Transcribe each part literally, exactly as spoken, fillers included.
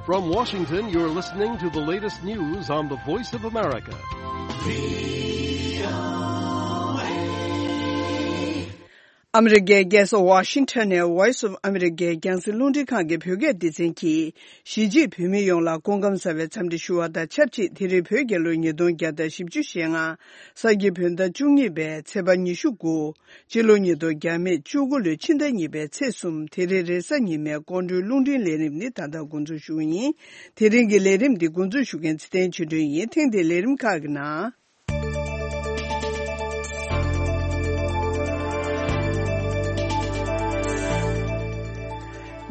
From Washington, you're listening to the latest news on the Voice of America. ཨ་མི་རི་ཀའི་རྒྱལ་ས་ཝ་ཤིང་ཊོན་ནས་Voice of America རྒྱང་སྲིང་རླུང་འཕྲིན་ཁང་གི་བོད་སྐད་སྡེ་ཚན་གྱིས། གཞིས་བྱེས་བོད་མི་ཡོངས་ལ་སྐུ་ཁམས་བཟང་བའི་འཚམས་འདྲི་ཞུ་བ་དང་ཆབས་ཅིག་དེ་རིང་བོད་རྒྱལ་ལོ་ཉིས་སྟོང་བརྒྱ་དང་བཞི་བཅུ་ཞེ་ལྔ། ས་ཁྱི་བོད་ཟླ་བཅུ་གཉིས་པའི་ཚེས་པ་ཉི་ཤུ་དགུ། སྤྱི་ལོ་ཉིས་སྟོང་བརྒྱ་མེད་བཅུ་དགུ་ལོའི་ཕྱི་ཟླ་གཉིས་པའི་ཚེས་གསུམ། དེ་རིང་རེས་གཟའ་ཉི་མའི་སྐོར་འགྲོའི་རླུང་འཕྲིན་ལས་རིམ་ནི་ད་ལྟ་འགོ་འཛུགས་ཞུ་གི་ཡིན། དེ་རིང་གི་ལས་རིམ་འདི་འགོ་འཛུགས་ཞུ་མཁན་ཚེ་བརྟན་ཆོས་སྒྲོན་ཡིན། ཐེངས་འདིའི་ལས་རིམ་ཁག་གི་ནང་།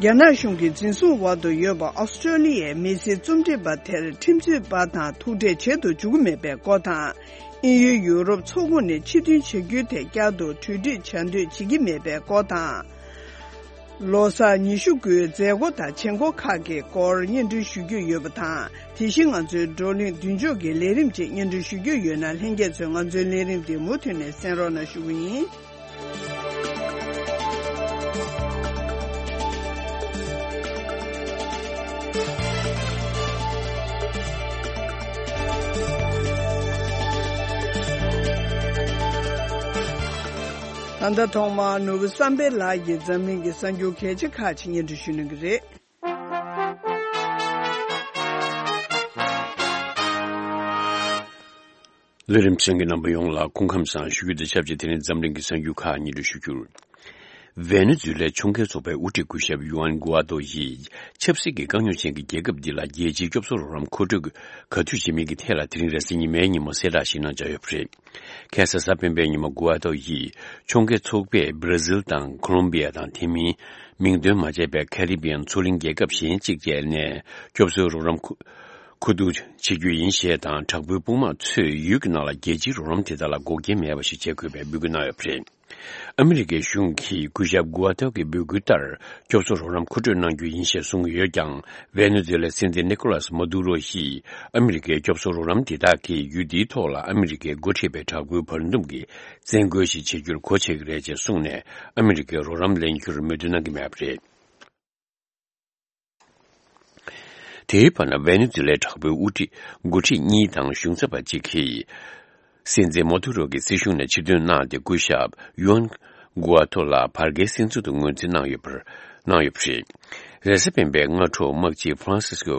རྒྱ་ནག་གཞུང་གིས་འཛིན་བཟུང་འོག་ཏུ་ཡོད་པ་ཨོ་སི་ཀྲོ་ལི་ཡའི་མི་སེར་རྩོམ་སྒྲིག་པ་དེར་ཁྲིམས་རྩོད་པ་དང་ཐུག་འཕྲད་བྱེད་དུ་འཇུག་གི་མེད་པའི་སྐོར་དང་། དབྱིན་ཡུལ་ཡུ་རོབ་ཚོགས་ཁོངས་ནས་ཕྱིར་འཐེན་བྱ་རྒྱུའི་ཐད་བསྐྱར་དུ་གྲོས་བསྡུར་བྱ་འདོད་བྱེད་ཀྱི་མེད་པའི་སྐོར་དང་། ལོ་གསར་ཉི་ཤུ་དགུའི་མཛད་སྒོ་དང་བྱེད་སྒོ་ཁག་གི་སྐོར་སྙན་སྒྲོན་ཞུ་རྒྱུ་ཡོད་པ་དང་། དེ་བཞིན་ང་ཚོའི་བགྲོ་གླེང་མདུན་ལྕོག་གི་ལས་རིམ་བཅས་སྙན་སྒྲོན་ཞུ་རྒྱུ་ཡོད་ན། ལྷན་རྒྱས་ཚོས་ང་ཚོའི་ལས་རིམ་འདི་མུ་མཐུད་ནས་གསན་རོགས་གནང་ཞུ་གི་ཡིན། ད་ལྟ་ཐོག་མར་ནོར་བུ་བསམ་འཕེལ་ལགས་ཀྱིས་འཛམ་གླིང་གི་གསར་འགྱུར་གལ་ཆེ་ཁག་ཅིག་སྙན་སྒྲོན་ཞུ་གནང་གི་རེད། ལས་རིམ་གསན་མཁན་རྣམ་པ་ཡོངས་ལ་སྐུ་ཁམས་བཟང་ཞུ་རྒྱུ་དང་ཆབས་ཅིག་དེ་རིང་འཛམ་གླིང་གི་གསར་འགྱུར་ཁག་སྙན་སྒྲོན་ཞུ་རྒྱུར། ཝེ་ནེ་ཛུ་ལའི་ཁྱུང་རྒྱལ་ཚོགས་པའི་དབུ་ཁྲིད་སྐུ་ཞབས་ཡུ་ཨན་གུ་ཨ་ཏོ་ཡིས་ཆབ་སྲིད་ཀྱི་དཀའ་རྙོག་ཅན་གྱི་རྒྱལ་ཁབ་འདི་ལ་རྒྱལ་སྤྱིའི་སྐྱོབ་གསོ་རོགས་རམ་མཁོ་སྤྲོད་ག་དུས་བྱེད་མིན་གྱི་ཐད་ལ་དེ་རིང་རེས་གཟའ་ཉི་མའི་ཉིན་མོ་གསལ་བསྒྲགས་ཤིག་གནང་འཆར་ཡོད་པ་རེད། ཁ་སང་གཟའ་སྤེན་པའི་ཉིན་མོ་གུ་ཨ་ཏོ་ཡིས་ཁྱུང་རྒྱལ་ཚོགས་པས་སྦྲ་ཟིལ་དང་ཁོ་ལོམ་བི་ཡ་དང་དེ་མིན་མིང་འདོན་མ་བྱས་པའི་ཁ་རི་བི་ཡན་མཚོ་གླིང་རྒྱལ་ཁབ་གཞན་གཅིག་བཅས་ནས་སྐྱོབ་གསོའི་རོགས་རམ་མཁོ་མཁོ་བསྡུ་བྱེད་རྒྱུ་ཡིན་ཞེས་དང་། དྲག་པོའི་དཔུང་དམག་ཚོས་ཡུལ་གྱི་ནང་ལ་རྒྱལ་སྤྱིའི་རོགས་རམ་དེ་དག་ལ་འགོག་རྐྱེན་མེད་པ་ཞིག་བྱེད་དགོས་པའི་འབོད་སྐུལ་གནང་ཡོད་པ་རེད། ཨ་མི་རི་ཀའི་གཞུང་གིས་སྐུ་ཞབས་གུ་ཨ་ཏོ་གི་འབོད་སྐུལ་ལྟར་སྐྱོབ་གསོ་རོགས་རམ་མཁོ་སྤྲོད་གནང་རྒྱུ་ཡིན་ཞེས་གསུངས་ཡོད་ཀྱང་། ཝེ་ནེ་ཛུ་ལའི་སྲིད་འཛིན་ནི་ཀོ་ལཱས་མ་དུ་རོ་ཡིས་ཨ་མི་རི་ཀའི་སྐྱོབ་གསོ་རོགས་རམ་དེ་དག་གིས་ཡུལ་འདིའི་ཐོག་ལ་ཨ་མི་རི་ཀས་འགོ་ཁྲིད་པའི་དྲག་པོའི་བར་འདུམ་གྱི་བཙན་རྒོལ་ཞིག་བྱེད་རྒྱུར་གོ་ཆོད་ཀྱི་རེད་ཅེས་གསུངས་ནས། ཨ་མི་རི་ཀའི་རོགས་རམ་ལེན་རྒྱུར་མོས་མཐུན་གནང་གི་མེད་པ་རེད། དེའི་བར་ན། ཝེ་ནེ་ཛུ་ལའི་དྲག་པོའི་དབུ་ཁྲིད་འགོ་ཁྲིད་གཉིས་དང་གཞུང་ཚབ་པ་གཅིག་གིས་སྲིད་འཛིན་མོ་དུ་རོ་གི་སྲིད་གཞུང་ནས་ཕྱིར་འདོན་གནང་སྟེ། སྐུ་ཞབས་ཡུ་ཨན་གུ་ཨ་ཐོ་ལ་བར་བརྒལ་སྲིད་འཛིན་དུ་ངོས་འཛིན་གནང་ཡོད་པར་གནང་ཡོད་པ་རེད། རེས་གཟའ་སྤེན་པའི་སྔ་དྲོ་དམག་སྤྱི་ཧྥ་རན་སིས་ཀོ་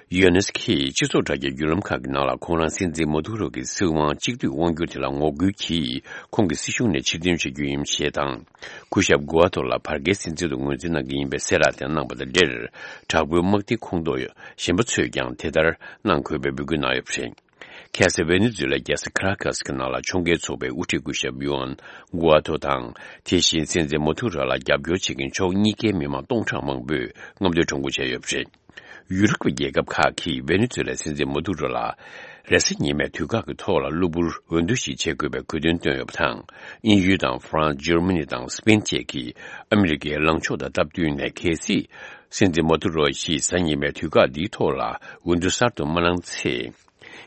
ཡོ་ནེས་ཀྱིས་སྤྱི་ཚོགས་དྲ་རྒྱའི་བརྒྱུད་ལམ་ཁག་གི་ནང་ལ། ཁོང་རང་སྲིད་འཛིན་མོ་དུ་རོ་གི་སྲིད་དབང་གཅིག་སྡུད་དབང་སྒྱུར་དེ་ལ་ངོ་རྒོལ་གྱིས་ཁོང་གི་སྲིད་གཞུང་ནས་ཕྱིར་འདོན་བྱ་རྒྱུ་ཡིན་ཞེས་དང་། སྐུ་ཞབས་གུ་ཨ་ཐོ་ལ་བར་བརྒལ་སྲིད་འཛིན་དུ་ངོས་འཛིན་གནང་གི་ཡིན་པའི་གསལ་བསྒྲགས་དེ་གནང་བ་དང་འབྲེལ། དྲག་པོའི་དམག་སྡེ་ཁོངས་གཏོགས་གཞན་པ་ཚོས་ཀྱང་དེ་ལྟར་གནང་དགོས་པའི་འབོད་སྐུལ་གནང་ཡོད་པ་རེད། ཁ་སང་ཝེ་ནེ་ཛུ་ལའི་རྒྱལ་ས་ཁ་ར་ཀ་སི་ཀྱི་ནང་ལ་ཁྱུང་རྒྱལ་ཚོགས་པའི་དབུ་ཁྲིད་སྐུ་ཞབས་ཡུ་ཨན་གུ་ཨ་ཐོ་དང་། དེ་བཞིན་སྲིད་འཛིན་མོ་དུ་ར་ལ་རྒྱབ་སྐྱོར་བྱེད་མཁན་ཕྱོགས་གཉིས་ཀའི་མི་མང་སྟོང་ཕྲག་མང་པོས་རྔམ་སྟོན་ཁྲོམ་སྐོར་བྱས་ཡོད་པ་རེད། ཡུ་རོབ་ཀྱི་རྒྱལ་ཁབ་ཁག་གིས་ཝེ་ནེ་ཛུ་ལའི་སྲིད་འཛིན་མོ་དུ་རོ་ལ་རེས་གཟའ་ཉི་མའི་དུས་བཀག་གི་ཐོག་ལ་གློ་བུར་འོས་བསྡུ་ཞིག་བྱེད་དགོས་པའི་དགོས་འདུན་བཏོན་ཡོད་པ་དང་། དབྱིན་ཡུལ་དང་ཧྥ་རན་སི། འཇར་མ་ནི་དང་སི་པེན་བཅས་ཀྱིས་ཨ་མི་རི་ཀའི་ལངས་ཕྱོགས་དང་སྟབས་བསྟུན་ནས། གལ་སྲིད་སྲིད་འཛིན་མོ་དུ་རོ་ཞིག་གཟའ་ཉི་མའི་དུས་བཀག་འདིའི་ཐོག་ལ་འོས་བསྡུ་གསར་དུ་མ་གནང་ཚེ།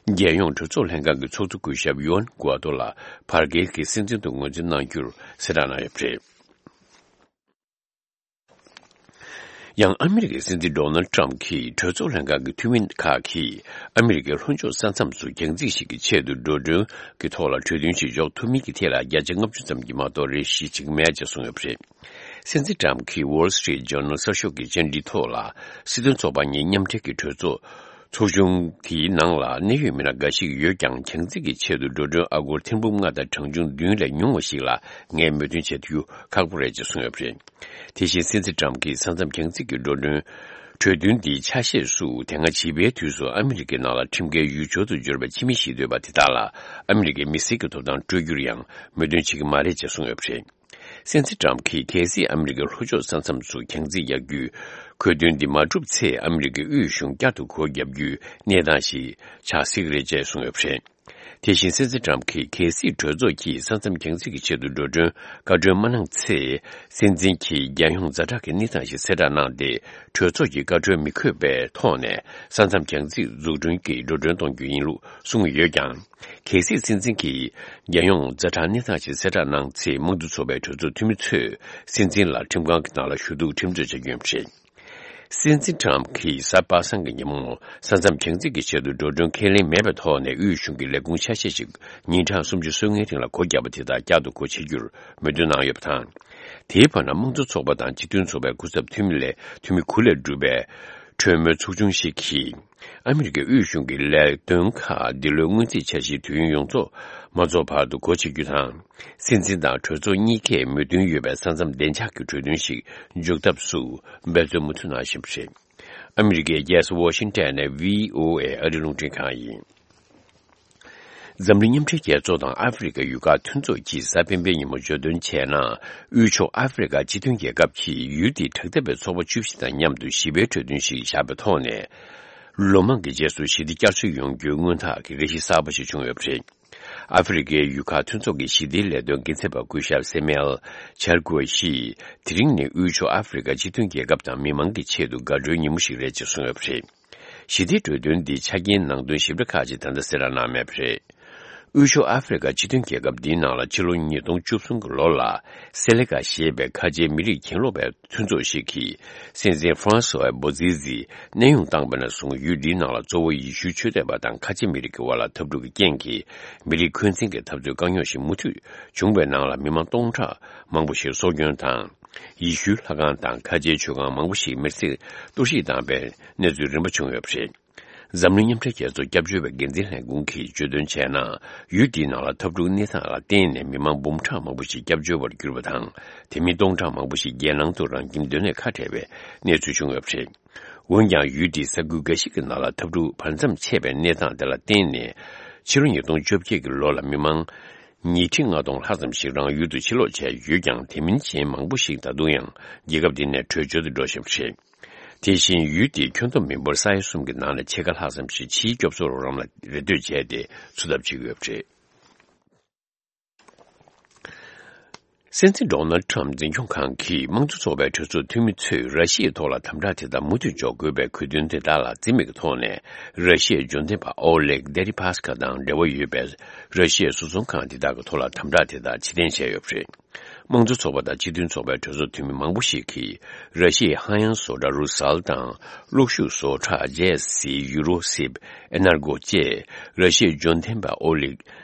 རྒྱལ་ཡོངས་གྲོས་ཚོགས་ལྷན་ཁང་གི་ཚོགས་གཙོ་སྐུ་ཞབས་ཡུ་ཨན་གུ་ཨ་ཏོ་ལ་བར་བརྒལ་གྱི་སྲིད་འཛིན་དུ་ངོས་འཛིན་གནང་རྒྱུར་གསལ་བསྒྲགས་གནང་ཡོད་པ་རེད། ཡང་ཨ་མི་རི་ཀའི་སྲིད་འཛིན་ཌོ་ནལ་ཊམ་གྱིས་གྲོས་ཚོགས་ལྷན་ཁང་གི་འཐུས་མི་ཁག་གིས་ཨ་མི་རི་ཀའི་ལྷོ་ཕྱོགས་ས་མཚམས་སུ་རྒྱང་རྩིས་ཤིག་གི་ཆེད་དུ་འགྲོ་གྲོན་གྱི་ཐོག་ལ་གྲོས་མཐུན་ཞིག་འཇོག་ཐུབ་མིན་གྱི་ཐད་ལ་བརྒྱ་ཆ་ལྔ་བཅུ་ཙམ་གྱིས་མ་གཏོགས་རེ་ཞིག་བྱེད་ཀྱི་མེད་ཅེས་གསུངས་ཡོད་པ་རེད། སྲིད་འཛིན་ཊམ་གྱིས་Wall Street Journal གསར་ཤོག་གི་བཅར་འདྲིའི་ཐོག་ལ། སྲིད་དོན་ཚོགས་པ་གཉིས་མཉམ་འབྲེལ་གྱི་གྲོས་ཚོགས་ཚོགས་ཆུང་དེའི་ནང་ལ་གནད་ཡོད་མི་སྣ་འགའ་ཞིག་ཡོད་ཀྱང་། རྒྱང་རྩིས་ཀྱི་ཆེད་དུ་འགྲོ་གྲོན་ཨ་སྒོར་ཐེར་འབུམ་ལྔ་དང་གྲངས་ཆུང་བདུན་ལས་ཉུང་བ་ཞིག་ལ་ངས་མོས་མཐུན་བྱེད་ཐུབ་རྒྱུ་ཁག་པོ་རེད་ཅེས་གསུངས་ཡོད་པ་རེད། དེ་བཞིན་སྲིད་འཛིན་ཊམ་གྱིས་ས་མཚམས་རྒྱང་རྩིས་ཀྱི་འགྲོ་གྲོན་གྲོས་མཐུན་འདིའི་ཆ་ཤས་སུ། དེ་སྔ་བྱིས་པའི་དུས་སུ་ཨ་མི་རི་ཀའི་ནང་ལ་ཁྲིམས་འགལ་ཡུལ་སྦྱོར་དུ་གྱུར་པའི་ཕྱི་མི་ཞིག་སྡོད་པ་དེ་དག་ལ་ཨ་མི་རི་ཀའི་མི་སེར་གྱི་ཐོབ་ཐང་སྤྲོད་རྒྱུར་ཡང་མོས་མཐུན་བྱེད་ཀྱི་མ་རེད་ཅེས་གསུངས་ཡོད་པ་རེད། སྲིད་འཛིན་ཊམ་གྱིས་གལ་སྲིད་ཨ་མི་རི་ཀའི་ལྷོ་ཕྱོགས་ས་མཚམས་སུ་རྒྱང་རྩིས་རྒྱག་རྒྱུའི་གྲོས་མཐུན་འདི་མ་གྲུབ་ཚེ། ཨ་མི་རི་ཀའི་དབུས་གཞུང་བསྐྱར་དུ་སྒོ་བརྒྱབ་རྒྱུའི་གནས་སྟངས་ཤིག་ཆགས་སྲིད་ཀྱི་རེད་ཅེས་གསུངས་ཡོད་པ་རེད། དེ་བཞིན་སྲིད་འཛིན་ཊམ་གྱིས་གལ་སྲིད་གྲོས་ཚོགས་ཀྱིས་ས་མཚམས་རྒྱང་རྩིས་ཀྱི་ཆེད་དུ་འགྲོ་གྲོན་བཀའ་འཁྲོལ་མ་གནང་ཚེ། སྲིད་འཛིན་གྱིས་རྒྱལ་ཡོངས་ཛ་དྲག་གི་གནས་སྟངས་ཤིག་གསལ་བསྒྲགས་གནང་སྟེ། གྲོས་ཚོགས་ཀྱི་བཀའ་འཁྲོལ་མི་འཁོད་པའི་ཐོག་ནས་ས་མཚམས་རྒྱང་རྩིས་འཛུགས་སྐྲུན་གྱི་འགྲོ་གྲོན་གཏོང་རྒྱུ་ཡིན་ལུགས་གསུངས་ཡོད་ཀྱང་། གལ་སྲིད་སྲིད་འཛིན་གྱིས་རྒྱལ་ཡོངས་ཛ་དྲག་གནས་སྟངས་ཤིག་གསལ་བསྒྲགས་གནང་ཚེ། དམངས་གཙོ་ཚོགས་པའི་གྲོས་ཚོགས་འཐུས་མི་ཚོས་སྲིད་འཛིན་ལ་ཁྲིམས་ཁང་གི་ནང་ལ་ཞུ་གཏུག་ཁྲིམས་གཏོད་བྱ་རྒྱུ་ཡིན་པ་རེད། སྲིད་འཛིན་ཊམ་གྱིས་གཟའ་པ་སངས་ཀྱི་ཉིན་མོ་ས་མཚམས་རྒྱང་རྩིས་ཀྱི་ཆེད་དུ་འགྲོ་གྲོན་ཁས་ལེན་མེད་པའི་ཐོག་ནས་དབུས་གཞུང་གི་ལས་ཁུངས་ཆ་ཤས་ཤིག་ཉིན་གྲངས་སུམ་ཅུ་སོ་ལྔའི་རིང་ལ་སྒོ་བརྒྱབ་པ་དེ་དག་བསྐྱར་དུ་སྒོ་ཕྱེ་རྒྱུར་མོས་མཐུན་གནང་ཡོད་པ་དང་། དེའི་བར་ན་དམངས་གཙོ་ཚོགས་པ་དང་སྤྱི་མཐུན་ཚོགས་པའི་སྐུ་ཚབ་འཐུས་མི་ལས་འཐུས་མི་དགུ་ལས་གྲུབ་པའི་གྲོས་མོལ་ཚོགས་ཆུང་ཞིག་གིས། ཨ་མི་རི་ཀའི་དབུས་གཞུང་གི་ལས་དོན་ཁག་འདི་ལོའི་སྔོན་རྩིས་འཆར་གཞིའི་དུས་ཡུན་ཡོངས་རྫོགས་མ་རྫོགས་བར་དུ་སྒོ་ཕྱེ་རྒྱུ་དང་། སྲིད་འཛིན་དང་གྲོས་ཚོགས་གཉིས་ཀས་མོས་མཐུན་ཡོད་པའི་ས་མཚམས་བདེ་འཇགས་ཀྱི་གྲོས་མཐུན་ཞིག་འཇོག་ཐབས་སུ་འབད་བརྩོན་མུ་མཐུད་གནང་བཞིན་པ་རེད། ཨ་མི་རི་ཀའི་རྒྱལ་ས་ཝ་ཤིང་ཊོན་ནས་བྷི་ཨོ་ཨེ་ཨ་རི་རླུང་འཕྲིན་ཁང་ཡིན། འཛམ་གླིང་མཉམ་འབྲེལ་རྒྱལ་ཚོགས་དང་ཨ་ཧྥེ་རི་ཁ་ཡུལ་ཁག་མཐུན་ཚོགས་ཀྱིས་གཟའ་སྤེན་པའི་ཉིན་མོ་བརྗོད་དོན་བྱས་ན། དབུས་ཕྱོགས་ཨ་ཧྥེ་རི་ཁ་སྤྱི་མཐུན་རྒྱལ་ཁབ་ཀྱིས་ཡུལ་དེའི་དྲག་འཐབ་པའི་ཚོགས་པ་བཅུ་བཞི་དང་མཉམ་དུ་ཞི་བའི་གྲོས་མཐུན་ཞིག་བཞག་པའི་ཐོག་ནས། ལོ་མང་གི་རྗེས་སུ་ཞི་བདེ་བསྐྱར་གསོ་ཡོང་རྒྱུའི་སྔོན་ཐག་གི་ལས་གཞི་གསར་པ་ཞིག་བྱུང་ཡོད་པ་རེད། ཨ་ཧྥེ་རི་ཁའི་ཡུལ་ཁག་མཐུན་ཚོགས་ཀྱི་ཞི་བདེའི་ལས་དོན་འགན་འཛིན་པ་སྐུ་ཞབས་སེ་མེལ་ཆར་ཀུ་ཨེ་ཤིས་དེ་རིང་ནས་དབུས་ཕྱོགས་ཨ་ཧྥེ་རི་ཁ་སྤྱི་མཐུན་རྒྱལ་ཁབ་དང་མི་མང་གི་ཆེད་དུ་དགའ་སྤྲོའི་ཉིན་མོ་ཞིག་རེད་ཅེས་གསུངས་ཡོད་པ་རེད། ཞི་བདེའི་གྲོས་མཐུན་འདིའི་ཆ་རྐྱེན་ནང་དོན་ཞིབ་ཕྲ་ཁག་ཅིག་ད་ལྟ་གསལ་བསྒྲགས་གནང་མེད་པ་རེད། དབུས་ཕྱོགས་ཨ་ཧྥེ་རི་ཁ་སྤྱི་མཐུན་རྒྱལ་ཁབ་འདིའི་ནང་ལ་ཕྱི་ལོ་ཉིས་སྟོང་བཅུ་གསུམ་གྱི་ལོ་ལ་སེ་ལེ་ཀ་ཞེས་པའི་ཁ་ཆེའི་མི་རིགས་གྱེན་ལོག་པའི་མཐུན་ཚོགས་ཤིག་གིས་སྲིད་འཛིན་ཧྥ་རན་སུ་ཝེ་བོ་ཛི་ཛི་གནས་དབྱུང་བཏང་བ་ནས་བཟུང་ཡུལ་འདིའི་ནང་ལ་གཙོ་བོ་ཡེ་ཤུའི་ཆོས་དད་པ་དང་ཁ་ཆེ་མི་རིགས་ཀྱི་དབར་ལ་འཐབ་འཁྲུག་གི་རྐྱེན་གྱིས་མི་རིགས་འཁོན་འཛིན་གྱི་འཐབ་རྩོད་དཀའ་རྙོག་ཞིག་མུ་མཐུད་བྱུང་བའི་ནང་ལ་མི་མང་སྟོང་ཕྲག་མང་པོ་ཞིག་སྲོག་སྐྱོན་དང་། ཡེ་ཤུའི་ལྷ་ཁང་དང་ཁ་ཆེའི་མཆོད་ཁང་མང་པོ་ཞིག་མེར་སྲེག་གཏོར་བཤིག་བཏང་བའི་གནས་ཚུལ་རིམ་པ་བྱུང་ཡོད་པ་རེད། འཛམ་གླིང་མཉམ་འབྲེལ་རྒྱལ་ཚོགས་སྐྱབས་བཅོལ་བའི་འགན་འཛིན་ལྷན་ཁང་གིས་བརྗོད་དོན་བྱས་ན། ཡུལ་འདིའི་ནང་ལ་འཐབ་འཁྲུག་གནས་སྟངས་ལ་བརྟེན་ནས་མི་མང་འབུམ་ཕྲག་མང་པོ་ཞིག་སྐྱབས་བཅོལ་བར་གྱུར་པ་དང་། དེ་མིན་སྟོང་ཕྲག་མང་པོ་ཞིག་རྒྱལ་ནང་དུ་རང་ཁྱིམ་སྡོད་གནས་ཁ་བྲལ་བའི་གནས་ཚུལ་བྱུང་ཡོད་པ་རེད། འོན་ཀྱང་ཡུལ་འདིའི་ས་ཁུལ་འགའ་ཞིག་གི་ནང་ལ་འཐབ་འཁྲུག་བར་མཚམས་ཆད་པའི་གནས་སྟངས་དེ་ལ་བརྟེན་ནས། ཕྱི་ལོ་ཉིས་སྟོང་བཅོ་བརྒྱད་ཀྱི་ལོ་ལ་མི་མང་ཉིས་ཁྲི་ལྔ་སྟོང་ལྷག་ཙམ་ཞིག་རང་ཡུལ་དུ་ཕྱིར་ལོག་བྱས་ཡོད་ཀྱང་། དེ་མིན་གཞན་མང་པོ་ཞིག་ད་དུང་ཡང་རྒྱལ་ཁབ་འདི་ནས་བྲོས་བྱོལ་དུ་འགྲོ་བཞིན་པ་རེད། དེ་བཞིན་ཡུལ་དེའི་ཁྱོན་བསྡོམས་མི་འབོར་ས་ཡ་གསུམ་གྱི་ནང་ནས་ཕྱེད་ཀ་ལྷག་ཙམ་ཞིག་ཕྱིའི་སྐྱོབ་གསོ་རོགས་རམ་ལ་རེ་ལྟོས་བྱས་ཏེ་འཚོ་ཐབས་བྱེད་ཀྱི་ཡོད་པ་རེད། སྲིད་འཛིན་ཌོ་ནལ་ཊམ་འཛིན་སྐྱོང་ཁང་གིས་དམངས་གཙོ་ཚོགས་པའི་གྲོས་ཚོགས་འཐུས་མི་ཚོས་ར་ཤི་ཡའི་ཐོག་ལ་དམ་དྲག་དེ་དག་མུ་མཐུད་འཇོག་དགོས་པའི་དགོས་འདུན་དེ་དག་ལ་རྩིས་མེད་ཀྱི་ཐོག་ནས། ར་ཤི་ཡའི་འབྱོར་ལྡན་པ་ཨོ་ལེག་དེ་རི་པཱས་ཁ་དང་འབྲེལ་བ་ཡོད་པའི་ར་ཤི་ཡའི་བཟོ་ཚོང་ཁང་དེ་དག་གི་ཐོག་ལ་དམ་དྲག་དེ་དག་ཕྱིར་འཐེན་བྱས་ཡོད་པ་རེད། དམངས་གཙོ་ཚོགས་པ་དང་སྤྱི་མཐུན་ཚོགས་པའི་གྲོས་ཚོགས་འཐུས་མི་མང་པོ་ཞིག་གིས། ར་ཤི་ཡའི་ཧ་ཡང་བཟོ་གྲྭ་རུ་སལ་དང་། གློག་ཤུགས་བཟོ་གྲྭ་ཇེ་སི་ཡུ་རོ་སིབ་ཨེ་ནར་གོ་བཅས། ར་ཤི་ཡའི་འབྱོར་ལྡན་པ་ཨོ་ལིག་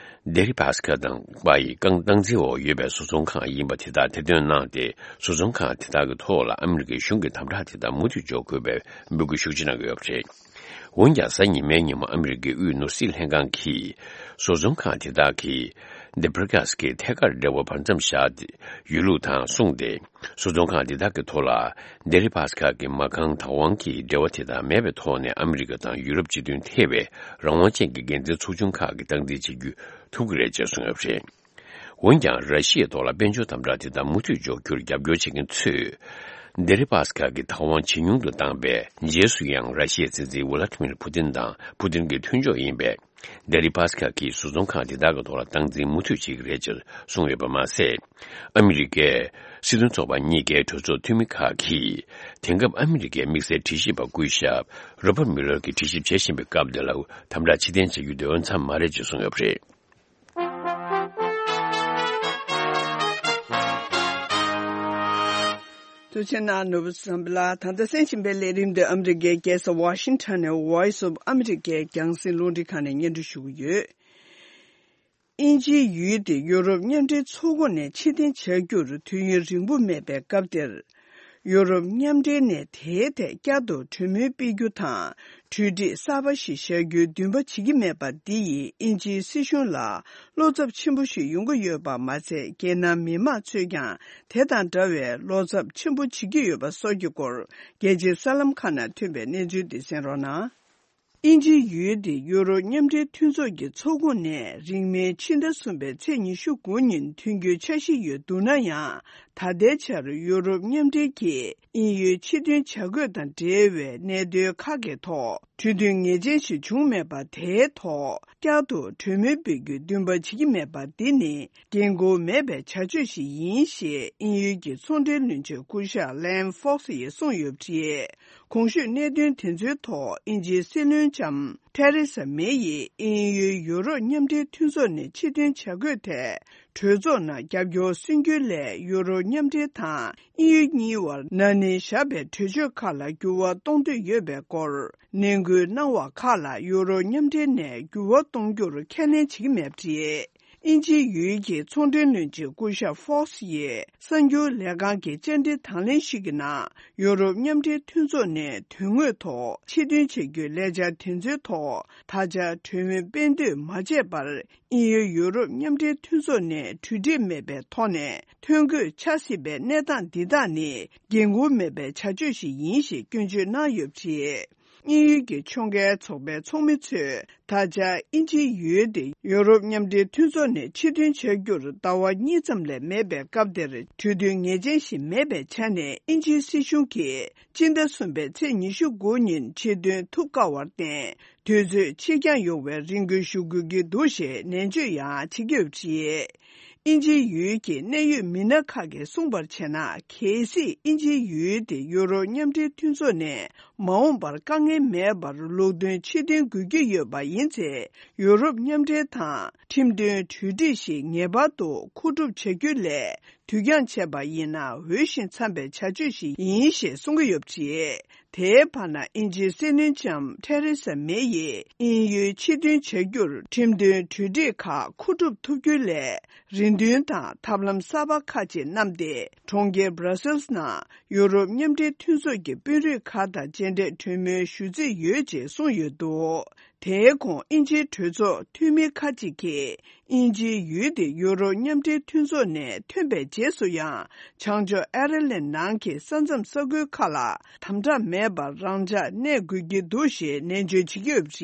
དེ་རི་པཱས་ཁ་དང་པ་ཡི་རྐང་སྟངས་འཛིན་འོག་ཡོད་པའི་བཟོ་ཚོང་ཁང་ཡིན་པ་དེ་དག་ཐེར་འདོན་གནང་སྟེ། བཟོ་ཚོང་ཁང་དེ་དག་གི་ཐོག་ལ་ཨ་མི་རི་ཀའི་གཞུང་གི་དམ་དྲག་དེ་དག་མུ་མཐུད་འཇོག་དགོས་པའི་འབོད་སྐུལ་ཤུགས་ཆེ་གནང་གི་ཡོད་པ་རེད། འོན་ཀྱང་། གཟའ་ཉི་མའི་ཉིན་མོ་ཨ་མི་རི་ཀའི་དབུས་ནོར་སྲིད་ལྷན་ཁང་གིས། བཟོ་ཚོང་ཁང་དེ་དག་གིས་དེ་བྷི་རི་ཀཱས་ཀྱི་ཐད་ཀར་འབྲེལ་བ་བར་མཚམས་བཞག་ཡོད་ལུགས་དང་གསུངས་ཏེ། བཟོ་ཚོང་ཁང་དེ་དག་གི་ཐོག་ལ་དེ་རི་པཱས་ཁ་གི་མ་རྐང་བདག་དབང་གི་འབྲེལ་བ་དེ་དག་མེད་པའི་ཐོག་ནས། ཨ་མི་རི་ཀ་དང་ཡུ་རོབ་སྤྱི་མཐུན་ཐེ་བའི་རང་དབང་ཅན་གྱི་འགན་འཛིན་ཚོགས་ཆུང་ཁག་གིས་སྟངས་འཛིན་བྱེད་རྒྱུ་ཐུབ་ཀྱི་རེད་ཅེས་གསུངས་ཡོད་པ་རེད། འོན་ཀྱང་། ར་ཤི་ཡའི་ཐོག་ལ་དཔལ་འབྱོར་དམ་དྲག་དེ་དག་མུ་མཐུད་འཇོག་རྒྱུར་རྒྱབ་སྐྱོར་བྱེད་མཁན་ཚོས། དེ་རི་པཱས་ཁ་གི་བདག་དབང་ཇེ་ཉུང་དུ་བཏང་བའི་རྗེས་སུ་ཡང་། ར་ཤི་ཡའི་སྲིད་འཛིན་ཝུ་ལ་ཏི་མིར་ཕུ་ཏིན་དང་ཕུ་ཏིན་གྱི་མཐུན་ཕྱོགས་ཡིན་པའི་དེ་རི་པཱས་ཁ་གིས་བཟོ་ཚོང་ཁང་དེ་དག་གི་ཐོག་ལ་སྟངས་འཛིན་མུ་མཐུད་བྱེད་ཀྱི་རེད་ཅེས་གསུངས་ཡོད་པ་མ་ཟད། ཨ་མི་རི་ཀའི་སྲིད་དོན་ཚོགས་པ་གཉིས་ཀའི་གྲོས་ཚོགས་འཐུས་མི་ཁག་གིས། དེང་སྐབས་ཨ་མི་རི་ཀའི་དམིགས་བསལ་དྲི་ཞིབ་པ་སྐུ་ཞབས་རོ་པར་མུ་ལར་གྱིས་དྲི་ཞིབ་བྱེད་བཞིན་པའི་སྐབས་འདི་ལ་དམ་དྲག་ཕྱིར་འཐེན་བྱ་རྒྱུ་དེ་འོས་འཚམ་མ་རེད་ཅེས་གསུངས་ཡོད་པ་རེད། དུ་ཆེ་ན་ནོར་བུ་བསམ་པ་ལ། ད་ལྟ་གསན་བཞིན་པའི་ལས་རིམ་འདི་ཨ་མི་རི་ཀའི་རྒྱལ་ས་ཝ་ཤིང་ཊོན་ནས་Voice of America རྒྱང་སྲིང་རླུང་འཕྲིན་ཁང་ནས་སྙན་སྒྲོན་ཞུ་གི་ཡོད། དབྱིན་ཇིའི་ཡུལ་དེ་ཡོ་རོབ་མཉམ་འབྲེལ་ཚོགས་ཁོངས་ནས་ཕྱིར་འཐེན་བྱ་རྒྱུར་དུས་ཡུན་རིང་པོ་མེད་པའི་སྐབས་དེར། ཡོ་རོབ་མཉམ་འབྲེལ་ནས་དེའི་ཐད་བསྐྱར་དུ་གྲོས་མོལ་སྤེལ་རྒྱུ་དང་། གྲོས་འགྲིག་གསར་པ་ཞིག་བཞག་རྒྱུའི་འདུན་པ་བྱེད་ཀྱི་མེད་པ་འདི་ཡིས་དབྱིན་ཇིའི་སྲིད་གཞུང་ལ་བློ་འཚབ་ཆེན་པོ་ཞིག་ཡོང་གི་ཡོད་པ་མ་ཚད། རྒྱལ་ནང་མི་མང་ཚོས་ཀྱང་དེ་དང་འདྲ་བའི་བློ་འཚབ་ཆེན་པོ་བྱེད་ཀྱི་ཡོད་པ་སོགས་ཀྱི་སྐོར། རྒྱལ་སྤྱིའི་གསར་ལམ་ཁག་ནང་ཐོན་པའི་གནས་ཚུལ་འདི་གསན་རོགས་གནང་། དབྱིན་ཇིའི་ཡུལ་དེ་ཡོ་རོབ་མཉམ་འབྲེལ་མཐུན་ཚོགས་ཀྱི་ཚོགས་ཁོངས་ནས་རིང་མིན་ཕྱི་ཟླ་གསུམ་པའི་ཚེས་ཉི་ཤུ་དགུ་ཉིན་ཐོན་རྒྱུའི་འཆར་གཞི་ཡོད་འདུག་ན་ཡང་། ད་ལྟའི་ཆར་ཡོ་རོབ་མཉམ་འབྲེལ་གྱིས་དབྱིན་ཡུལ་ཕྱིར་འཐེན་བྱ་དགོས་དང་འབྲེལ་བའི་གནད་དོན་ཁག་གི་ཐོག་གྲོས་མཐུན་ངེས་ཅན་ཞིག་བྱུང་མེད་པ། དེའི་ཐོག་བསྐྱར་དུ་གྲོས་མོལ་སྤེལ་རྒྱུའི་འདུན་པ་བྱེད་ཀྱི་མེད་པ་འདི་ནི། འགན་ཁུར་མེད་པའི་བྱ་སྤྱོད་ཞིག་ཡིན་ཞེས་དབྱིན་ཡུལ་གྱི་ཚོང་འབྲེལ་བློན་ཆེན་སྐུ་ཞབས་ལན་ཧྥོག་སི་ཡིས་གསུངས་ཡོད་པ་རེད། གོང་ཞུས་གནད་དོན་དེ་ཚོའི་ཐོག་དབྱིན་ཇིའི་སྲིད་བློན་ལྕམ་ ཐེ་རེ་ས་མེ་ཡིས་དབྱིན་ཡུལ་ཡུ་རོབ་མཉམ་འབྲེལ་མཐུན་ཚོགས་ནས་ཕྱིར་འཐེན་བྱ་དགོས་ཐད། གྲོས་ཚོགས་ནང་རྒྱབ་སྐྱོར་སུན་འགྱུར་སླད་ཡུ་རོབ་མཉམ་འབྲེལ་དང་དབྱིན་ཡུལ་གཉིས་བར་ན་ནིང་བཞག་པའི་གྲོས་ཆོད་ཁག་ལ་འགྱུར་བ་གཏོང་འདོད་ཡོད་པའི་སྐོར་ནན་སྐུལ་གནང་བ་ཁག་ལ་ཡུ་རོབ་མཉམ་འབྲེལ་ནས་འགྱུར་བ་གཏོང་རྒྱུར་ཁས་ལེན་བྱེད་ཀྱི་མེད་པ་རེད། དབྱིན་ཇིའི་ཡུལ་གྱི་ཚོང་འབྲེལ་བློན་ཆེན་སྐུ་ཞབས་ཧྥོག་སི་ཡིས་གསར་འགྱུར་ལས་ཁང་གི་བཅར་འདྲི་དང་ལེན་ཞིག་གི་ནང་ཡུ་རོབ་མཉམ་འབྲེལ་མཐུན་ཚོགས་ནས་དོན་དངོས་ཐོག་ཕྱིར་འཐེན་བྱ་རྒྱུའི་ལས་འཆར་དེ་ཚོའི་ཐོག་ད་ཆ་གྲོས་མོལ་སྤེལ་འདོད་མ་བྱས་པར། དབྱིན་ཡུལ་ཡུ་རོབ་མཉམ་འབྲེལ་མཐུན་ཚོགས་ནས་གྲོས་འགྲིག་མེད་པའི་ཐོག་ནས་ཐོན་དགོས་ཆགས་སྲིད་པའི་གནས་སྟངས་འདི་དག་ནི་འགན་ཁུར་མེད་པའི་བྱ་སྤྱོད་ཞིག་ཡིན་ཞེས་སྐྱོན་བརྗོད་གནང་ཡོད་པ་རེད། དབྱིན་ཡུལ་གྱི་ཕྱོགས་འགལ་ཚོགས་པའི་ཚོགས་མི་ཚོས་ད་ཆ་དབྱིན་ཇིའི་ཡུལ་དེ་ཡུ་རོབ་མཉམ་འབྲེལ་མཐུན་ཚོགས་ནས་ཕྱིར་འཐེན་བྱ་རྒྱུར་ཟླ་བ་གཉིས་ཙམ་ལས་མེད་པའི་སྐབས་དེར་གྲོས་མཐུན་ངེས་ཅན་ཞིག་མེད་པའི་ཆ་ནས་དབྱིན་ཇིའི་སྲིད་གཞུང་གིས་སྤྱི་ཟླ་གསུམ་པའི་ཚེས་ཉི་ཤུ་དགུ་ཉིན་ཕྱིར་འདོན་ཐུབ་དཀའ་བར་བརྟེན། དུས་ཚོད་ཕྱིར་འགྱངས་ཡོང་བའི་རེ་སྐུལ་ཞུ་དགོས་ཀྱི་འདུག་ཞེས་ནན་བརྗོད་ཡང་བྱེད་ཀྱི་ཡོད་པ་རེད། དབྱིན་ཇིའི་ཡུལ་གྱི་གནད་ཡོད་མི་སྣ་ཁག་གིས་གསུངས་པར་བྱས་ན། གལ་སྲིད་དབྱིན་ཇིའི་ཡུལ་དེ་ཡུ་རོབ་མཉམ་འབྲེལ་མཐུན་ཚོགས་ནས་མ་འོངས་པར་དཀའ་ངལ་མེད་པར་ལུགས་མཐུན་ཕྱིར་འཐེན་དགོས་ཀྱི་ཡོད་པ་ཡིན་ཚེ། ཡུ་རོབ་མཉམ་འབྲེལ་དང་ཁྲིམས་མཐུན་གྲོས་འགྲིག་ཞིག་ངེས་པར་དུ་མཁོ་སྒྲུབ་བྱ་རྒྱུ་ལས། དུས་འགྱངས་བྱས་པ་ཡིན་ན་འོས་ཤིང་འཚམ་པའི་བྱ་སྤྱོད་ཞིག་ཡིན་ཞེས་གསུང་གི་ཡོད་པ་རེད། དེའི་བར་ན་དབྱིན་ཇིའི་སྲིད་བློན་ལྕམ་ཐེ་རེ་ས་མེ་ཡིས་དབྱིན་ཡུལ་ཕྱིར་འཐེན་བྱ་རྒྱུར་ཁྲིམས་མཐུན་གྲོས་འགྲིག་ཁག་མཁོ་སྒྲུབ་ཐུབ་རྒྱུའི་སླད་རེ་འདུན་དང་ཐབས་ལམ་གསར་པ་ཁག་ཅིག་བསྣམས་ཏེ། གྲོང་ཁྱེར་Brussels་ནང་ཡུ་རོབ་མཉམ་འབྲེལ་མཐུན་ཚོགས་ཀྱི་དཔོན་རིགས་ཁག་དང་མཇལ་འཕྲད་གྲོས་མོལ་ཞུ་རྩིས་ཡོད་ཅེས་གསུངས་ཡོད་འདུག་དེའི་གོང་དབྱིན་ཇིའི་གྲོས་ཚོགས་འཐུས་མི་ཁག་ཅིག་གིས། དབྱིན་ཇིའི་ཡུལ་དེ་ཡུ་རོབ་མཉམ་འབྲེལ་མཐུན་ཚོགས་ནས་ཐོན་པའི་རྗེས་སུ་ཡང་། བྱང་ཕྱོགས་ཨེར་ལན་ནང་གི་ས་མཚམས་ས་ཁུལ་ཁག་ལ་དམ་དྲག་མེད་པར་རང་འཇགས་གནས་དགོས་ཀྱི་འདུག་ཞེས་ནན་བརྗོད་བྱེད་ཀྱི་ཡོད་པ་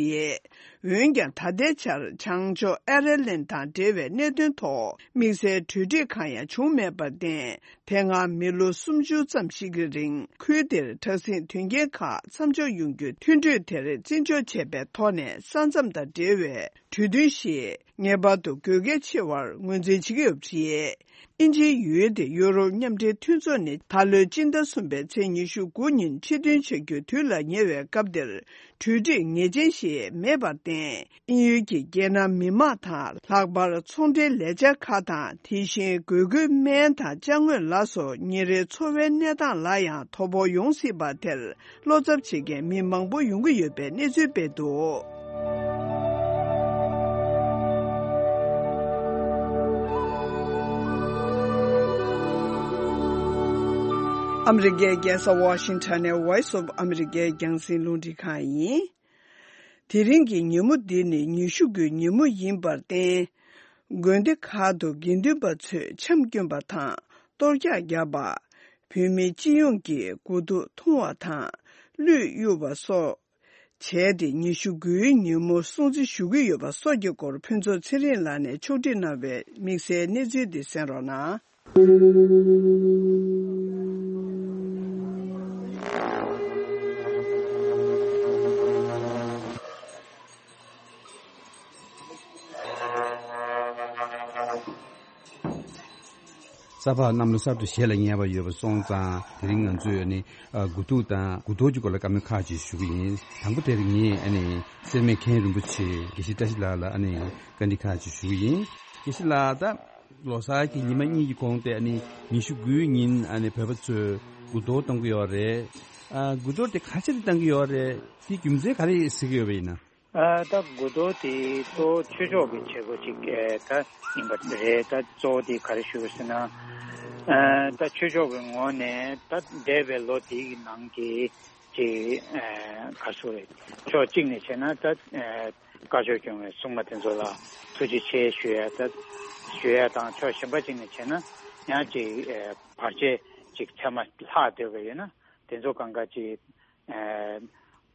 རེད། འོན་ཀྱང་། ད་ལྟའི་ཆར་བྱང་ཕྱོགས་ཨེར་ལན་དང་འབྲེལ་བའི་གནད་དོན་ཐོག་དམིགས་བསལ་གྲོས་འགྲིག་གང་ཡང་བྱུང་མེད་པར་བརྟེན། དེ་སྔ་མི་ལོ་སུམ་ཅུ་ཙམ་ཞིག་གི་རིང་། ཁུལ་དེར་དྲག་ཟིང་དོན་རྐྱེན་ཁག་མཚམས་འཇོག་ཡོང་རྒྱུའི་མཐུན་གྲོས་དེར་བརྩི་འཇོག་བྱས་པའི་ཐོག་ནས། ས་མཚམས་དང་འབྲེལ་བའི་གྲོས་མཐུན་ཞིག་ངེས་པར་དུ་དགོས་གལ་ཆེ་བར་ངོས་འཛིན་བྱེད་ཀྱི་ཡོད་པ་རེད། དབྱིན་ཇིའི་ཡུལ་དེ་ཡུ་རོབ་མཉམ་འབྲེལ་མཐུན་ཚོགས་ནས་ད་ལོའི་སྤྱི་ཟླ་གསུམ་པའི་ཚེས་ཉི་ཤུ་དགུ་ཉིན་ཕྱིར་འདོན་བྱ་རྒྱུའི་དུས་ལ་ཉེ་བའི་སྐབས་དེར། གྲོས་འགྲིག་ངེས་ཅན་ཞིག་མེད་པར་བརྟེན། དབྱིན་ཡུལ་གྱི་རྒྱལ་ནང་མི་མང་དང་། ལྷག་པར་ཚོང་འབྲེལ་ལས་འཆར་ཁག་དང་། དེ་བཞིན་དགོས་མཁོའི་སྨན་དང་ཅ་དངོས་ལ་སོགས་ཉིན་རེའི་འཚོ་བའི་གནས་སྟངས་ལ་ཡང་དོ་ཕོག་ཡོང་སྲིད་པ་དེར། བློ་འཚབ་བྱེད་མཁན་མི་མང་པོ་ཡོང་གི་ཡོད་པའི་གནས་ཚུལ་སྤེལ་འདུག་ཨ་མི་རི་ཀའི་རྒྱལ་ས་ཝ་ཤིང་ཊོན་ནས་Voice of America་རྒྱང་སྲིང་རླུང་འཕྲིན་ཁང་ཡིན། དེ་རིང་གི་ཉིན་མོ་འདི་ནི་ཉི་ཤུ་དགུའི་ཉིན་མོ་ཡིན་པར་བརྟེན། དགོན་སྡེ་ཁག་ཏུ་དགེ་འདུན་པ་ཚོས་འཆམ་བསྐྱོན་པ་དང་གཏོར་རྒྱག་བརྒྱབ་པ། བོད་མི་སྤྱི་ཡོངས་ཀྱིས་དགུ་ཐུག་འཐུང་བ་དང་གླུད་གཡུག་པ་སོགས་བྱས་ཏེ། ཉི་ཤུ་དགུའི་ཉིན་མོ་སྲུང་བརྩི་ཞུ་གི་ཡོད་པ་སོགས་ཀྱི་སྐོར་ཕུན་ཚོགས་ཚེ་རིང་ལགས་ནས་ཕྱོགས་སྒྲིག་གནང་བའི་དམིགས་བསལ་གནས་ཚུལ་འདི་གསན་རོགས་གནང་། ས་ཕག་གནམ་ལོ་གསར་དུ་གཞས་ལ་ཉེ་བ་ཡོད་པ་སོང་ཙང་། དེ་རིང་ང་ཚོས་ཨ་ནི་ཨ་དགུ་ཐུག་དང་དགུ་གཏོར་གྱི་སྐོར་ལ་བཀའ་མོལ་ཁག་ཅིག་ཞུ་གི་ཡིན། དང་པོ་དེར་ངས་ཨ་ནི་སེར་སྨད་མཁན་རིན་པོ་ཆེ་དགེ་བཤེས་བཀྲ་ཤིས་ལགས་ལ་ཨ་ནི་བཀའ་འདྲི་ཁག་ཅིག་ཞུ་གི་ཡིན། དགེ་བཤེས་ལགས། ད་ལོ་གསར་གྱི་ཉི་མ་གཉིས་ཀྱི་གོང་དེ་ཨ་ནི་ཉི་ཤུ་དགུའི་ཉིན་ཨ་ནི་བོད་པ་ཚོས་དགུ་གཏོར་གཏོང་གི་ཡོད་རེད། ཨ་དགུ་གཏོར་དེ་ག་ཅི་ལ་གཏོང་གི་ཡོད་རེད། དེའི་རྒྱུ་མཚན་ག་རེ་གཟིགས་ཀྱི་ཡོད་པ་ཡིན་ན། ཨ་ད་དགུ་གཏོར་དེ་གཙོ་བོ་ཆོས་ཕྱོགས་ཀྱི་བྱེད་སྒོ་ཅིག་ཨེ་ད་ཡིན་པ་རེད། ད་གཙོ་བོ་དེ་ག་རེ་ཞུ་དགོས་ཟེར་ན། ཨ་ད་ཆོས་ཕྱོགས་ཀྱི་ངོས་ནས་ད་འདས་པའི་ལོ་དེའི་ནང་གི་ཅིག་ཨ་ག་རེ་ཟེར་དགོས་རེད། ཕྱོགས་གཅིག་ནས་བྱས་ན་ད་ཨ་བཀའ་ཆོས་སྐྱོང་བའི་སྲུང་མ་དེ་ཚོ་ལ་ཐུགས་རྗེ་ཆེ་ཞུ་ཡ་ད་ཞུ་ཡ་དང་། ཕྱོགས་གཞན་པ་ཅིག་ནས་བྱས་ན་ཡང་ཅིག་ཨ་བར་ཆད་ཅིག་ཚད་མ་ལྷག་བསྡད་པ་ཡོད་ན། དེ་ཚོ་གང་ག་ཅིག་ཨ་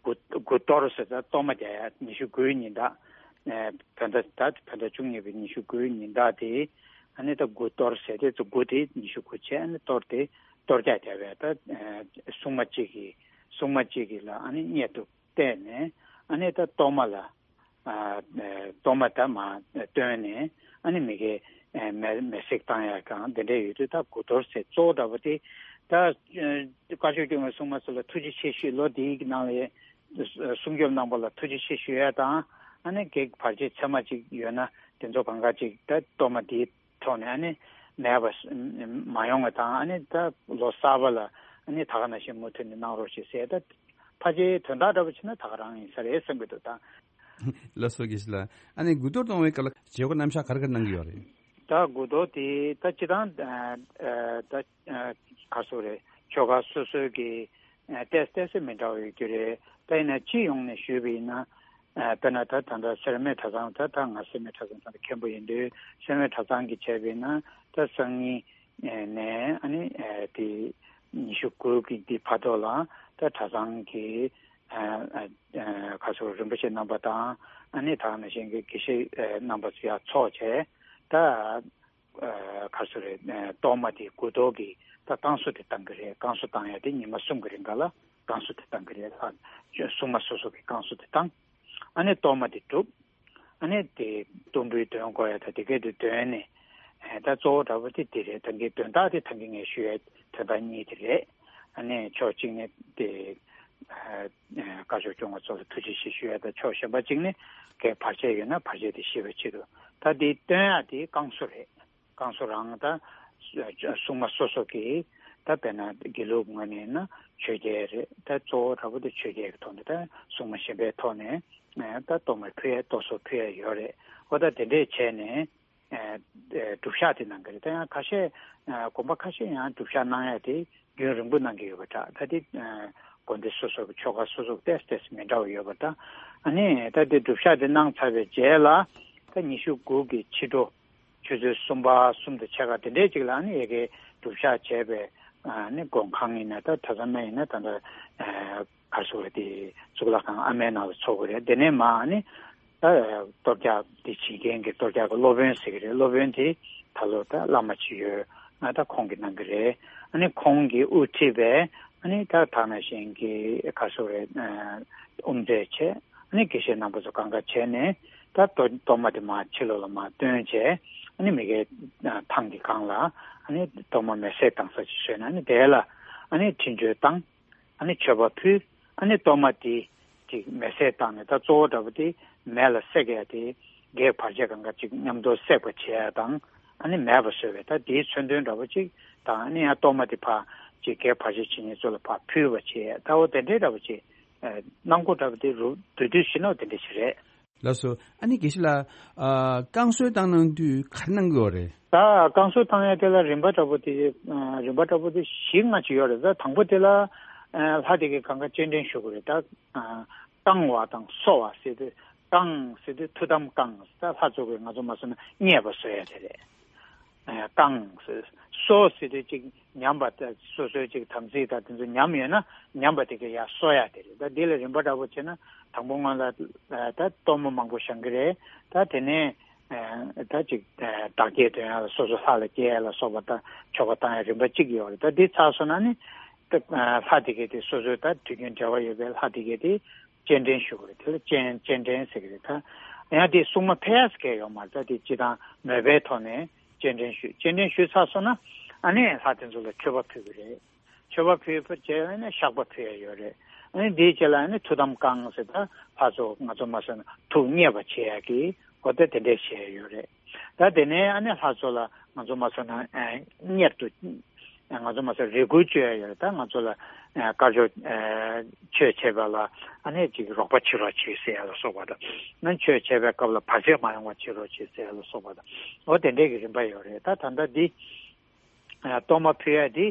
དགུ་དགུ་གཏོར་ཟེར་ད་གཏོར་མ་རྒྱག་ཡ། ཉི་ཤུ་དགུའི་ཉིན་དག་ཨ་བོད་ཟླ་ད་བོད་ཟླ་བཅུ་གཉིས་པའི་ཉི་ཤུ་དགུའི་ཉིན་དག་དེ། ཨ་ནི་ད་དགུ་གཏོར་ཟེར་དེ་ཚོ་དགུ་དེ་ཉི་ཤུ་དགུ་བྱས། ཨ་ནི་གཏོར་དེ་གཏོར་རྒྱག་རྒྱག་པའི་ད་ཨ་སྲུང་མ་གཅིག་གིས་སྲུང་མ་གཅིག་གིས་ལ་ཨ་ནི་གཉེར་དུ་གཏད་ནས། ཨ་ནི་ད་གཏོར་མ་ལ་ཨ་ཨ་གཏོར་མ་ད་མར་བཏོན་ནས། ཨ་ནི་མི་དགེ་ཨ་མེ་མེ་བསྲེགས་བཏང་ཡ་གང་དེ་འདྲ་ཡོད་དུས། ད་དགུ་གཏོར་ཟེར་གཙོ་བོ་འདྲ་པོ་དེ་ད་ཨ་བཀའ་ཆོས་སྐྱོང་བའི་སྲུང་མ་ཚོ་ལ་ཐུགས་རྗེ་ཆེ་ཞུས། ལོ་འདིའི་ནང་ལ་ སྲུང་སྐྱོབ་གནང་པ་ལ་ཐུགས་རྗེ་ཆེ་ཞུ་ཡ་དང་། ཨ་ནི་བགེགས་བར་ཆད་ཚད་མ་ཅིག་ཡོད་ན་དེ་ཚོ་གང་ག་ཅིག་ད་གཏོར་མ་འདིའི་ཐོག་ནས་ཨ་ནི་མེད་པ་མ་ཡོང་བ་དང་། ཨ་ནི་ད་ལོ་གསར་པ་ལ་ཨ་ནི་ད་ག་ནང་བཞིན་མུ་མཐུད་ནས་གནང་རོགས་ཞེས་ཟེར། ད་ཕལ་ཆེར་དོན་དག་འདྲ་པོ་བྱས་ན་ད་ག་རང་ཡིན་ས་རེད་བསམ་གྱི་འདུག་ད། ལགས་སོ། དགེ་བཤེས་ལགས། ཨ་ནི་དགུ་གཏོར་གཏོང་བའི་སྐབས་ལ་བྱེད་སྒོ་རྣམ་གཞག་ག་རེ་ག་རེ་གནང་གི་ཡོད་རེད། ད་དགུ་གཏོར་དེ་ད་སྤྱི་བཏང་ད་ག་སོ་རེད། ཆོ་ག་སོ་སོའི་གི་ཏོག་ཙམ་ཏོག་ཙམ་མི་འདྲ་བ་ཡོད་རྒྱུ་རེད། ད་ཡིན་ན་སྤྱི་ཡོངས་ནས་ཞུས་པ་ཡིན་ན། དཔེར་ན་ད་ད་ལྟ་སེར་སྨད་གྲྭ་ཚང་། ད་ད་ང་སེར་སྨད་གྲྭ་ཚང་ད་ལྟ་མཁན་པོ་ཡིན་དུས། སེར་སྨད་གྲྭ་ཚང་གི་བྱས་པ་ཡིན་ན་ད་སང་ཉིན་ནས་ཨ་ནི་དེ་ཉི་ཤུ་དགུ་གི་འདི་བར་དུ་ལ་ད་གྲྭ་ཚང་གི་ཁ་སོ་རིན་པོ་ཆེ་རྣམ་པ་དང་། ཨ་ནི་ད་ནང་བཞིན་གྱི་དགེ་བཤེས་རྣམ་པ་ཚོ་ཡར་ཚོགས་བྱས། ད་ག་སོ་རེད། གཏོར་མ་དེ་དགུ་གཏོར་གྱི་ད་བསྐང་གསོ་དེ་བཏང་གི་རེད། བསྐང་གསོ་བཏང་ཡ་དེ་ཉི་མ་གསུམ་གྱི་རིང་ག་ལ་བསྐང་གསོ་དེ་བཏང་གི་རེད། ལྷ་སྲུང་མ་སོ་སོ་གི་བསྐང་གསོ་དེ་བཏང་། ཨ་ནི་གཏོར་མ་དེ་སྒྲུབ། ཨ་ནི་དེ་གཏོར་འབུལ་འདོན་དགོས་ཡ་ད་དེ་གས་དེ་འདོན་ནས། ད་གཙོ་བོ་འདྲ་པོ་དེ་དེ་རེད། ད་གིན་དོན་དག་དེ་ད་གིན་ངས་ཞུ་ཡ་དོན་དག་གཉིས་དེ་རེད། ཨ་ནི་ཕྱོགས་གཅིག་ནས་དེ་དཀར་ཕྱོགས་སྐྱོང་བ་ཚོ་ལ་ཐུགས་རྗེ་ཆེ་ཞུ་ཡ་ད། ཕྱོགས་གཞན་པ་གཅིག་ནས་བགེགས་བར་ཆད་ཡོད་ན་བར་ཆད་དེ་ཞི་བའི་ཆེད་དུ་ད་དེ་འདོན་ཡ་དེ་བསྐང་གསོ་རེད། བསྐང་གསོ་རང་ད་སྲུང་མ་སོ་སོ་གིས་ད་དཔེར་ན་དགེ་ལུགས་ངོས་ནས་ན་ཆོས་རྒྱལ་རེད། ད་གཙོ་བོ་འདྲ་པོ་དེ་ཆོས་རྒྱལ་གྱི་ཐོག་ནས། ད་སྲུང་མ་གཞན་པའི་ཐོག་ནས་ད་གཏོར་མ་ཕུལ་ཡ། གཏོར་ཟོར་ཕུལ་ཡ་ཡོད་རེད། འོ་ད་དེ་འདྲས་བྱས་ནས་སྒྲུབ་ཞག་དེ་གནང་གི་རེད། ད་ཡང་ཁ་ཤས་དགོན་པ་ཁ་ཤས་ཡང་སྒྲུབ་ཞག་གནང་ཡ་དེ་རྒྱུན་རིང་པོ་གནང་གི་ཡོད་པ་འདྲ། ད་དེ་དགོན་སྡེ་སོ་སོ་གི་ཆོ་ག་སོ་སོ་ཏོག་ཙམ་ཏོག་ཙམ་མི་འདྲ་བ་ཡོད་པ་འདྲ། ཨ་ནི་ད་དེ་སྒྲུབ་ཞག་དེ་གནང་ཚར་བའི་རྗེས་ལ་ད་ཉི་ཤུ་དགུ་གི་ཕྱི་དྲོ་ཆུ་ཚོད་གསུམ་པ་གསུམ་དང་ཕྱེད་ཀ་དེ་འདྲས་ཅིག་ལ་ཨ་ནི་ཡ་གི་སྒྲུབ་ཞག་བྱས་པའི་ཨ་ནི་མགོན་ཁང་ཡིན་ན། ད་གྲྭ་ཚང་ཡིན་ན། ད་ལྟ་ག་རེ་ཟེར་དགོས་རེད། དེ་གཙུག་ལག་ཁང་ཨ་མའི་ནང་ལ་ཚོགས་ཀྱི་རེད། དེ་ནས་མར་ཨ་ནི་ད་གཏོར་རྒྱག་དེ་བྱེད་མཁན་གྱི་གཏོར་རྒྱག་གི་སློབ་དཔོན་ཟེར་གྱི་རེད། སློབ་དཔོན་དེ་ད་ལོ་ད་བླ་མ་ཅིག་ཡོད་ན་ད་ཁོང་གིས་གནང་གི་རེད། ཨ་ནི་ཁོང་གིས་དབུ་ཁྲིད་པའི་ཨ་ནི་ད་ད་ནང་བཞིན་གྱི་ག་རེ་ཟེར་དགོས་རེད། དབུ་མཛད་བྱས། ཨ་ནི་དགེ་བཤེས་རྣམ་པ་ཚོ་གང་ག་བྱས་ནས་ད་གཏོར་གཏོར་མ་དེ་མར་ཕྱི་ལོགས་ལ་མར་བཏོན་བྱས། ཨ་ནི་མི་ཁའི་ཐང་གི་སྒང་ལ་ཨ་ནི་གཏོར་མ་མེ་བསྲེགས་བཏང་ས་ཅིག་བཟོས་ནས། ཨ་ནི་དེ་ལ་ཨ་ནི་འཕྲིན་བཅོལ་བཏང་། ཨ་ནི་མཆོད་པ་ཕུལ། ཨ་ནི་གཏོར་མ་དེ་ཅིག་མེ་བསྲེགས་བཏང་ནས། ད་གཙོ་བོ་འདྲ་པོ་དེ་མེ་ལ་བསྲེག་ཡ་དེ་བགེགས་བར་ཆད་གང་ག་ཅིག་མཉམ་དུ་བསྲེག་པ་བྱེད་ཡ་དང་། ཨ་ནི་མེད་པ་བཟོ་བའི་ད་དེའི་མཚོན་དོན་འདྲ་པོ་ཅིག་དང་། ཨ་ནི་ཡང་གཏོར་མ་དེ་ཕར་ཅིག་བགེགས་བར་ཆད་བྱེད་མཁན་ཚོ་ལ་ཕར་ཕུལ་བ་བྱེད་ཡ། ད་འོ་དེ་འདྲའི་འདྲ་པོ་ཅིག་གནང་སྒོ་འདྲ་པོ་དེ་རུ་བསྡུས་བསྡུས་ཕྱིན་ན་འོ་དེ་འདྲ་ཞིག་རེད། ལགས་སོ། ཨ་ནི་དགེ་བཤེས་ལགས། ཨ་བསྐང་གསོ་བཏང་གནང་དུས་ག་རེ་གནང་གི་ཡོད་རེད། ད་བསྐང་གསོ་བཏང་ཡ་དེ་ལ་རིམ་པ་འདྲ་པོ་དེ། ཨ་རིམ་པ་འདྲ་པོ་དེ་བཞི་ལྔ་ཅིག་ཡོད་རེད། ད་དང་པོ་དེ་ལ་ཨ་ལྷ་དེ་གའི་གང་ག་སྤྱན་འདྲེན་ཞུ་དགོས་རེད། ད་ཨ་བསྐང་བ་དང་གསོ་བ་ཟེར་དུས། བསྐང་ཟེར་དུས་ཐུགས་དམ་བསྐང་། ད་ལྷ་ཚོགས་ཀྱིས་ང་ཚོ་མ་སོ་ན་མཉེས་པ་བཟོ་ཡ་དེ་རེད། ཨ་བསྐང་ཟེར། གསོ་ཟེར་དུས་ཅིག་ཉམས་པ་དང་། སོ་སོའི་ཅིག་དམ་ཚིག་དང་དེ་ཚོ་ཉམས་ཡོད་ན་ཉམས་པ་དེ་ག་ཡར་གསོ་ཡ་དེ་རེད། ད་འདི་ལ་རིམ་པ་འདྲ་པོ་བྱས་ན་དང་པོ་སྔོན་ལ་ད་གཏོར་མ་མང་པོ་བཞེངས་ཀྱི་རེད། ད་དེ་ནས་ད་ཅིག་བདག་བསྐྱེད་འདོན་ཡ་ལ། སོ་སོ་ལྷ་ལ་བསྐྱེད་ཡ་ལ་སོགས་པ་ད་ཆོ་ག་བཏང་ཡ་རིམ་པ་གཅིག་ཡོད་རེད། ད་འདི་ཚར་སོང་ན་ནི་ད་ལྷ་དེ་ག་དེ་སོ་སོའི་ད་དུས་རྒྱུན་འབྲེལ་བ་ཡོད་པའི་ལྷ་དེ་ག་དེ་སྤྱན་འདྲེན་ཞུ་དགོས་རེད། དེ་ལ་སྤྱན་སྤྱན་འདྲེན་ཟེར་གྱི་རེད། ད་ཡང་དེ་སྲུང་མ་ཕེབས་ཡ་ཟེར་མཁན་ཡོད་མ་རེད། ད་དེ་སྤྱིར་བཏང་མོས་པའི་ཐོག་ནས་སྤྱན་འདྲེན་ཞུ། སྤྱན་འདྲེན་ཞུས་ཚར་སོང་ན་ཨ་ནི་ལྷ་དེ་ཚོ་ལ་མཆོད་པ་ཕུལ་གྱི་རེད། མཆོད་པ་ཕུལ་བ་བྱས་ནས་བཤགས་པ་ཕུལ་ཡ་ཡོད་རེད། ཨ་ནི་དེའི་རྗེས་ལ་ཨ་ནི་ཐུགས་དམ་བསྐང་ཟེར། ད་ལྷ་ཚོ་ང་ཚོ་མ་སོ་ན་ཐུགས་མཉེས་པ་བྱེད་ཡ་གི་འོ་ད་དེ་འདྲས་བྱེད་ཡ་ཡོད་རེད། ད་དེ་ནས་ཨ་ནི་ལྷ་ཚོ་ལ་ང་ཚོ་མ་སོ་ན་ཨ་གཉེར་དུ། ང་ཚོ་མ་སོ་རེ་སྐུལ་བཅོལ་ཡ་ཡོད་རེད། ད་ང་ཚོ་ལ་ཨ་དཀར་ཕྱོགས་ཨ་ཆོས་བྱེད་པ་ལ་ཨ་ནི་ཅིག་རོགས་པ་བྱེད་རོགས་བྱེད་ཟེར་ཡ་ལ་སོགས་པ་དང་། ཨ་ནི་ཆོས་བྱེད་པའི་སྐབས་ལ་བར་ཆད་མ་ཡོང་བ་བྱེད་རོགས་བྱེད་ཟེར་ཡ་ལ་སོགས་པ་དང་། འོ་དེ་འདྲས་ཀྱི་རིམ་པ་ཡོད་རེད། ད་ད་ལྟ་འདི་ཨ་གཏོར་མ་ཕུལ་ཡ་འདི་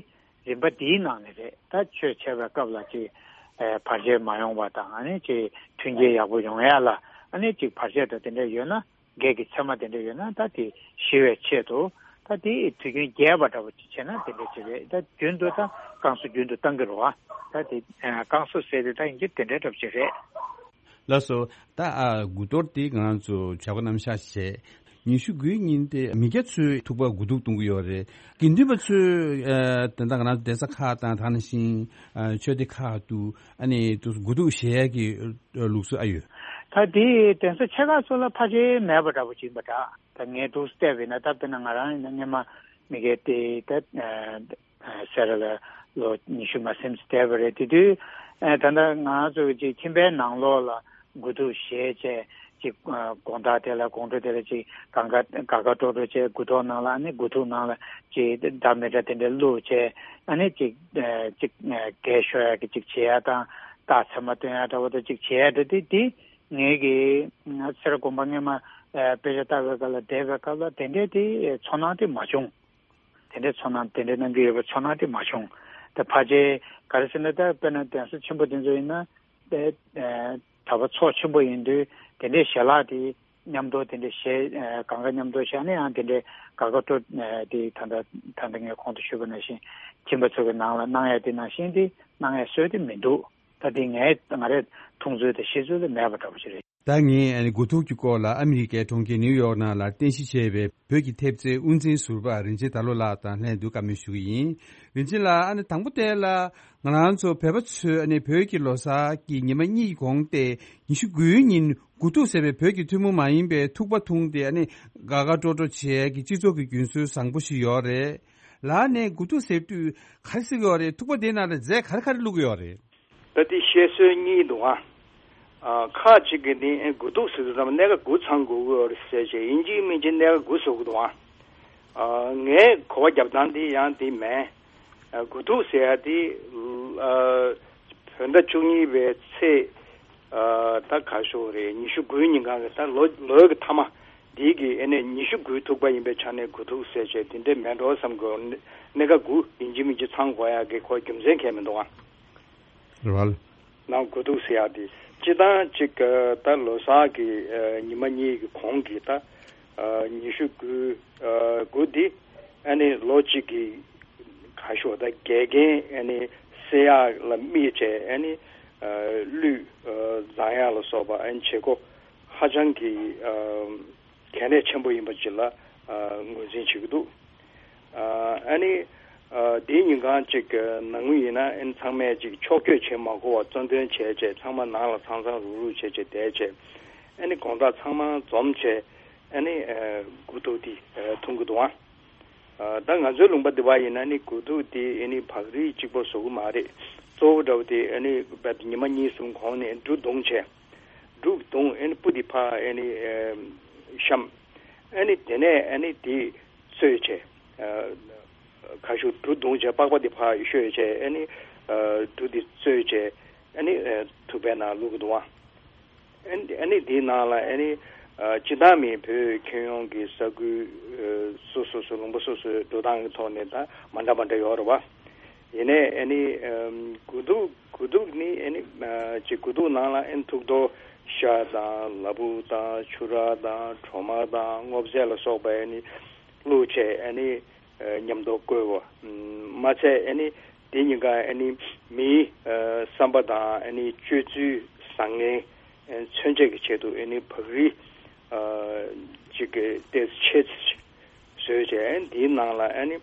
རིམ་པ་འདིའི་ནང་ནས་རེད། ད་ཆོས་བྱེད་པའི་སྐབས་ལ་ཅིག་ཨ་བར་ཆད་མ་ཡོང་བ་དང་། ཨ་ནི་ཅིག་མཐུན་རྐྱེན་ཡག་པོ་ཡོང་ཡ་ལ། ཨ་ནི་ཅིག་བར་ཆད་དང་དེ་འདྲས་ཡོད་ན། བགེགས་ཀྱི་མཚན་མ་དེ་འདྲ་ཡོད་ན་ད་དེ་ཞི་བའི་ཆེད་དུ། ད་དེ་དུས་རྒྱུན་རྒྱས་པ་འདྲ་པོ་ཅིག་བྱས་ན་དེ་འདྲ་ཅིག་རེད། ད་རྒྱུན་དུ་ད་བསྐང་གསོ་རྒྱུན་དུ་བཏང་གི་རེད་བ། ད་དེ་ཨ་བསྐང་གསོ་ཟེར་དེ་ད་ཡིན་གྱི་དེ་འདྲ་འདྲ་པོ་ཅིག་རེད། ལགས་སོ། ད་ཨ་དགུ་གཏོར་དེ་ང་རང་ཚོ་བྱ་སྒོ་རྣམ་གཞག་བྱས། ཉི་ཤུ་དགུའི་ཉིན་དེ་མི་སྐྱ་ཚོས་ཐུག་པ་དགུ་ཐུག་གཏོང་གི་ཡོད་རེད། དགེ་འདུན་པ་ཚོས་ཨ་ད་ལྟ་ང་རང་ཚོ་གདན་ས་ཁག་དང་། དེ་ནང་བཞིན་ཨ་ཆོས་སྡེ་ཁག་ཏུ་ཨ་ནི་དུ་དགུ་ཐུག་བཞེས་ཡ་གི་ལུགས་སྲོལ་ཨ་ཡོད། ད་དེ་གདན་ས་ཆེ་ཁག་ཚོ་ལ་ཕལ་ཆེར་མེད་པ་འདྲ་པོ་ཅིག་ཡིན་པ་འདྲ། ད་ངས་འདུག་བལྟས་པ་ཡིན་ན། ད་དཔེར་ན་ང་རང་ཡིན་ན་སྔོན་མ་མི་སྐྱ་དེ་ད་ཨ་སེ་ར་ལ་ལོ་ཉི་ཤུ་མ་ཟིན་ཙམ་བསྡད་པ་རེད། དེ་དུས་ ཨ་ད་ལྟ་ང་ཚོ་གི་ཅིག་ཁྱིམ་པའི་ནང་ལོགས་ལ་དགུ་ཐུག་བཞེས་བྱས་ཅིག་ཨ་དགོང་དག་དེ་ལ་དགོང་དྲོ་དེ་ལ་ཅིག་དགའ་དགའ་དགའ་དགའ་སྤྲོ་སྤྲོ་བྱས་དགུ་ཐོག་ནང་ལ་ཨ་ནི་དགུ་ཐུག་ནང་ལ་ཅིག་འདྲ་མི་འདྲ་དེ་འདྲ་བླུགས་བྱས་ཨ་ནི་ཅིག་ཨ་ཅིག་ཨ་རྒས་ཤོས་ཡ་གི་ཅིག་བྱེད་ཡ་དང་རྟགས་མཚན་མ་སྟོན་ཡ་འདྲ་བོ་དང་ཅིག་བྱེད་ཡ་འདྲ་དེ་དེ་ངེད་ཀྱི་ཨ་སེ་ར་དགོན་པ་སྔོན་མ་ཨ་དཔེ་ཆ་ལྟ་བའི་སྐབས་ལ་བསྡད་པའི་སྐབས་ལ་དེ་འདྲའི་དེ་ཚོར་སྣང་དེ་མ་བྱུང་། དེ་འདྲའི་ཚོར་སྣང་དེ་འདྲའི་གནང་གི་ཡོད་པའི་ཚོར་སྣང་དེ་མ་བྱུང་། ད་ཕལ་ཆེར་ག་རེ་ཟེར་ན་ད་དཔེར་ན་གདན་ས་ཆེན་པོ་དེ་ཚོ་ཡིན་ན་དེ་ཨ་གྲྭ་པ་ཚོགས་ཆེན་པོ་ཡིན་དུས་དེ་འདྲའི་ཞལ་ལག་དེ་མཉམ་དུ་དེ་འདྲའི་བཞེས་ཨ་གང་ག་མཉམ་དུ་བཞག་ནས་ཡང་དེ་འདྲའི་དགའ་དགའ་སྤྲོ་ཨ་དེ་ད་ལྟ་ད་ལྟ་ངས་གོང་དུ་ཞུས་པ་ནང་བཞིན་ཁྱིམ་པ་ཚོ་གི་ནང་ལ་གནང་ཡ་དེ་ནང་བཞིན་དེ་གནང་ཡ་སྲོལ་དེ་མི་འདུག་ད་དེ་ངས་ང་རའི་མཐོང་ཚུལ་དང་ཤེས་ཚུལ་ལ་མེད་པ་འདྲ་པོ་ཞིག་རེད། ད་ངས་ཨ་ནི་དགུ་ཐུག་གི་སྐོར་ལ་ཨ་མི་རི་ཀའི་གྲོང་ཁྱེར་ནིའུ་ཡོག་ནང་ལ་རྟེན་གཞི་བྱས་པའི་བོད་ཀྱི་ཐེབས་རྩའི་དབུ་འཛིན་ཟུར་པ་རིན་ཆེན་དར་ལོ་ལགས་དང་ལྷན་དུ་བཀའ་མོལ་ཞུ་གི་ཡིན། རིན་ཆེན་ལགས། ཨ་ནི་དང་པོ་དེ་ལ་ང་རང་ཚོ་བོད་པ་ཚོས་ཨ་ནི་བོད་ཀྱི་ལོ་གསར་གྱི་ཉི་མ་གཉིས་གོང་སྟེ་ཉི་ཤུ་དགུའི་ཉིན་དགུ་ཐུག་ཟེར་བའི་བོད་ཀྱི་ཐུན་མོང་མ་ཡིན་པའི་ཐུག་པ་འཐུང་སྟེ་ཨ་ནི་དགའ་དགའ་སྤྲོ་སྤྲོ་བྱེད་ཀྱི་སྤྱི་ཚོགས་ཀྱི་རྒྱུན་སྲོལ་བཟང་པོ་ཞིག་ཡོད་རེད། ལགས་ནས་དགུ་ཐུག་ཟེར་དུས་ག་རེ་ཟེར་གྱི་ཡོད་རེད། ཐུག་པ་དེ་ནང་ལ་རྫས་ག་རེ་ག་རེ་བླུགས་ཀྱི་ཡོད་རེད། ད་དེ་བཤད་སྲོལ་གཉིས་འདུག་ཨ། ཨ་ཁག་ཅིག་གིས་ནི་ཨེ་དགུ་ཐུག་ཟེར་དུས་ཙམ་གནད་འགག་དགུ་ཚང་དགོས་ཀྱི་ཡོད་རེད་ཟེར་བྱས་ཡིན་གཅིག་མིན་གཅིག་གནད་འགག་དགུ་བཟོ་གི་འདུག་ཨ། ཨ་ངའི་གོ་བ་རྒྱབ་སྟངས་དེ་ཡང་དེ་མིན། ཨ་དགུ་ཐུག་ཟེར་ཡ་དེ་ཨ་བོད་ཟླ་བཅུ་གཉིས་པའི་ཚེས་ཨ་ད་ག་ཤོག་རེད། ཉི་ཤུ་དགུའི་ཉིན་གང་གི་ད་ལོ་ལོའི་གི་མཐའ་མ་འདི་གི་ཨེ་ནས་ཉི་ཤུ་དགུའི་ཐུག་པ་ཡིན་པའི་ཆ་ནས་དགུ་ཐུག་ཟེར་བྱས་དེ་འདྲས་མེད་འགྲོ་བསམ་གི་ཡོད། གནད་འགག་དགུ་ཡིན་གཅིག་མིན་གཅིག་ཚང་དགོས་ཡ་གི་ཁོ་རྒྱུ་མཚན་གང་ཡང་མི་འདུག་ཨ། རེད་བ། ནང་དགུ་ཐུག་ཟེར་ཡག་དེ་སྤྱི་བཏང་གཅིག་ད་ལོ་གསར་གྱི་ཉི་མ་གཉིས་ཀྱི་གོང་གི་ད་ཉི་ཤུ་དགུ་དགུ་འདི་ཨ་ནི་ལོ་གཅིག་གི་ག་ཤོག་ད་འགལ་རྐྱེན་ཨ་ནི་སེལ་ཡག་ལ་དམིགས་བྱས་ཨ་ནི་གླུད་བརྫང་ཡག་ལ་སོགས་པ་ཨ་ནི་བྱེད་སྒོ་ཧ་ཅང་གི་གལ་གནད་ཆེན་པོ་ཡིན་པ་ཅིག་ལ་ངོས་འཛིན་བྱེད་ཀྱི་འདུག་ཨ་ནི་དེའི་ཉིན་གང་ཅིག་ནང་མི་ཡིན་ན་ཨ་ནི་ཚང་མས་ཅིག་ཕྱོགས་བསྐྱོད་བྱེད་མ་དགོས་པར་གཙོ་འདོན་བྱས་བྱས་ཚང་མ་ནང་ལ་ཚང་ཚང་རུག་རུག་བྱས་བྱས་བསྡད་བྱས་ཨ་ནི་དགོང་དག་ཚང་མ་འཛོམས་བྱས་ཨ་ནི་དགུ་ཐུག་དེ་འཐུང་གི་འདུག་ཨ། ད་ང་ཚོའི་ལུང་པ་འདི་པ་ཡིན་ན་ནི་དགུ་ཐུག་དེ་ཨ་ནི་བག་རིལ་གཅིག་པོ་བཟོ་གི་མ་རེད། གཙོ་བོ་འདྲ་བོ་དེ་ཨ་ནི་ཉི་མ་གཉིས་གསུམ་གོང་ནས་འབྲུ་བརྡུངས་བྱས། འབྲུ་བརྡུངས་ཨ་ནི་སྤུ་དེ་ཕར་ཨ་ནི་བཤམས། ཨ་ནི་དེ་ནས་ཨ་ནི་དེ་བཙོས་བྱས། ཁ་ཤུ་འབྲུ་བརྡུངས་བྱས་པགས་པ་དེ་ཕར་བཤོས་བྱས་ཨ་ནི་འབྲུ་དེ་བཙོས་བྱས་ཨ་ནི་ཐུག་པའི་ནང་བླུགས་གི་འདུག་བ། ཨ་ནི་དེའི་ནང་ལ་ཨ་ནི་སྤྱི་བཏང་མི་བོད་ཁྱོན་ཡོངས་ཀྱི་ས་ཁུལ་སོ་སོ་སོ་ལུང་པ་སོ་སོའི་འགྲོ་སྟངས་ཀྱི་ཐོག་ནས་ད་མ་འདྲ་མ་འདྲ་ཡོད་རེད་བ། ཡིན་ནའི་ཨ་ནི་དགུ་ཐུག་དགུ་ཐུག་ནི་ཨ་ནི་ཅིག་དགུ་ཐུག་ནང་ལ་ཨ་ནི་ཐུག་རྡོ་ཤ་དང་ལ་ཕུག་དང་ཆུ་ར་དང་གྲོ་མ་དང་སྔོ་ཚལ་ལ་སོགས་པ་ཨ་ནི་བླུགས་བྱས་ཨ་ནི་མཉམ་དུ་བསྐོལ་བ། མ་ཚད་ཨ་ནི་དེ་གཉིས་ཀ་ཨ་ནི་མིའི་བསམ་པ་དང་ཨ་ནི་སྤྱོད་ཚུལ་བཟང་ངན་མཚོན་བྱེད་ཀྱི་ཆེད་དུ་ཨ་ནི་བག་རིལ་ཅིག་གི་ཏོག་ཙམ་ཆེ་ཙམ་ཞིག་བཟོས་བྱས་འདིའི་ནང་ལ་ཨ་ནི་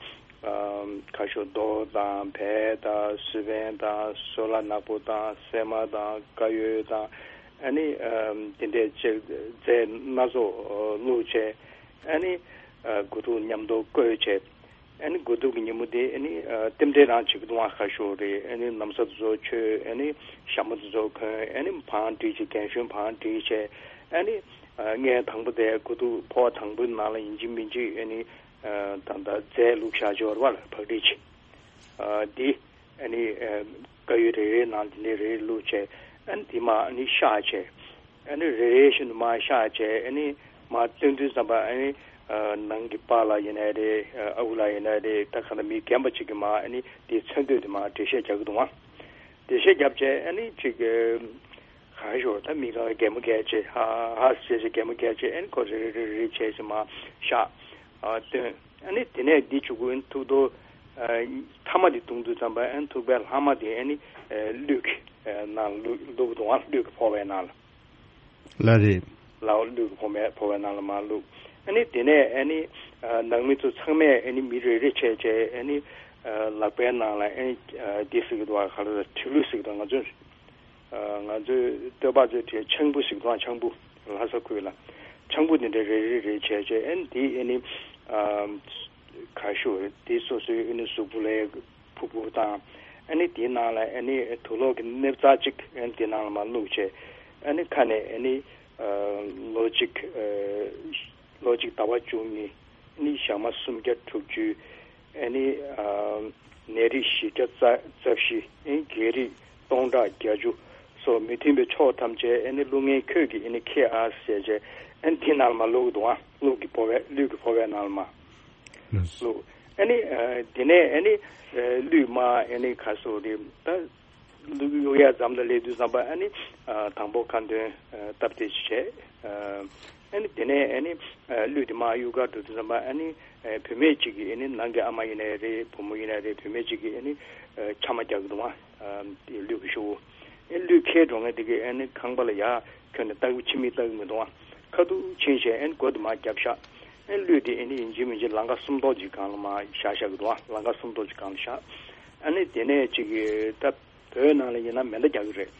ཁ་ཤོ་རྡོ་དང་བལ་དང་སུ་བན་དང་སོལ་བ་ནག་པོ་དང་སྲན་མ་དང་དཀར་ཡོལ་དང་ཨ་ནི་དེ་འདྲའི་ཅིག་རྫས་སྣ་ཚོགས་བླུགས་བྱས། ཨ་ནི་དགུ་ཐུག་མཉམ་དུ་བསྐོལ་བྱས། ཨ་ནི་དགུ་ཐུག་གི་ཉིན་མོ་དེ་ཨ་ནི་རྟེན་འབྲེལ་རང་བྱེད་ཀྱི་འདུག་ཁ་ཤོ་རེད། ཨ་ནི་ན་བཟའ་དེ་ཚོ་མཆོད། ཨ་ནི་ཞྭ་མོ་དེ་ཚོ་གོན། ཨ་ནི་བང་སྒྲིག་བྱས། རྒན་གཞོན་བང་སྒྲིག་བྱས། ཨ་ནི་ཨ་ངས་དང་པོ་དེ་དགུ་ཐུག་ཕོར་པ་དང་པོའི་ནང་ལ་ཡིན་གཅིག་མིན་གཅིག་ཨ་ནི་ཨ་ད་ལྟ་རྫས་བླུགས་བཞག་ཅིག་ཡོད་རེད་བ་ལ་བག་སྒྲིག་བྱས། ཨ་འདི་ཨ་ནི་ཨ་དཀར་ཡོལ་རེ་རེའི་ནང་དེ་འདྲའི་རེ་རེ་བླུགས་བྱས། ཨ་ནི་དེ་མར་ཨ་ནི་བཤགས་བྱས། ཨ་ནི་རེ་རེ་བཞིན་དུ་མར་བཤགས་བྱས། ཨ་ནི་མར་བཏོན་དུས་ཙམ་པ་ཨ་ནི་ཨ་ནང་གི་པཱ་ལགས་ཡིན་ནའི་རེད། ཨ་ཁུ་ལགས་ཡིན་ནའི་རེད། ད་ག་ད་མི་རྒན་པ་ཅིག་གིས་མར་ཨ་ནི་དེའི་མཚོན་དོན་དེ་མར་འགྲེལ་བཤད་རྒྱག་གི་འདུག་ཨ། འགྲེལ་བཤད་རྒྱབ་བྱས་ཨ་ནི་ཅིག་ག་རེ་ཞུ། ད་མི་གང་ག་གད་མོ་བགད་བྱས། ཧ་ཧ་ཟེར་བྱས་གད་མོ་བགད་བྱས། ཨ་ནི་ཁོ་རེ་རེ་རེ་རེ་བྱས་བྱས་མར་བཤགས། ཨ་བཏོན། ཨ་ནི་དེ་ནས་འདི་བྱུག་གུ་ཨ་ནི་ཐུག་རྡོ་ཨ་མཐའ་མ་དེ་བརྡུངས་དུས་ཙམ་པ་ཨ་ནི་ཐུག་པའི་ལྷག་མ་དེ་ཨ་ནི་ཨ་གླུད་ཀྱི་ཨ་ནང་བླུགས་བླུགས་འདུག་ཨ། གླུད་ཀྱི་ཕོར་པའི་ནང་ལ། ལགས་རེད། ལགས་འོ། གླུད་ཀྱི་ཕོར་པའི་ཕོར་པའི་ནང་ལ་མར་བླུགས། ཨ་ནི་དེ་ནས་ཨ་ནི་ཨ་ནང་མི་ཚོ་ཚང་མས་ཨ་ནི་མི་རེ་རེ་བྱས་བྱས་ཨ་ནི་ཨ་ལག་པའི་ནང་ལ་ཨ་ནི་ཨ་འདི་ཟེར་གྱི་འདུག་ཨ། ག་ལ་ཁྲི་གླུད་ཟེར་གྱི་འདུག་ང་ཚོས་ཨ་ང་ཚོས་སྟོད་པ་ཚོས་བྲིས་ཆང་བུ་ཟེར་གྱི་འདུག་ཨ། ཆང་བུ། ལྷ་ས་ཁུལ་ལ་ཆང་བུ་དེ་འདྲ་རེ་རེ་རེ་བྱས་བྱས་ཨ་ནི་དེ་ཨ་ནི་ཨ་ག་ཞུ་དེ་སོ་སོའི་ཨ་ནི་གཟུགས་པོ་ལ་ཕུར་བུ་དང་ ཨ་ནི་དེའི་ནང་ལ་ཨ་ནི་དུག་ལོག་གི་ནེབ་ཙག་ཅིག་ཨ་ནི་དེའི་ནང་ལ་མར་བླུགས་བྱས། ཨ་ནི་ཁ་ནས་ཨ་ནི་ལོ་གཅིག་ལོ་གཅིག་ཟླ་བ་བཅུ་གཉིས། ཨ་ནི་ཞག་མ་སུམ་བརྒྱ་དྲུག་ཅུ། ཨ་ནི་ནད་རིགས་བཞི་བརྒྱ་རྩ་བཞི། ཨ་ནི་བགེགས་རིགས་སྟོང་ཕྲག་བརྒྱད་ཅུ་སོགས་མི་མཐུན་པའི་ཕྱོགས་ཐམས་ཅད་ཨ་ནི་བླུག་མཁན་ཁྱོད་ཀྱིས་ཨ་ནི་ཁྱེར་ཨ་ཟེར་བྱས། ཨ་ནི་དེའི་ནང་ལ་མར་བླུགས་འདུག་ཨ། ལུག་གི་ཕོར་པའི་ལུག་གི་ཕོར་པའི་ནང་ལ་མར་བླུགས། ཨ་ནི་དེ་ནས་ཨ་ནི་ལུད་མར་ཨ་ནི་ག་སོ་རེད་ད། ལུད་གཡུག་ཡ་ཙམ་ལ་སླེབས་དུས་ཙམ་པ་ཨ་ནི་དང་པོ་ཁ་འདོན་སྟབས་བདེ་ཅིག་བྱས། ཨ་ནི་དེ་ནས་ཨ་ནི་ལུད་དེ་མར་གཡུག་གར་འགྲོ་དུས་ཙམ་པ་ཨ་ནི་བུད་མེད་ཅིག་གིས་ཨ་ནི་ནང་གི་ཨ་མ་ཡིན་ནའི་རེད། བུ་མོ་ཡིན་ནའི་རེད། བུད་མེད་ཅིག་གིས་ཨ་ནི་ཆ་མ་རྒྱག་གི་འདུག་ཨ། ལུད་ཀྱི་ཤོག་བུ། ཨ་ནི་ལུད་ཁྱེར་འགྲོ་མཁན་དེ་གིས་ཨ་ནི་ཁང་པ་ལ་ཡར་འཁྱེར་ནས་ལྟ་གི་ཕྱི་མིག་ལྟ་གི་མི་འདུག་ཨ། ཁ་ཐུག་ཕྱིན་བྱས་ཨ་ནི་སྒོ་དེ་མར་བརྒྱབ་བཞག་ཨ་ནི་ལུད་དེ་ཨ་ནི་ཡིན་གཅིག་མིན་གཅིག་ལམ་ཁ་སུམ་མདོ་ཅིག་སྒང་ལ་མར་བཞག་བཞག་གི་འདུག་ཨ། ལམ་ཁ་སུམ་མདོ་ཅིག་སྒང་ལ་བཞག་ཨ་ནི་དེ་ནས་ཅིག་གི་ད་བོད་ནང་ལ་ཡིན་ན་མེ་མདའ་རྒྱག་གི་རེད།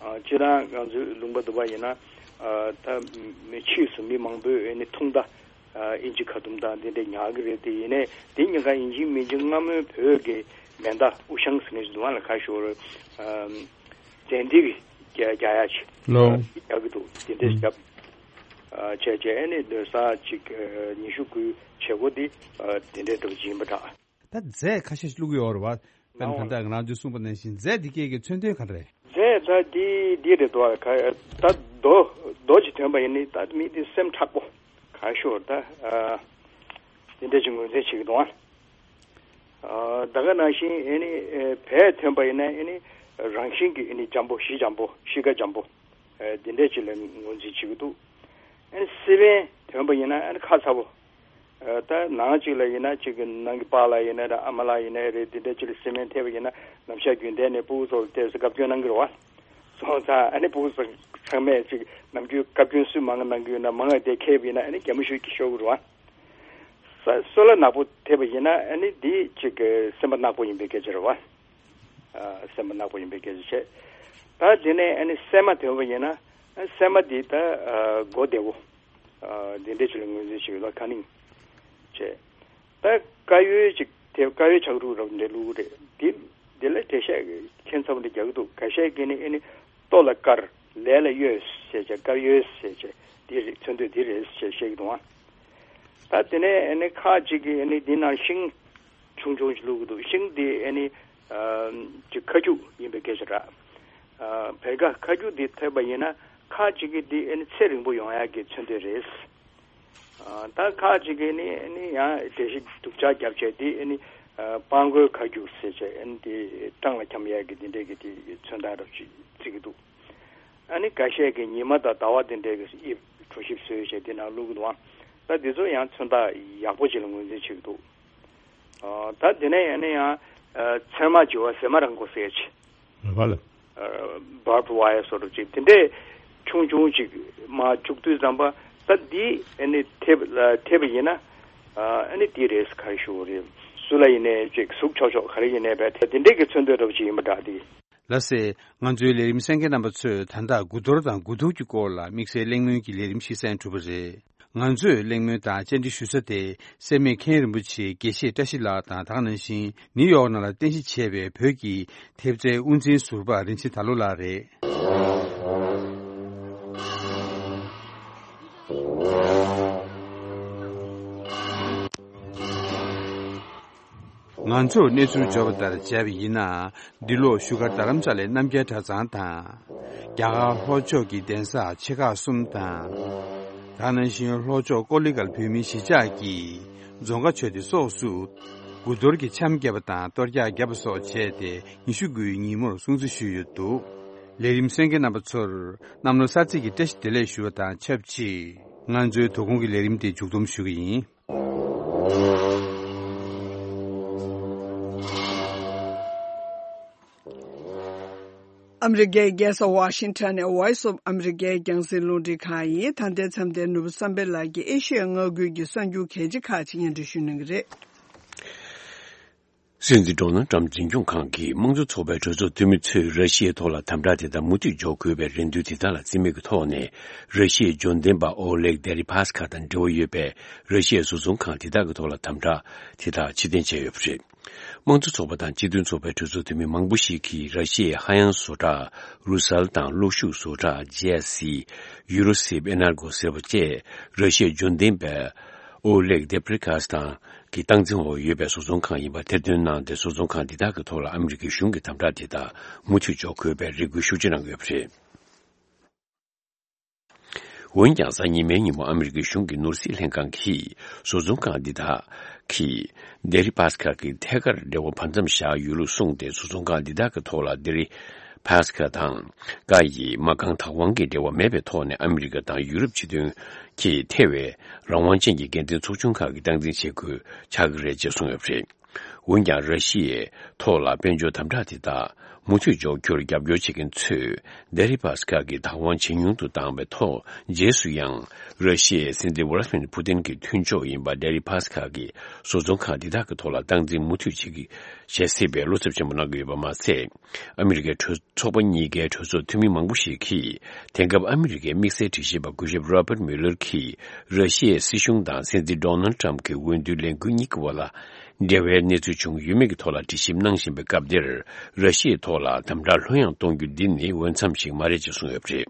ཨ་སྤྱིར་བཏང་ང་ཚོའི་ལུང་པ་དུ་བ་ཡིན་ན་ཨ་ད་མི་ཕྱིས་སུ་མི་མང་པོས་ཨ་ནི་ཐུང་མདའ། ཨ་ཨིན་ཇི་ཁ་ཐུམ་དང་དེ་འདྲས་ཉར་གི་རེད། དེ་ཡིན་ནའི་དེ་ཉིན་ཁ་ཡིན་གཅིག་མིན་གཅིག་སྔ་མོའི་བོད་ཀྱི་མེ་མདའ་དབུ་ཤང་ཟེར་མཁན་ཞིག་འདུག་ཨ། ལ་ཁ་ཤོར་ཨ་ཙན་དན་གྱི་རྒྱ་རྒྱ་ཡ་ཆེ་ལོ། རྒྱག་གི་འདུག་དེ་འདྲས་བརྒྱབ། ཨ་བྱས་བྱས་ཨ་ནི་སྡོད་ས་ཅིག་ཨ་ཉི་ཤུ་དགུའི་བྱེད་སྒོ་འདི་ཨ་དེ་འདྲས་འདྲ་པོ་ཅིག་ཡིན་པ་འདྲ། ད་རྫས་ཁ་ཤས་ཤིག་བླུག་གི་ཡོད་རེད་བ། དཔེར་ན་ད་ལྟ་ང་རང་ཚོས་གསུངས་པ་ནང་བཞིན་རྫས་འདི་སྐད་ཀྱི་མཚོན་དོན་ག་རེ་རེད། རྫས་ད་འདི་འདི་རེད་འདུག་ག་ད་རྡོ་རྡོ་ཅིག་ཐོན་པ་ཡིན་ནི་ད་མི་འདི་སེམས་མཁྲེགས་པོ་ག་ཤོར་ད་ཨ་དེ་འདྲ་ཅིག་ངོས་འཛིན་བྱེད་ཀྱི་འདུག་ཨ། ད་ག་ནང་བཞིན་ཨེ་ནི་བལ་ཐོན་པ་ཡིན་ན་ཨེ་ནི་རང་བཞིན་གྱི་ཨེ་ནི་འཇམ་པོ་གཤིས་འཇམ་པོ་གཤིས་ཀ་འཇམ་པོ་དེ་འདྲ་ཅིག་ལ་ངོས་འཛིན་བྱེད་ཀྱི་འདུག་ཨེ་ནི་སི་པན་ཐོན་པ་ཡིན་ན་ཨེ་ནི་ཁ་ཚ་པོ། ད་ནང་གཅིག་ལ་ཡིན་ན་གཅིག་གི་ནང་གི་པཱ་ལགས་ཡིན་ན་རེད། ཨ་མ་ལགས་ཡིན་ན་རེད། དེ་འདྲ་གཅིག་ལ་སི་པན་ཐེབས་པ་ཡིན་ན་ནམ་ཞག་རྒྱུན་གཏན་ནས་སྤུ་གུ་ཚོ་ལ་ལྟས་སུ་བཀའ་བཀྱོན་གནང་གི་རེད་བ། སོང་ཙང་ཨ་ནི་སྤུ་གུ་ཚོ་ཚང་མས་གཅིག་ནམ་རྒྱུན་བཀའ་བཀྱོན་སུས་མང་གནང་གི་ཡོད་ན་མང་ང་དེ་ཁེབས་ཡིན་ན་ཨ་ནི་གད་མོ་ཤོར་གི་ཤོར་གི་རེད་བ། ས་སོལ་བ་ནག་པོ་ཐེབས་པ་ཡིན་ན་ཨ་ནི་འདི་གཅིག་གི་སེམས་པ་ནག་པོ་ཡིན་པའི་སྐད་ཆ་རེད་བ། སེམས་པ་ནག་པོ་ཡིན་པའི་སྐད་ཆ་བྱས། ད་དེ་ནས་ཨ་ནི་སྲན་མ་ཐོན་པ་ཡིན་ན་སྲན་མ་འདི་ད་མགོ་བདེ་བོ། ཨ་དེ་འདྲས་ཅིག་ལ་ངོས་འཛིན་བྱེད་ཡོད་ལ་ཁ་ནིང་བྱས། ད་དཀར་ཡོལ་ཅིག་དེ་དཀར་ཡོལ་ཆག་རུག་རབ་འདྲ་བླུག་རེད། དེ་དེ་ལ་འགྲེལ་བཤད་ཁྱད་མཚར་པོ་འདྲ་རྒྱག་གི་འདུག་ག་ཤས་ཀྱིས་ནི་ཨེ་ནི་ལྟོ་ལ་དཀར་ལས་ལ་གཡོས་ཟེར་བྱས་དཀར་ཡོལ་ཟེར་བྱས་དེ་རེད་མཚོན་དོན་དེ་རེད་ཟེར་བཤད་ཀྱི་འདུག་ཨ། ད་དེ་ནས་ཨེ་ནི་ཁ་ཅིག་གིས་ཨེ་ནི་འདི་ནང་ཤིང་ཆུང་ཆུང་ཞིག་བླུག་གི་འདུག་ཤིང་འདི་ཨེ་ནི་ཅིག་ཁ་སྐྱུག་ཡིན་པའི་སྐད་ཆ་རེད། བེར་ཀ་ཁ་སྐྱུག་འདི་ཐེབས་པ་ཡིན་ན་ཁ་ཅིག་གིས་འདི་ཨེ་ནི་ཚེ་རིང་པོ་ཡོང་ཡག་གི་མཚོན་དོན་རེད། ཨ་ད་ཁ་ཅིག་གིས་ནི་ནི་ཡང་འགྲེལ་བཤད་སྡུག་ཅག་བརྒྱབ་བྱས་དེ་ནི་ཨ་སྤང་རྒོད་ཁ་རྒྱུག་ཟེར་བྱས་ཨ་ནི་དེ་སྤྲང་ལ་འཁྱམ་ཡས་ཀྱི་དེ་འདྲས་ཀྱི་དེ་མཚོན་རྟགས་རབ་ཅིག་བརྩི་གི་འདུག་ཨ་ནི་འགའ་ཤས་ཀྱིས་ཉི་མ་དང་ཟླ་བ་དེ་འདྲས་ཀྱི་དབྱིབས་གྲོ་ཞིབ་བཟོས་བྱས་དེ་ནང་བླུག་གི་འདུག་ཨ། ད་དེ་ཚོ་ཡང་མཚོན་རྟགས་ཡག་པོ་ཅིག་ལ་ངོས་འཛིན་བྱེད་ཀྱི་འདུག་ཨ་ད་དེ་ནས་ཡང་ནི་ཡང་ཨ་ཚེར་མ་བྱི་བ་ཟེ་མ་རང་མགོ་ཟེར་ཅིག་རེད་པ་ལགས། barbed wire སོགས་རུ་ཅིག་དེ་འདྲས་ཆུང་ཆུང་ཅིག་མར་བཅུག་དུས་ཙམ་པ་ད་འདི་ཨ་ནི་ཐེབས་ཐེབས་པ་ཡིན་ན་ཨ་ནི་འདི་རེད་ག་རེ་ཞུ་དགོས་རེད། སུ་ལ་ཡིན་ནའི་ཅིག་ཟུག་ཆོག་ཆོག་ག་རེ་ཡིན་ནའི་བས་དེ་འདྲས་ཀྱི་མཚོན་དོན་འདྲ་པོ་ཅིག་ཡིན་པ་འདྲ་འདི། ལགས་སེ། ང་ཚོའི་ལས་རིམ་གསན་མཁན་རྣམ་པ་ཚོས་ད་ལྟ་དགུ་གཏོར་དང་དགུ་ཐུག་གི་སྐོར་ལ་དམིགས་བསལ་གླེང་མོལ་གྱི་ལས་རིམ་ཞིག་གསན་གྲུབ་པ་རེད། ང་ཚོས་གླེང་མོལ་དང་བཅར་འདྲི་ཞུ་ས་དེ་སེར་སྨད་མཁན་རིན་པོ་ཆེ་དགེ་བཤེས་བཀྲ་ཤིས་ལགས་དང་དེ་ག་ནང་བཞིན་ནིའུ་ཡོག་ནང་ལ་རྟེན་གཞི་བྱས་པའི་བོད་ཀྱི་ཐེབས་རྩའི་དབུ་འཛིན་ཟུར་པ་རིན་ཆེན་དར་ལོ་ལགས་རེད། ང་ཚོར་གནས་ཚུལ་འབྱོར་བ་ལྟར་བྱས་པ་ཡིན་ན། འདི་ལོ་བཞུགས་སྒར་རྡ་རམ་ས་ལའི་རྣམ་རྒྱལ་གྲྭ་ཚང་དང་། རྒྱ་གར་ལྷོ་ཕྱོགས་ཀྱི་གདན་ས་ཆེ་ཁག་གསུམ་དང་། དེ་ག་ནང་བཞིན་ལྷོ་ཕྱོགས་ཀོ་ལི་གྷལ་བོད་མིའི་གཞིས་ཆགས་ཀྱི་རྫོང་དགའ་ཆོས་སྡེ་སོགས་སུ། དགུ་གཏོར་གྱི་འཆམ་བརྒྱབ་པ་དང་གཏོར་རྒྱག་བརྒྱབ་པ་སོགས་བྱས་ཏེ་ཉི་ཤུ་དགུའི་ཉིན་མོར་སྲུང་བརྩི་ཞུས་ཡོད་འདུག་ལས་རིམ་གསན་མཁན་རྣམ་པ་ཚོར་གནམ་ལོ་གསར་ཚེས་ཀྱི་བཀྲ་ཤིས་བདེ་ལེགས་ཞུ་བ་དང་ཆབས་ཅིག་ང་ཚོའི་དོ་དགོང་གི་ལས་རིམ་དེ་མཇུག་བསྡོམས་ཞུ་གི་ཡིན། ཨ་མི་རི་ཀའི་རྒྱལ་ས་ཝ་ཤིང་ཊོན་ནས་Voice of America རྒྱང་སྲིང་རླུང་འཕྲིན་ཁང་ཡིན། ད་ལྟའི་མཚམས་དེར་ནོར་བུ་བསམ་འཕེལ་ལགས་ཀྱིས་ཨེ་ཤི་ཡའི་མངའ་ཁུལ་གྱི་གསར་འགྱུར་གལ་ཆེ་ཁག་ཅིག་སྙན་སྒྲོན་ཞུ་གནང་གི་རེད། སྲིད་འཛིན་ཌོ་ནལ་ཊམ་འཛིན་སྐྱོང་ཁང་གིས་དམངས་གཙོ་ཚོགས་པའི་གྲོས་ཚོགས་འཐུས་མི་ཚོས་ར་ཤི་ཡའི་ཐོག་ལ་དམ་དྲག་དེ་དག་མུ་མཐུད་འཇོག་དགོས་པའི་རེ་འདུན་དེ་དག་ལ་རྩིས་མེད་ཀྱི་ཐོག་ནས། ར་ཤི་ཡའི་འབྱོར་ལྡན་པ་ཨོ་ལེག་དེ་རི་པ་སི་ཀ་དང་འབྲེལ་བ་ཡོད་པའི་ར་ཤི་ཡའི་བཟོ་ཚོང་ཁང་དེ་དག་གི་ཐོག་ལ་དམ་དྲག་དེ་དག་ཕྱིར་འཐེན་བྱས་ཡོད་པ་རེད། དམངས་གཙོ་ཚོགས་པ་དང་སྤྱི་མཐུན་ཚོགས་པའི་གྲོས་ཚོགས་འཐུས་མི་མང་པོ་ཞིག་གིས་ར་ཤི་ཡའི་ཧ་ཡང་བཟོ་གྲྭ་རུ་སལ་དང་གློག་ཤུགས་བཟོ་གྲྭ་ཇེ་ཨེ་སི། ཡུ་རོ་སིབ་ཨེ་ནར་གོ་ཟེར་བ་བཅས་ར་ཤི་ཡའི་འབྱོར་ལྡན་པའི་ཨོ་ལེག་དེབ་རི་ཀ་སི་དང་གི་སྟངས་འཛིན་འོག་ཡོད་པའི་བཟོ་ཚོང་ཁང་ཡིན་པ་ཐེར་འདོན་གནང་སྟེ། བཟོ་ཚོང་ཁང་འདི་དག་གི་ཐོག་ལ་ཨ་མི་རི་ཀའི་གཞུང་གི་དམ་དྲག་དེ་དག་མུ་མཐུད་འཇོག་དགོས་པའི་རེ་སྐུལ་ཤུགས་ཆེ་གནང་ཡོད་པ་རེད། འོན་ཀྱང་། གཟའ་ཉི་མའི་ཉིན་མོ་ཨ་མི་རི་ཀའི་གཞུང་གི་ནོར་སྲིད་ལྷན་ཁང་གིས་བཟོ་ཚོང་ཁང་འདི་དག་གིས་ལྡེ་རི་པཱ་སི་ཁལ་གྱི་ཐད་ཀར་འབྲེལ་བ་བར་མཚམས་བཞག་ཡོད་ལུགས་གསུངས་ཏེ། བཟོ་ཚོང་ཁང་འདི་དག་གི་ཐོག་ལ་ལྡེ་རི་པཱ་སི་ཁལ་དང་ཀ་ཡི་མ་རྐང་བདག་དབང་གི་འབྲེལ་བ་མེད་པའི་ཐོག་ནས་ཨ་མི་རི་ཀ་དང་ཡུ་རོབ་སྤྱི་མཐུན་གྱིས་ཐེ་བའི་རང་དབང་ཅན་གྱི་འགན་འཛིན་ཚོགས་ཆུང་ཁག་གིས་སྟངས་འཛིན་བྱེད་དགོས་ཆགས་ཀྱི་རེད་ཅེས་གསུངས་ཡོད་པ་རེད། འོན་ཀྱང་། ར་ཤི་ཡའི་ཐོག་ལ་དཔལ་འབྱོར་དམ་དྲག་དེ་དག་མུ་མཐུད་འཇོག་རྒྱུར་རྒྱབ་སྐྱོར་བྱེད་མཁན་ཚོས་ལྡེ་རི་པཱ་སི་ཁལ་གྱི་བདག་དབང་ཇེ་ཉུང་དུ་བཏང་བའི་ཐོག་རྗེས་སུ་ཡང་། ར་ཤི་ཡའི་སྲིད་འཛིན་ཝ་ལ་ཏི་མིར་ཕུ་ཏིན་གྱི་མཐུན་ཕྱོགས་ཡིན་པ་ལྡེ་རི་པཱ་སི་ཁལ་གྱི་བཟོ་ཚོང་ཁང་འདི་དག་གི་ཐོག་ལ་སྟངས་འཛིན་མུ་མཐུད་བྱེད་ཀྱི་བྱེད་སྲིད་པའི་བློ་འཚབ་ཆེན་པོ་གནང་གི་ཡོད་པ་མ་ཟད། ཨ་མི་རི་ཀའི་གྲོས་ཚོགས་པ་གཉིས་ཀའི་གྲོས་ཚོགས་འཐུས་མི་མང་པོ་ཞིག་གིས། དེང་སྐབས་ཨ་མི་རི་ཀའི་དམིགས་བསལ་དྲི་ཞིབ་པ་སྐུ་ཞབས་རོ་པར་མུ་ལར་གྱིས། ར་ཤི་ཡའི་སྲིད་གཞུང་དང་སྲིད་འཛིན་ཌོ་ནལ་ཏྲམ་གྱི་འོས་བསྡུའི་ལས་འགུལ་གཉིས་ཀྱི་བར་ལ་འབྲེལ་བའི་གནས་ཚུལ་བྱུང་ཡོད་མེད་ཀྱི་ཐོག་ལ་དྲི་ཞིབ་གནང་བཞིན་པའི་སྐབས་འདིར། ར་ཤི་ཡའི་ཐོག་ལ་དམ་དྲག་ལྷོད་ཡངས་གཏོང་རྒྱུ་འདི་ནི་འོས་འཚམ་ཞིག་མ་རེད་ཅེས་གསུངས་ཡོད་པ་རེད།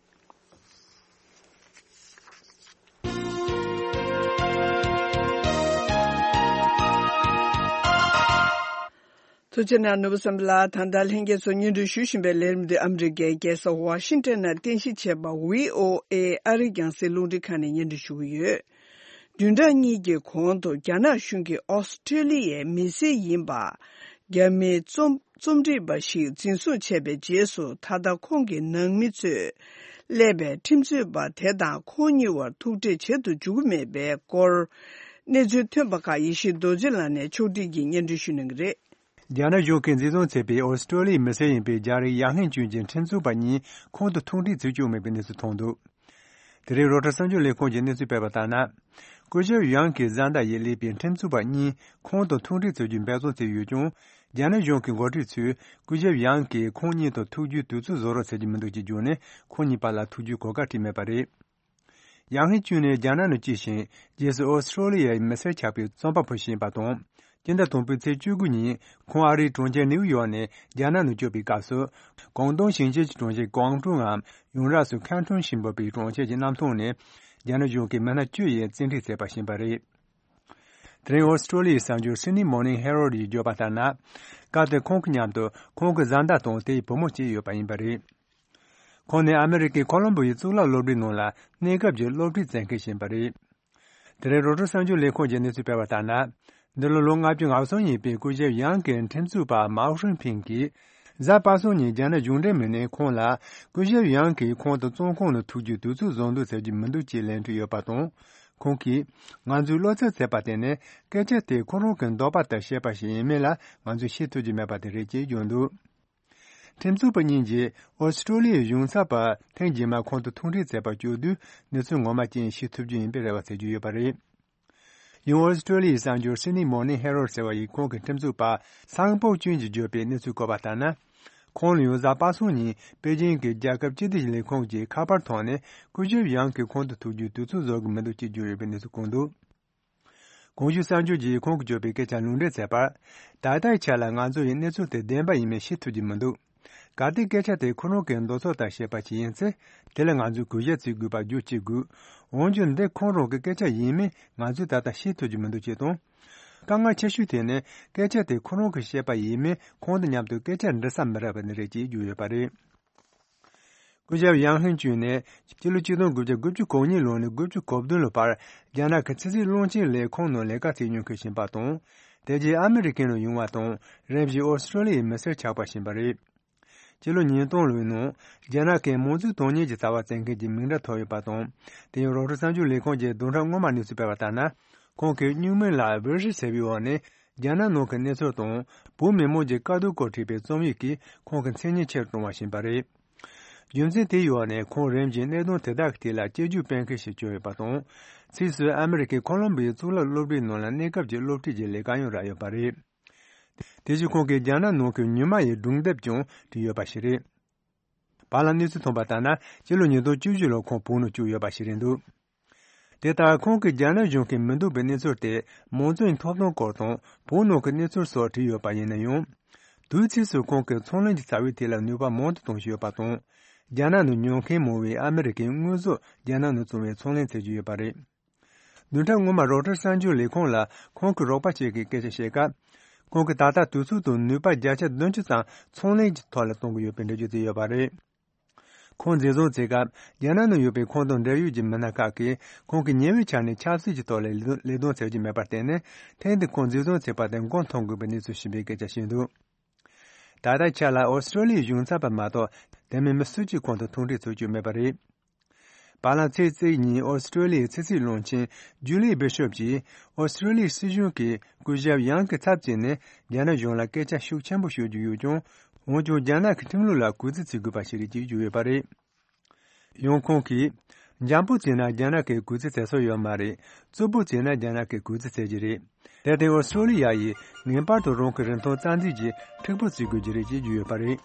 ཐུགས་རྗེ་གནང་། ནོར་བུ་བསམ་འཕེལ་ལགས། ད་ལྟ་ལྷན་རྒྱས་ཚོ་སྙན་སྒྲོན་ཞུ་བཞིན་པའི་ལས་རིམ་འདི་ཨ་མི་རི་ཀའི་རྒྱལ་ས་ཝ་ཤིང་ཊོན་ནང་རྟེན་གཞི་བྱས་པ་བྷི་ཨོ་ཨེ་ཨ་རིའི་རྒྱང་སྲིང་རླུང་འཕྲིན་ཁང་ནས་སྙན་སྒྲོན་ཞུ་གི་ཡོད། བདུན་ཕྲག་གཉིས་ཀྱི་གོང་དུ་རྒྱ་ནག་གཞུང་གིས་ཨོ་སི་ཀྲེ་ལི་ཡའི་མི་སེར་ཡིན་པ་རྒྱ་མིའི་རྩོམ་རྩོམ་སྒྲིག་པ་ཞིག་འཛིན་བཟུང་བྱས་པའི་རྗེས་སུ། ད་ལྟ་ཁོང་གི་ནང་མི་ཚོས་སླེབས་པའི་ཁྲིམས་རྩོད་པ་དེ་དང་ཁོང་གཉིས་བར་ཐུག་འཕྲད་བྱེད་དུ་འཇུག་གི་མེད་པའི་སྐོར། གནས་ཚུལ་ཐོན་པ་ཁག་ཡེ་ཤེས་རྡོ་རྗེ་ལགས་ནས་ཕྱོགས་སྒྲིག་གིས་སྙན་སྒྲོན་ཞུ་གནང་གི་རེད། རྒྱ་ནག་གཞུང་གིས་འཛིན་བཟུང་བྱས་པའི་ཨོ་སི་ཀྲོ་ལི་ཡའི་མི་སེར་ཡིན་པའི་རྒྱ་རིགས་ཡང་ཧེང་ཅུན་གྱི་ཁྲིམས་རྩོད་པ་གཉིས་ཁོང་དུ་ཐུག་འཕྲད་བྱེད་བཅུག་མེད་པའི་གནས་ཚུལ་ཐོན་འདུག་དེ་རིང་རོའི་ཊར་གསར་འགྱུར་ལས་ཁུངས་ཀྱིས་གནས་ཚུལ་སྤེལ་བ་ལྟར་ན། སྐུ་ཞབས་ཡང་གི་བཟའ་ཟླ་ཡིས་སླེབས་པའི་ཁྲིམས་རྩོད་པ་གཉིས་ཁོང་དུ་ཐུག་འཕྲད་བྱེད་རྒྱུའི་འབད་བརྩོན་བྱས་ཡོད་ཀྱང་། རྒྱ་ནག་གཞུང་གི་འགོ་ཁྲིད་ཚོས་སྐུ་ཞབས་ཡང་གིས་ཁོང་གཉིས་དང་ཐུག་རྒྱུའི་དུས་ཚོད་བཟོ་རོགས་བྱེད་ཀྱི་མི་འདུག་ཅེས་བརྗོད་ནས། ཁོང་གཉིས་བར་ལ་ཐུག་རྒྱུའི་གོ་སྐབས་སྤྲད་མེད་པ་རེད། ཡང་ཧེ་ཅུན་ནི་རྒྱ་ནག་ནང་སྐྱེས་ཤིང་། རྗེས་སུ་ཨོ་སི་ཀྲོ་ལི་ཡའི་མི་སེར་ཆགས་པའི་རྩོམ་པ་པོ་ཞིག་ཡིན་པ་དང་། སྤྱི་ཟླ་དང་པོའི་ཚེས་བཅུ་དགུ་ཉིན་ཁོང་ཨ་རིའི་གྲོང་ཁྱེར་ནེའུ་ཡོག་ནས་རྒྱ་ནག་ནང་བསྐྱོད་པའི་སྐབས་སུ། ཀོང་ཏུང་ཞིང་ཆེན་གྱི་གྲོང་ཁྱེར་ཀོང་ཀྲུང་ངམ་ཡུང་རབས་སུ་ཁན་ཀྲུང་ཞེས་འབོད་པའི་གྲོང་ཁྱེར་གྱི་གནམ་ཐང་ནས། རྒྱ་ནག་གཞུང་གིས་མི་སྣ་བཅུ་ཡིས་བཙན་ཁྲིད་བྱས་པ་ཞིག་ཡིན་པ་རེད། དེ་རིང་ཨོ་སི་ཀྲོ་ལི་ཡའི་གསར་འགྱུར་སི་ནི་མོར་ནིང་ཧེ་རོལ་ཡིས་བརྗོད་པ་ལྟར་ན། སྐབས་དེར་ཁོང་གི་མཉམ་དུ་ཁོང་གི་བཟའ་ཟླ་དང་དེའི་བུ་མོ་བཅས་ཡོད་པ་ཡིན་པ་རེད། ཁོང་ནི་ཨ་མི་རི་ཀའི་ཁོ་ལོམ་བོ་ཡི་གཙུག་ལག་སློབ་གྲྭའི་ནང་ལ་གནས་སྐབས་ཀྱི་སློབ་ཁྲིད་བྱེད་མཁན་ཞིག་ཡིན་པ་རེད། དེ་རིང་རོའི་ཊར་གསར་འགྱུར་ལས་ཁུངས་ཀྱིས་གནས་ཚུལ་སྤེལ་བ་ལྟར་ན། འདི་ལོ་ལོ་ལྔ་བཅུ་ང་གསུམ་ཡིན་པའི་སྐུ་ཞབས་ཡང་གི་ཁྲིམས་རྩོད་པ་མའོ་ཧྲིན་ཕིང་གིས། གཟའ་པ་སངས་ཉིན་རྒྱ་ནག་གཞུང་འབྲེལ་མི་སྣས་ཁོང་ལ། སྐུ་ཞབས་ཡང་གིས་ཁོང་དང་བཙོན་ཁང་ནང་ཐུག་རྒྱུའི་དུས་ཚོད་བཟོ་འདོད་བྱེད་ཀྱི་མི་འདུག་ཅེས་ལན་སྤྲད་ཡོད་པ་དང་། ཁོང་གིས། ང་ཚོས་བློ་འཚབ་བྱས་པ་དེ་ནི། སྐད་ཆ་དེ་ཁོ་རང་གི་འདོད་པ་ལྟར་བཤད་པ་ཞིག་ཡིན་མིན་ལ་ང་ཚོས་ཤེས་ཐུབ་ཀྱི་མེད་པ་དེ་རེད་ཅེས་བརྗོད་འདུག་ཁྲིམས་རྩོད་པ་གཉིས་ཀྱིས་ཨོ་སི་ཀྲོ་ལི་ཡའི་གཞུང་ཚབ་པ་ཐེངས་རྗེས་མ་ཁོང་དུ་ཐུག་འཕྲད་བྱས་པ་བརྗོད་དུས། གནས་ཚུལ་ངོ་མ་ཅན་ཤེས་ཐུབ་རྒྱུ་ཡིན་པའི་རེ་བ་བྱེད་རྒྱུ་ཡོད་པ་རེད། ཡང་ཨོ་སི་ཀྲོ་ལི་ཡའི་གསར་འགྱུར་སི་ནི་མོར་ནིང་ཧེ་རོལ་ཟེར་བ་ཡིས་ཁོང་གི་ཁྲིམས་རྩོད་པ་སང་པོ་ཅུན་གྱིས་བརྗོད་པའི་གནས་ཚུལ་བཀོད་པ་ལྟར་ན། ཁོང་ལ་ཡང་གཟའ་པ་སངས་ཉིན་པེ་ཅིང་གི་རྒྱལ་ཁབ་སྤྱི་བདེ་ལས་ཁུངས་ཀྱི་ཁ་པར་ཐོག་ནས་སྐུ་ཞབས་ཡང་གིས་ཁོང་དུ་ཐུག་རྒྱུའི་དུས་ཚོད་བཟོ་གི་མི་འདུག་ཅེས་བརྗོད་ཡོད་པའི་གནས་ཚུལ་བཀོད་འདུག་གོང་ཞུས་གསར་འགྱུར་གྱིས་ཁོང་གིས་བརྗོད་པའི་སྐད་ཆ་ལུང་འདྲེན་བྱས་པར། ད་ལྟའི་ཆ་ལ་ང་ཚོ་ཡི་གནས་ཚུལ་དེ་བདེན་པ་ཡིན་མིན་ཤེས་ཐུབ་ཀྱི་མི་འདུག་གལ་ཏེ་སྐད་ཆ་དེ་ཁོ་རང་གི་འདོད་ཚུལ་ལྟར་བཤད་པ་ཞིག་ཡིན་ཚེ། དེ་ལ་ང་ཚོས་གུས་ཞབས་བྱེད་དགོས་པ་རྒྱུ་གཅིག་དགོས། འོན་ཀྱང་འདི་ཁོ་རང་གི་སྐད་ཆ་ཡིན་མིན་ང་ཚོས་ད་ལྟ་ཤེས་ཐུབ་ཀྱི་མི་འདུག་ཅེས་དང་། དཀའ་ངལ་ཆེ་ཤོས་དེ་ནི་སྐད་ཆ་དེ་ཁོ་རང་གིས་བཤད་པ་ཡིན་མིན་ཁོང་དང་མཉམ་དུ་སྐད་ཆ་འདྲི་ས་མི་རག་པ་ནི་རེད་ཅེས་བརྗོད་ཡོད་པ་རེད། སྐུ་ཞབས་ཡང་ཧིན་ཅུན་ནི་སྤྱི་ལོ་ཆིག་སྟོང་དགུ་བརྒྱ་དགུ་བཅུ་གོ་གཉིས་ལོ་ནས་དགུ་བཅུ་གོ་བདུན་ལོ་བར་རྒྱ་ནག་གི་ཕྱི་སྲིད་བློན་ཆེན་ལས་ཁུངས་ནང་ལས་ཀ་བྱེད་མྱོང་མཁན་ཞིག་ཡིན་པ་དང་། དེ་རྗེས་ཨ་མི་རི་ཀའི་ནང་ཡོང་བ་དང་། རིམ་བཞིན་ཨོ་སི་ཀྲོ་ལི་ཡའི་མི་སེར་ཆགས་པ་ཞིག་ཡིན་པ་རེད། སྤྱི་ལོ་ཉིས་སྟོང་ལོའི་ནང་རྒྱ་ནག་གི་མང་གཙོའི་དོན་གཉེར་གྱི་རྩ་བ་བཙན་མཁན་གྱི་མིང་འདྲ་ཐོབ་ཡོད་པ་དང་། དེ་ཡང་རོའི་ཊར་གསར་འགྱུར་ལས་ཁུངས་ཀྱིས་བདུན་ཕྲག་སྔོན་མ་གནས་ཚུལ་སྤེལ་བ་ལྟར་ན། ཁོང་གིས་སྨྱུག་མིང་ལ་ཝེ་ཧྲི་ཟེར་བའི་འོག་ནས་རྒྱ་ནག་ནང་གི་གནས་ཚུལ་དང་བོད་མི་མང་གི་དཀའ་སྡུག་སྐོར་བྲིས་པའི་རྩོམ་ཡིག་གིས་ཁོང་གི་མཚན་སྙན་ཆེ་རུ་བཏང་བ་ཞིག་ཡིན་པ་རེད། རྒྱུ་མཚན་དེའི་འོག་ནས་ཁོང་རིམ་བཞིན་གནད་དོན་དེ་དག་གི་ཐད་ལ་དཔྱད་བརྗོད་སྤེལ་མཁན་ཞིག་བྱུང་ཡོད་པ་དང་། ཕྱིས་སུ་ཨ་མི་རི་ཀའི་ཁོ་ལོམ་བི་ཡའི་གཙུག་ལག་སློབ་གྲྭའི་ནང་ལ་གནས་སྐབས་ཀྱི་སློབ་ཁྲིད་ཀྱི་ལས་ཀ་ཡང་རག་ཡོད་པ་རེད། དེ་བཞིན་ཁོང་གིས་རྒྱ་ནག་ནང་གི་ཉི་མ་ཡི་སྒྲུང་དེབ་ཀྱང་བྲིས་ཡོད་པ་ཞིག་རེད། བར་ལ་གནས་ཚུལ་ཐོན་པ་ལྟར་ན། སྤྱི་ལོ་ཉིས་སྟོང་བཅུ་བཞི་ལོར་ཁོང་བོད་ནང་བསྐྱོད་ཡོད་པ་ཞིག་རེད་འདུག་དེ་ལྟར་ཁོང་གིས་རྒྱ་ནག་གཞུང་གིས་མི་འདོད་པའི་གནས་ཚུལ་དེ་མང་གཙོའི་ཐོབ་ཐང་སྐོར་དང་བོད་ནང་གི་གནས་ཚུལ་སོགས་བྲིས་ཡོད་པ་ཡིན་ན་ཡང་། དུས་ཚིགས་སུ་ཁོང་གིས་ཚོང་ལས་ཀྱི་རྩ་བའི་ཐད་ལ་ནུས་པ་མང་དུ་གཏོང་བཞིན་ཡོད་པ་དང་། རྒྱ་ནག་ནང་ཉོ་མཁན་མང་བས་ཨ་མི་རི་ཀའི་དངོས་ཟོག་རྒྱ་ནག་ནང་བཙོང་བའི་ཚོང་ལས་བྱེད་ཀྱི་ཡོད་པ་རེད། བདུན་ཕྲག་སྔོན་མ་རོའི་ཊར་གསར་འགྱུར་ལས་ཁང་ལ་ཁོང་གི་རོགས་པ་ཞིག་གིས་སྐད་ཆ་བཤད་སྐབས། ཁོང་གིས་ད་ལྟ་དུས་ཚོད་དང་ནུས་པ་བརྒྱ་ཆ་བདུན་ཅུ་ཙམ་ཚོང་ལས་ཀྱི་ཐོག་ལ་གཏོང་གི་ཡོད་པའི་འགྲེལ་བརྗོད་བྱས་ཡོད་པ་རེད། ཁོང་འཛིན་བཟུང་བྱེད་སྐབས་རྒྱ་ནག་ནང་ཡོད་པའི་ཁོང་དང་འབྲེལ་ཡོད་ཀྱི་མི་སྣ་ཁག་གིས་ཁོང་གིས་ཉེ་བའི་ཆར་ནས་ཆབ་སྲིད་ཀྱི་ཐོག་ལ་ལས་དོན་ལས་དོན་བྱེད་ཀྱི་མེད་པར་བརྟེན་ནས། ཐེངས་འདིར་ཁོང་འཛིན་བཟུང་བྱས་པ་དེ་མགོ་འཐོམ་དགོས་པའི་གནས་ཚུལ་ཞིག་ཡིན་པའི་སྐད་ཆ་བཤད་འདུག་ད་ལྟའི་ཆར་ལ་ཨོ་སི་ཀྲོ་ལི་ཡའི་གཞུང་ཚབ་པ་མ་གཏོགས་དེ་མིན་མི་སུ་གཅིག་ཁོང་དང་ཐུག་འཕྲད་བྱེད་རྒྱུ་མེད་པ་རེད། བར་ལམ་ཚེས་གཅིག་ཉིན་ཨོ་སི་ཀྲོ་ལི་ཡའི་ཕྱི་སྲིད་བློན་ཆེན་ཇུ་ལི་བྷི་ཤོབ་ཀྱིས་ཨོ་སི་ཀྲོ་ལི་ཡའི་སྲིད་གཞུང་གིས་སྐུ་ཞབས་ཡང་གི་ཚབ་བྱས་ནས་རྒྱ་ནག་གཞུང་ལ་སྐད་ཆ་ཤུགས་ཆེན་པོ་ཤོད་རྒྱུ་ཡོད་ཀྱང་། འོན་ཀྱང་རྒྱ་ནག་གི་ཁྲིམས་ལུགས་ལ་གུས་བརྩི་བྱེད་དགོས་པ་ཞིག་རེད་ཅེས་བརྗོད་ཡོད་པ་རེད། ཡང་ཁོང་གིས། འཇམ་པོ་བྱས་ན་རྒྱ་ནག་གིས་གུས་བརྩི་བྱེད་སྲོལ་ཡོད་མ་རེད། རྩུབ་པོ་བྱས་ན་རྒྱ་ནག་གིས་གུས་བརྩི་བྱེད་ཀྱི་རེད། དེར་བརྟེན་ཨོ་སི་ཀྲོ་ལི་ཡ་ཡིས་ངེས་པར་དུ་རང་གི་རིན་ཐང་རྩ་འཛིན་གྱིས་མཁྲེགས་པོ་བྱེད་དགོས་ཀྱི་རེད་ཅེས་བརྗོད་ཡོད་པ་རེད།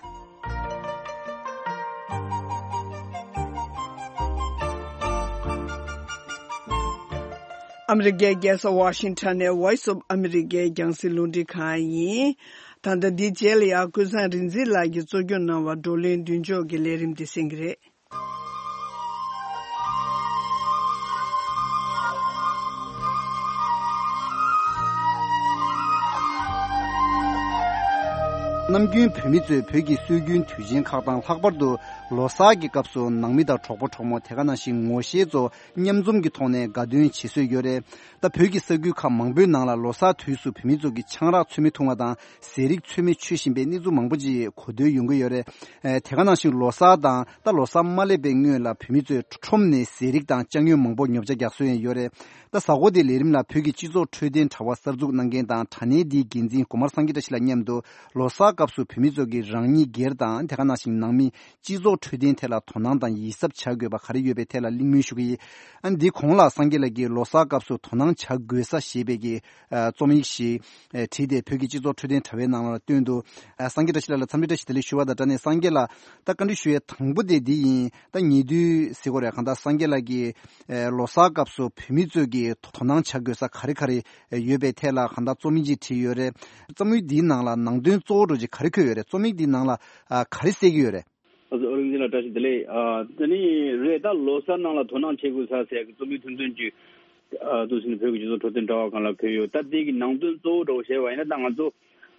ཨ་མི་རི་ཀའི་རྒྱལ་ས་ཝ་ཤིང་ཊོན་ནས་Voice of America རྒྱང་སྲིང་རླུང་འཕྲིན་ཁང་ཡིན། ད་ལྟ་འདིའི་རྗེས་ལ་ཡང་ཀུན་བཟང་རིག་འཛིན་ལགས་ཀྱིས་གཙོ་སྐྱོང་གནང་བ་བགྲོ་གླེང་མདུན་ལྕོག་གི་ལས་རིམ་འདི་གསན་གྱི་རེད། ནམ་རྒྱུན་བོད་མི་ཚོས་བོད་ཀྱི་སྲོལ་རྒྱུན་དུས་ཆེན་ཁག་དང་། ལྷག་པར་དུ་ལོ་གསར་གྱི་སྐབས་སུ་ནང་མི་དང་གྲོགས་པོ་གྲོགས་མོ། དེ་ག་ནང་བཞིན་ངོ་ཤེས་ཚོ་མཉམ་འཛོམས་ཀྱི་ཐོག་ནས་དགའ་སྟོན་བྱེད་སྲོལ་ཡོད་རེད། ད་བོད་ཀྱི་ས་ཁུལ་ཁག་མང་པོའི་ནང་ལ་ལོ་གསར་དུས་སུ་བོད་མི་ཚོ་གིས་ཆང་རག་ཚོད་མེད་འཐུང་བ་དང་། ཟས་རིགས་ཚོད་མེད་མཆོད་བཞིན་པའི་གནས་ཚུལ་མང་པོ་ཅིག་གོ་ཐོས་ཡོང་གི་ཡོད་རེད། ཨེ། དེ་ག་ནང་བཞིན་ལོ་གསར་དང་ད་ལོ་གསར་མ་སླེབས་པའི་སྔོན་ལ་བོད་མི་ཚོས་ཁྲོམ་ནས་ཟས་རིགས་དང་ཅ་དངོས་མང་པོ་ཉོ་ཆ་རྒྱག་སྲོལ་ཡང་ཡོད་རེད། ད་གཟའ་འཁོར་འདིའི་ལས་རིམ་ལ་བོད་ཀྱི་སྤྱི་ཚོགས་འཕྲོད་བསྟེན་དྲ་བ་གསར་འཛུགས་གནང་མཁན་དང་དྲ་གནས་འདིའི་འགན་འཛིན་གོ་མར་སངས་རྒྱས་བཀྲ་ཤིས་ལགས་མཉམ་དུ་ལོ་གསར་སྐབས་སུ་བོད་མི་ཚོ་གིས་རང་ཉིད་སྒེར་དང་། དེ་ག་ནང་བཞིན་ནང་མི་སྤྱི་ཚོགས་འཕྲོད་བསྟེན་ཐད་ལ་དོ་སྣང་དང་ཡིད་གཟབ་བྱ་དགོས་པ་ག་རེ་ཡོད་པའི་ཐད་ལ་གླེང་མོལ་ཞུ་གི་ཡིན། ཨ། འདི་གོང་ལ་སངས་རྒྱས་ལགས་ཀྱིས་ལོ་གསར་སྐབས་སུ་དོ་སྣང་བྱ་དགོས་ས་ཞེས་པའི་གི་ཨ། རྩོམ་ཡིག་ཞིག་ཨ། བྲིས་ཏེ་བོད་ཀྱི་སྤྱི་ཚོགས་འཕྲོད་བསྟེན་དྲ་བའི་ནང་ལ་བཏོན་འདུག་ཨ། སངས་རྒྱས་བཀྲ་ཤིས་ལགས་ལ་འཚམས་འདྲི་བཀྲ་ཤིས་བདེ་ལེགས་ཞུ་བ་དང་སྦྲགས་ནས། སངས་རྒྱས་ལགས། ད་བཀའ་འདྲི་ཞུ་ཡས་དང་པོ་དེ་འདི་ཡིན། ད་ཉེ་དུས་ཟེར་དགོས་རེད། གང་ལྟར་སངས་རྒྱས་ལགས་ཀྱིས་ཨ། ལོ་གསར་སྐབས་སུ་བོད་མི་ཚོས་ཀྱིས་དོ་སྣང་བྱ་དགོས་ས་ག་རེ་ག་རེ་ཡོད་པའི་ཐད་ལ་གང་ལྟར་རྩོམ་ཡིག་ཅིག་བྲིས་ཡོད་རེད། རྩོམ་ཡིག་འདིའི་ནང་ལ་ནང་དོན་གཙོ་བོ་འདྲ་ཅིག་ག་རེ་འཁོད་ཡོད་རེད། རྩོམ་ཡིག་འདིའི་ནང་ལ་ཨ། ག་རེ་གསལ་གྱི་ཡོད་རེད། ཨ་ཙི། ཨོ་རིག་འཛིན་ལགས་བཀྲ་ཤིས་བདེ་ལེགས། ཨ། དེ་ནི་རེད། ད་ལོ་གསར་ནང་ལ་དོ་སྣང་བྱེད་དགོས་ས་ཟེར་གི་རྩོམ་ཡིག་ཐུང་ཐུང་ཅིག་ཨ། འདུག་ཟེར་ནས་བོད་ཀྱི་སྤྱི་ཚོགས་འཕྲོད་བསྟེན་དྲ་བ་སྒང་ལ་འཁོད་ཡོད། ད་དེ་གི་ནང་དོན་གཙོ་བོ་འདྲ་བོ་བཤད་པ་ཡིན་ན། ད་ང་ཚོ་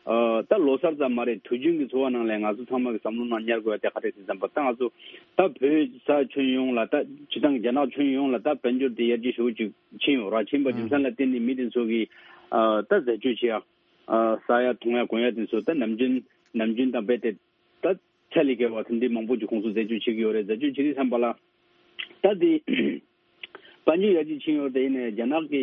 ཨ། ད་ལོ་གསར་ཙམ་མ་རེད། དུས་རྒྱུན་གྱི་འཚོ་བ་ནང་ལ་ང་ཚོ་ཚང་མ་གི་བསམ་བློ་ནང་ཉར་དགོས་ཡ་དེ་ག་རེ་ཟེར་ཙམ་པ། ད་ང་ཚོ་ད་བོད་ས་ཁྱོན་ཡོངས་ལ། ད་སྤྱིར་བཏང་གི་རྒྱ་ནག་ཁྱོན་ཡོངས་ལ་ད་དཔལ་འབྱོར་དེ་ཡར་རྒྱས་ཞེ་པོ་ཅིག་ཕྱིན་ཡོད་ར། ཕྱིན་པ་རྒྱུ་མཚན་ལ་བརྟེན་ནས་མི་དེ་ཚོ་གིས་ཨ། ད་འཛད་སྤྱོད་བྱེད་ཡ། ཨ། ཟ་ཡ་འཐུང་ཡ་གོན་ཡ་དེ་ཚོ་ད་ནམ་རྒྱུན་ནམ་རྒྱུན་དང་རྦད་དེ་ད་ཚད་ལས་བརྒལ་བ་དེ་འདྲའི་མང་པོ་ཅིག་ཁོང་ཚོ་འཛད་སྤྱོད་བྱེད་ཀྱི་ཡོད་རེད། འཛད་སྤྱོད་བྱེད་དུས་ཙམ་པ་ལ་ད་དེ་དཔལ་འབྱོར་ཡར་རྒྱས་ཕྱིན་ཡོད་རེད། དེ་ཡིན་ནའི་རྒྱ་ནག་གི་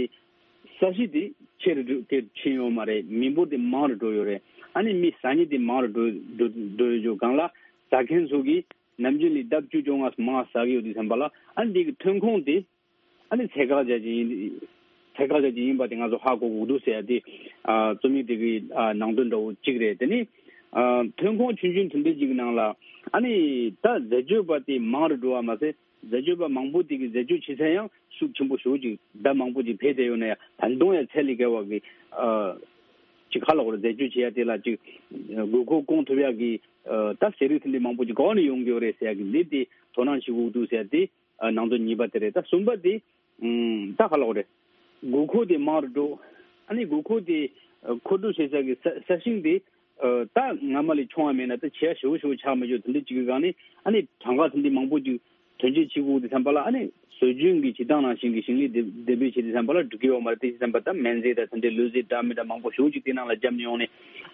ས་གཞི་དེ་ཆེ་རུ་འགྲོ་གི་ཕྱིན་ཡོད་མ་རེད། མི་འབོར་དེ་མང་རུ་འགྲོ་ཡོད་རེད། ཨ་ནི་མི་ཟ་མཁན་དེ་མང་རུ་འགྲོ་འགྲོ་འགྲོ་ཡོད་རྒྱུ་སྒང་ལ། ཟ་མཁན་ཚོ་གིས་ནམ་རྒྱུན་ལས་ལྡབ་བཅུ་བཅོ་ལྔ་མང་ཟ་གི་ཡོད་དུས་ཙམ་པ་ལ། ཨ་ནི་དེ་གི་ཐོན་ཁུངས་དེ་ཨ་ནི་ཚད་བཀག་བྱ་ཅིག་ཡིན། ཚད་བཀག་བྱ་ཅིག་ཡིན་པ་དེ་ང་ཚོ་ཧ་གོ་དགོས་འདུག་ཟེར་ཡ་དེ། ཨ། རྩོམ་ཡིག་དེ་གི་ཨ། ནང་དོན་འདྲ་བོ་གཅིག་རེད། དེ་ནི་ཨ། ཐོན་ཁུངས་ཆུང་ཆུང་དེ་འདྲ་ཅིག་གི་ནང་ལ། ཨ་ནི་ད་འཛད་སྤྱོད་པ་དེ་མང་རུ་འགྲོ་བ་མ་ཟད། འཛད་སྤྱོད་པ་མང་པོ་དེ་གི་འཛད་སྤྱོད་བྱེད་ས་ཡང་ཤུགས་ཆེན་པོ་ཞེ་པོ་ཅིག་ཟླ་མང་པོ་ཅིག་འཕེལ་བསྡད་ཡོད་ན་ཡང་། ད་དུང་ཡང་ཚད་ལས་བརྒལ་བ་གི་ཨ། ཅིག་ག་ལབ་དགོས་རེད། འཛད་སྤྱོད་བྱེད་ཡ་དེ་ལ་ཅིག་དགོས་མཁོ་སྐོང་ཐུབ་ཡ་གི་ཨ། ད་ཟས་རིགས་དེ་འདྲ་མང་པོ་ཅིག་ག་པ་ནས་ཡོང་གི་ཡོད་རེད་ཟེར་ཡ་གི་ལས་དེ་དོ་སྣང་བྱེད་དགོས་འདུག་ཟེར་ཡ་དེ། ཨ། ནང་དོན་གཉིས་པ་དེ་རེད། ད་གསུམ་པ་དེ། ཨུམ། ད་ག་ལབ་དགོས་རེད། དགོས་མཁོ་དེ་མང་རུ་འགྲོ། ཨ་ནི་དགོས་མཁོ་དེ་ཨ། མཁོ་སྤྲོད་བྱེད་ས་གི་ས་ས་ཞིང་དེ་ཨ། ད་སྔ་མ་ལས་ཆུང་བ་མེད་ན་ད་བྱེད་ཡ་ཞེ་པོ་ཞེ་པོ་ཆགས་མི་འགྲོ། དེ་འདྲ་ཅིག་གི་སྒང་ནས། ཨ་ནི་གྲངས་ཀ་དེ་འདྲ་མང་པོ་ཅིག་ཐོན་སྐྱེད་བྱེད་དགོས་དུས་ཙམ་པ་ལ། ཨ་ནི་སྲོལ་རྒྱུན་གྱི་བྱེད་སྟངས་ནང་བཞིན་གྱི་ཞིང་ལས་འདེབས་འདེབས་སྤེལ་བྱེད་དུས་ཙམ་པ་ལ་འགྲིག་གི་ཡོད་མ་རེད། དེ་བྱེད་དུས་ཙམ་པ་ད་སྨན་རྫས་དང་དེ་འདྲའི་ལུད་རྫས་འདྲ་མི་འདྲ་མང་པོ་ཞེ་པོ་ཅིག་དེ་ནང་ལ་བརྒྱབ་ནས་ཡོང་ནས་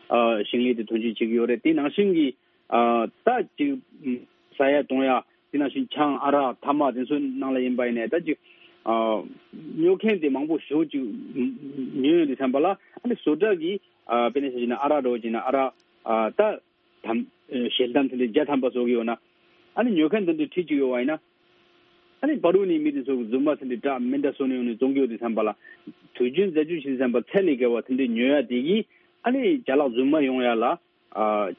ཨ། ཞིང་ལས་དེ་ཐོན་སྐྱེད་བྱེད་ཀྱི་ཡོད་རེད། དེ་ནང་བཞིན་གྱི་ཨ། ད་ཅིག་ཟ་ཡ་འཐུང་ཡ་དེ་ནང་བཞིན་ཆང་ཨ་རག་ཐ་མག་དེ་ཚོའི་ནང་ལ་ཡིན་པ་ཡིན་ནའི་ད་ཅིག་ཨ། ཉོ་མཁན་དེ་མང་པོ་ཞེ་པོ་ཅིག་ཉོས་ཡོང་དུས་ཙམ་པ་ལ། ཨ་ནི་བཟོ་གྲྭ་གིས་ཨ། དཔེར་ན་ཆ་བཞག་ན་ཨ་རག་འདྲ་བོ་བྱས་ན་ཨ་རག་ཨ། ད་དམ་ཞལ་གདམས་དེ་འདྲ་བརྒྱ་ཐམ་པ་བཟོ་གི་ཡོད་ན། ཨ་ནི་ཉོ་མཁན་དེ་འདྲ་ཁྲིད་ཀྱི་ཡོད་པ་ཡིན་ན། ཨ་ནི་བར་དུ་ནས་མི་དེ་ཚོ་གིས་རྫུན་མ་དེ་འདྲ་འདྲ་མི་འདྲ་བཟོས་ནས་ཡོང་ནས་བཙོང་གི་ཡོད་དུས་ཙམ་པ་ལ། དུས་རྒྱུན་འཛད་སྤྱོད་བྱེད་དུས་ཙམ་པ་ཚད་ལས་བརྒལ་བ་དེ་འདྲ་ཉོ་ཡ་དེ་གིས། ཨ་ནི་ཅ་ལག་རྫུན་མ་ཡོང་ཡ་ལ། ཨ།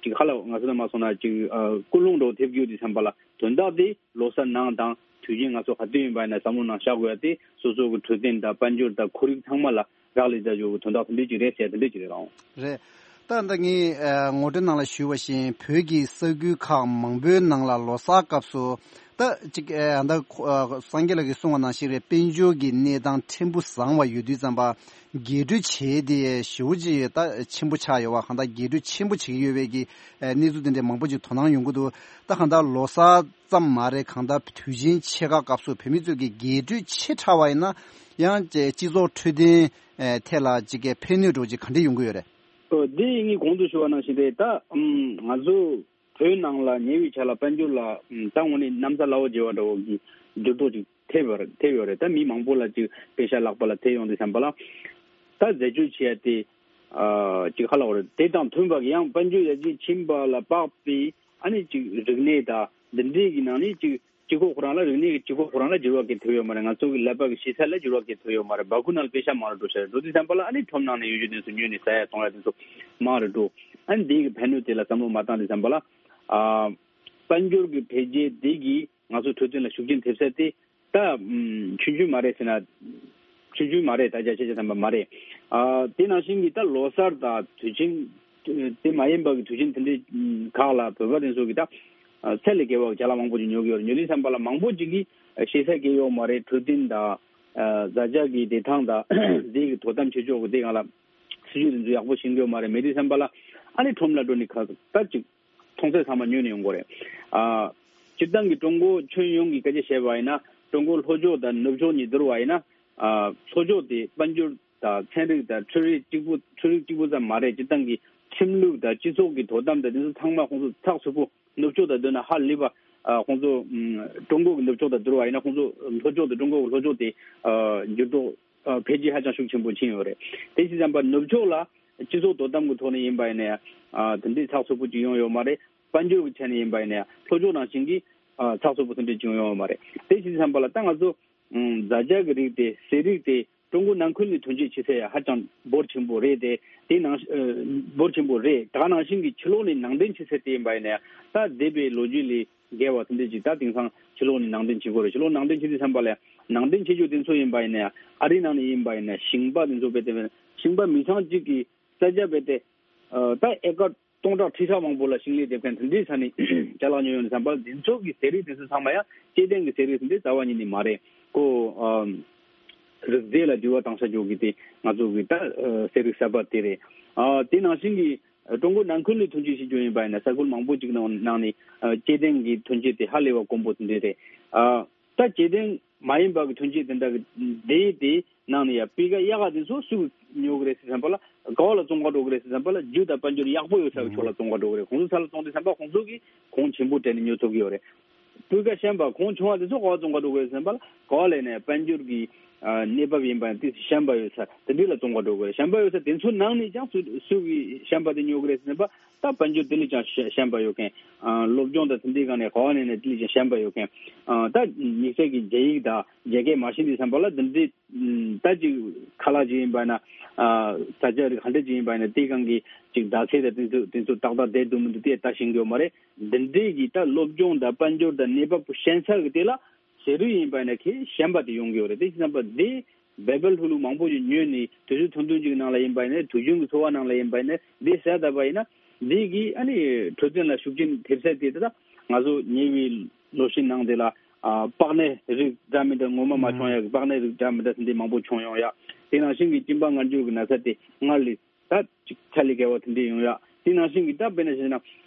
ཅིག་ཧ་ལ་ང་ཚོ་ནང་མ་སོང་ན་ཅིག་ཨ། ཀུན་སློང་འདྲ་བོ་ཐེབས་ཀྱི་ཡོད་དུས་ཙམ་པ་ལ། དོན་དག་དེ་ལོ་གསར་ནང་དང་ དུས་ཆེན་ང་ཚོ་ག་དུས་ཡིན་པ་ཡིན་ན་བསམ་བློ་ནང་བཞག་དགོས་ཡ་དེ་སོ་སོ་གི་འཕྲོད་བསྟེན་དང་དཔལ་འབྱོར་དང་ཁོར་ཡུག་ཚང་མ་ལ་རག་ལས་བྱ་རྒྱུ་གི་དོན་དག་དེ་འདྲས་ཅིག་རེད་ཟེར་དེ་འདྲས་ཅིག་རེད་རང་། རེད། ད་ལྟ་ངས་ཨ་ངོ་སྤྲོད་ནང་ལ་ཞུས་པ་བཞིན་བོད་ཀྱི་ས་ཁུལ་ཁག་མང་པོའི་ནང་ལ་ལོ་གསར་སྐབས་སུ་ད་ཅིག་ཨ་ད་ཁོ་ཨ་སངས་རྒྱས་ལགས་ཀྱིས་གསུངས་པ་ནང་བཞིན་རེད། དཔལ་འབྱོར་གྱི་གནས་སྟངས་ཕྲན་བུ་བཟང་བ་ཡོད་དུས་ཙམ་པ་རྒྱས་སྤྲོས་བྱས་ཏེ་ཞེ་པོ་ཅིག་ད་ཆེན་པོ་ཆགས་ཡོད་པ། གང་ལྟར་རྒྱས་སྤྲོས་ཆེན་པོ་བྱེད་ཀྱི་ཡོད་པའི་གི་ཨ་གནས་ཚུལ་དེ་འདྲས་མང་པོ་ཅིག་དོ་སྣང་ཡོང་གི་འདུག་ད་གང་ལྟར་ལོ་གསར་ཙམ་མ་རེད། གང་ལྟར་དུས་ཆེན་ཆེ་ཁག་སྐབས་སུ་བོད་མི་ཚོས་ཀྱི་རྒྱས་སྤྲོས་ཆེ་དྲགས་པ་ཡིན་ན་ཡང་སྤྱི་ཚོགས་འཕྲོད་བསྟེན་ཨེ་ཐད་ལ་ཅིག་གི་ཕན་གནོད་འདྲ་ཅིག་ག་འདྲས་ཡོང་གི་ཡོད་རེད། ཨོ་འདི་ངས་གོང་དུ་ཞུ་བ་ནང་བཞིན་རེད། ད་ཨམ་ང་ཚོ་བོད་ནང་ལ་ཉེ་བའི་ཆར་ལ་དཔལ་འབྱོར་ལ་ཨམ་ད་དངོས་གནས་གནམ་ས་བླ་འོག་བརྗེ་བ་འདྲ་བོ་གི་འགྱུར་ལྡོག་ཅིག་ཐེབས་ཡོད་རེད། ཐེབས་ཡོད་རེད། ད་མི་མང་པོ་ལ་ཅིག་པེ་ཤ་ལག་པ་ལ་ཐེབས་ཡོང་དུས་ཙམ་པ་ལ་ད་འཛད་སྤྱོད་བྱེད་ཡ་དེ་ཨ་ཅིག་ཧ་ལ་བ་རེད། དེ་དང་མཐུན་པ་གི་ཡང་དཔལ་འབྱོར་ཡར་རྒྱས་ཕྱིན་པ་ལ་དཔག་པའི་ཨ་ནི་ཅིག་རིག་གནས་དང་འདི་འདྲའི་གི་ནང་ནས་ཅིག་སྤྱི་ཁོག་ཁོ་རང་ལ་རིག་གནས་ཀྱི་སྤྱི་ཁོག་ཁོ་རང་ལ་འགྱུར་བ་གང་ཐེབས་ཡོད་མ་རེད། ང་ཚོ་གི་ཀླད་པ་གི་ཤེས་ཚད་ལ་འགྱུར་བ་གང་ཐེབས་ཡོད་མ་རེད། སྦ་ཁུག་ནང་ལ་པེ་ཤ་མང་རུ་འགྲོ་ཤག་རེད། འགྲོ་དུས་ཙམ་པ་ལ་ཨ་ནི་ཁྲོམ་ནང་ནས་ཡོད་རྒྱུ་དེ་ཚོ་ཉོས་ནས་ཟ་ཡ་གཏོང་ཡ་དེ་ཚོ་མང་རུ་འགྲོ། ཨ་ནི་འདི་གི་ཕན་གནོད་དེ་ལ་བསམ་བློ་མ་བཏང་དུས་ཙམ་པ་ལ་ཨ་དཔལ་འབྱོར་གྱི་འཕེལ་རྒྱས་དེ་གིས་ང་ཚོ་འཕྲོད་བསྟེན་ལ་ཤུགས་རྐྱེན་ཐེབས་ས་དེ་ད་ཨམ་ཆུང་ཆུང་མ་རེད་ཟེར་ན་ཆུང་ཆུང་མ་རེད། ད་བརྒྱ་ཆ་བརྒྱ་ཐམ་པ་མ་རེད། ཨ་དེ་ནང་བཞིན་གྱི་ད་ལོ་གསར་དང་དུས་ཆེན་དེ་མ་ཡིན་པ་གི་དུས་ཆེན་དེ་འདྲའི་ཁག་ལ་བོད་པ་དེ་ཚོ་གི་ད་ཚད་ལས་བརྒལ་བ་གི་ཅ་ལག་མང་པོ་ཅིག་ཉོ་གི་ཡོད་རེད། ཉོ་དུས་ཙམ་པ་ལ་མང་པོ་ཅིག་གིས་ཤེས་ཚད་བརྒལ་ཡོད་མ་རེད། འཕྲོད་བསྟེན་དང་ཨ་བཟའ་བཅའ་གི་བདེ་ཐང་དང་དེ་གི་དོ་དམ་བྱེད་ཕྱོགས་གི་དེ་སྒང་ལ་སྲིད་ཇུས་དེ་ཚོ་ཡག་པོ་ཤེས་ཀྱི་ཡོད་མ་རེད། མེད་དུས་ཙམ་པ་ལ་ཨ་ནི་ཁྲོམ་ལ་འགྲོ་ནས་ཁ་ད་ཅིག་མཐོང་ཚད་ཚང་མ་ཉོས་ནས་ཡོང་གི་རེད། ཨ་སྤྱིར་བཏང་གི་ཀྲུང་གོ་ཁྱོན་ཡོངས་ཀྱི་སྐད་ཆ་བཤད་པ་ཡིན་ན་ཀྲུང་གོ་ལྷོ་ཕྱོགས་དང་ནུབ་ཕྱོགས་གཉིས་བསྡུར་བ་ཡིན་ན་ཨ་ལྷོ་ཕྱོགས་དེ་དཔལ་འབྱོར་དང་ཚན་རིག་དང་འཕྲུལ་རིག་གཅིག་པུ་འཕྲུལ་རིག་གཅིག་པུ་ཙམ་མ་རེད། སྤྱིར་བཏང་གི་ཁྲིམས་ལུགས་དང་སྤྱི་ཚོགས་ཀྱི་དོ་དམ་དང་དེ་ཚོ་ཚང་མ་ཁོང་ཚོ་ཚགས་ཚུད་པོ་ནུབ་ཕྱོགས་དང་བསྡུར་ན་ཧ་ལས་པ་ཨ་ཁོང་ཚོ་ཨམ་ཀྲུང་གོ་གི་ནུབ་ཕྱོགས་དང་བསྡུར་བ་ཡིན་ན་ཁོང་ཚོ་ལྷོ་ཕྱོགས་དང་ཀྲུང་གོ་གི་ལྷོ་ཕྱོགས་དེ་ཨ་འགྱུར་ལྡོག་ཨ་འཕེལ་རྒྱས་ཧ་ཅང་ཤུགས་ཆེན་པོ་ཕྱིན་ཡོད་རེད། དེ་བྱས་ཙང་པ་ནུབ་ཕྱོགས་ལ་སྤྱི་ཚོགས་དོ་དམ་གྱི་ཐོག་ནས་ཡིན་པ་ཡིན་ན་ཡང་ཨ་དེ་འདྲའི་ཚགས་ཚུད་པོ་ཅིག་ཡོང་ཡོད་མ་རེད། དཔལ་འབྱོར་གྱི་ཆ་ནས་ཡིན་པ་ཡིན་ན་ཡང་ལྷོ་ཕྱོགས་ནང་བཞིན་གྱི་ཨ་ཚགས་ཚུད་པོ་དེ་འདྲ་ཅིག་ཡོང་ཡོད་མ་རེད། དེ་བྱས་ཙང་པ་ལ་ད་ང་ཚོ་ཨ་བཟའ་བཅའ་གི་རིགས་དེ་ཟས་རིགས་དེ་ཀྲུང་གོ་ནང་ཁུལ་ནས་ཐོན་སྐྱེད་བྱེད་ཚད་ཡང་ཧ་ཅང་འབོར་ཆེན་པོ་རེད་དེ། དེ་ནང་ཨ་འབོར་ཆེན་པོ་རེད། ད་ག་ནང་བཞིན་གྱི་ཕྱི་ལོགས་ནས་ནང་འདྲེན་བྱེད་ཚད་དེ་ཡིན་པ་ཡིན་ན་ཡང་ད་འདས་པའི་ལོ་རྒྱུས་ལས་བརྒལ་བ་དེ་འདྲ་ཅིག་ད་དེང་སང་ཕྱི་ལོགས་ནས་ནང་འདྲེན་བྱེད་དགོས་རེད། ཕྱི་ལོགས་ནང་འདྲེན་བྱེད་དུས་ཙམ་པ་ལ་ནང་འདྲེན་བྱེད་རྒྱུ་དེ་ཚོ་ཡིན་པ་ཡིན་ན་ཡང་ཨ་རིའི་ནང་ནས་ཡིན་པ་ཡིན་ན་ཞིང་པ་དེ་ཚོ་རྦད་དེ་ཞིང་པ་མི་ཚང་གཅིག་གི་ས་ཆ་རྦད་དེ་ཨ་ད་ཨེ་ཀར་སྟོང་ཕྲག་ཁྲི་ཕྲག་མང་པོ་ལ་ཞིང་ལས་འདེབས་མཁན་དེ་འདྲའི་ས་ནས་ཅ་ལག་ཉོས་ཡོང་དུས་ཙམ་པ་ལ་དེ་ཚོ་གི་ཟས་རིགས་དེ་ཚོ་ཚང་མ་ཡང་སྐྱེ་ལྡན་གྱི་ཟས་རིགས་དེ་འདྲའི་རྩ་བ་ཉིད་ནས་མ་རེད། ཁོ་ཨ་རིགས་རྫས་ལ་འགྱུར་བ་བཏང་ས་འཇོག་གི་དེ་ང་ཚོ་གི་ད་ཨ་ཟས་རིགས་གསར་པ་དེ་རེད། ཨ་དེ་ནང་བཞིན་གྱི་ཀྲུང་གོ་ནང་ཁུལ་ནས་ཐོན་སྐྱེད་བྱེད་རྒྱུ་ཡིན་པ་ཡིན་ན་ས་ཁུལ་མང་པོ་ཅིག་ནང་ནང་ནས་ཨ་སྐྱེ་ལྡན་གྱི་ཐོན་སྐྱེད་དེ་ཧ་ལས་པ་དཀོན་པོ་དེ་འདྲ་རེད། ཨ་ད་སྐྱེ་ལྡན་མ་ཡིན་པ་གི་ཐོན་སྐྱེད་དེ་འདྲ་གི་དེ་དེ་ནང་ནས་ཡ་སྤུས་ཀ་ཡག་ག་དེ་ཚོ་སུ་ཉོ་གི་རེད་ཟེར་བསམ་པ་ལ་ག་བ་ལ་བཙོང་ག་འགྲོ་གི་རེད་ཟེར་བསམ་པ་ལ་རྒྱུ་དང་དཔལ་འབྱོར་ཡག་པོ་ཡོད་ས་གི་ཕྱོགས་ལ་བཙོང་ག་འགྲོ་གི་རེད། ཁོང་ཚོ་ས་ལ་བཙོང་དུས་ཙམ་པ་ཁོང་ཚོ་གིས་གོང་ཆེན་པོ་སྤྲད་ནས་ཉོ་ཐུབ་ཀྱི་ཡོད་རེད། སྤུས་ཀ་ཞན་པ་གོང་ཆུང་བ་དེ་ཚོ་ག་བ་བཙོང་ག་འགྲོ་གི་རེད་ཟེར་བསམ་པ་ལ་ག་བ་ལས་ནས་དཔལ་འབྱོར་གྱི་ཨ་གནས་བབ་ཡིན་པ་ཡང་ཏོག་ཙམ་ཞན་པ་ཡོད་ས་དེ་འདྲ་ལ་བཙོང་ག་འགྲོ་གི་རེད། ཞན་པ་ཡོད་ས་དེ་ཚོ་ནང་ནས་ཀྱང་སུ་སུ་གིས་ཞན་པ་དེ་ཉོ་གི་རེད་ཟེར་ན་པ་ད་དཔལ་འབྱོར་དེ་ལས་ཀྱང་ཞན་ཞན་པ་ཡོད་མཁན། ཨ་སློབ་སྦྱོང་དང་དེ་འདྲའི་སྒང་ནས་ག་བ་ནས་ནས་དེ་ལས་ཀྱང་ཞན་པ་ཡོད་མཁན། ཨ་ད་དམིགས་བསལ་གྱི་རྒྱ་ཡིག་དང་རྒྱ་སྐད་མ་ཤེས་དུས་ཙམ་པ་ལ་དེ་འདྲའི་ད་ཅིག་ཁ་ལག་ཅིག་ཡིན་པ་ན་ཨ་ད་ཅག་རིགས་ག་འདྲ་ཅིག་ཡིན་པ་ན་དེའི་སྒང་གི་ཅིག་ཟླ་ཚེས་དང་དེ་ཚོ་དེ་ཚོ་ཏག་ཏག་བསྡད་འདུག་མི་འདུག་དེ་ད་ཤེས་ཀྱི་ཡོད་མ་རེད། འདི་འདྲའི་གི་ད་སློབ་སྦྱོང་དང་དཔལ་འབྱོར་དང་གནས་བབ་ཞན་ས་གི་དེ་ལ་ཟས་རིགས་ཡིན་པ་ན་ཁེ་ཞན་པ་དེ་ཡོང་གི་ཡོད་རེད། དེ་བྱས་ཙང་པ་དེ་བེ་བེ་ལྷུ་ལྷུ་མང་པོ་ཞིག་ཉོས་ནས་དུས་ཚོད་ཐུང་ཐུང་ཅིག་ནང་ལ་ཡིན་པ་ཡིན་ན་དུས་རྒྱུན་གྱི་འཚོ་བ་ནང་ལ་ཡིན་པ་ཡིན་ན་དེ་ཟས་བསྡད་པ་ཡིན་ན་དེ་གིས་ཨ་ནི་འཕྲོད་བསྟེན་ལ་ཤུགས་རྐྱེན་ཐེབས་ཚད་དེ་ད་ང་ཚོ་ཉེ་བའི་ལོ་ཤས་ནང་དེ་ལ་ཨ་པགས་ནད་རིགས་འདྲ་མི་འདྲ་ངོ་མ་མ་བྱུང་ཡ་གི་པགས་ནད་རིགས་འདྲ་མི་འདྲ་དེ་འདྲའི་མང་པོ་བྱུང་ཡོང་ཡ། དེ་ནང་བཞིན་གྱི་གཅིན་པ་མངར་སྐྱུར་གྱི་ན་ཚ་དེ་སྔར་ལས་ད་ཅིག་ཆ་ལས་བརྒལ་བ་དེ་འདྲས་ཡོང་ཡ། དེ་ནང་བཞིན་གྱི་ད་དཔེར་ན་བཤད་ན་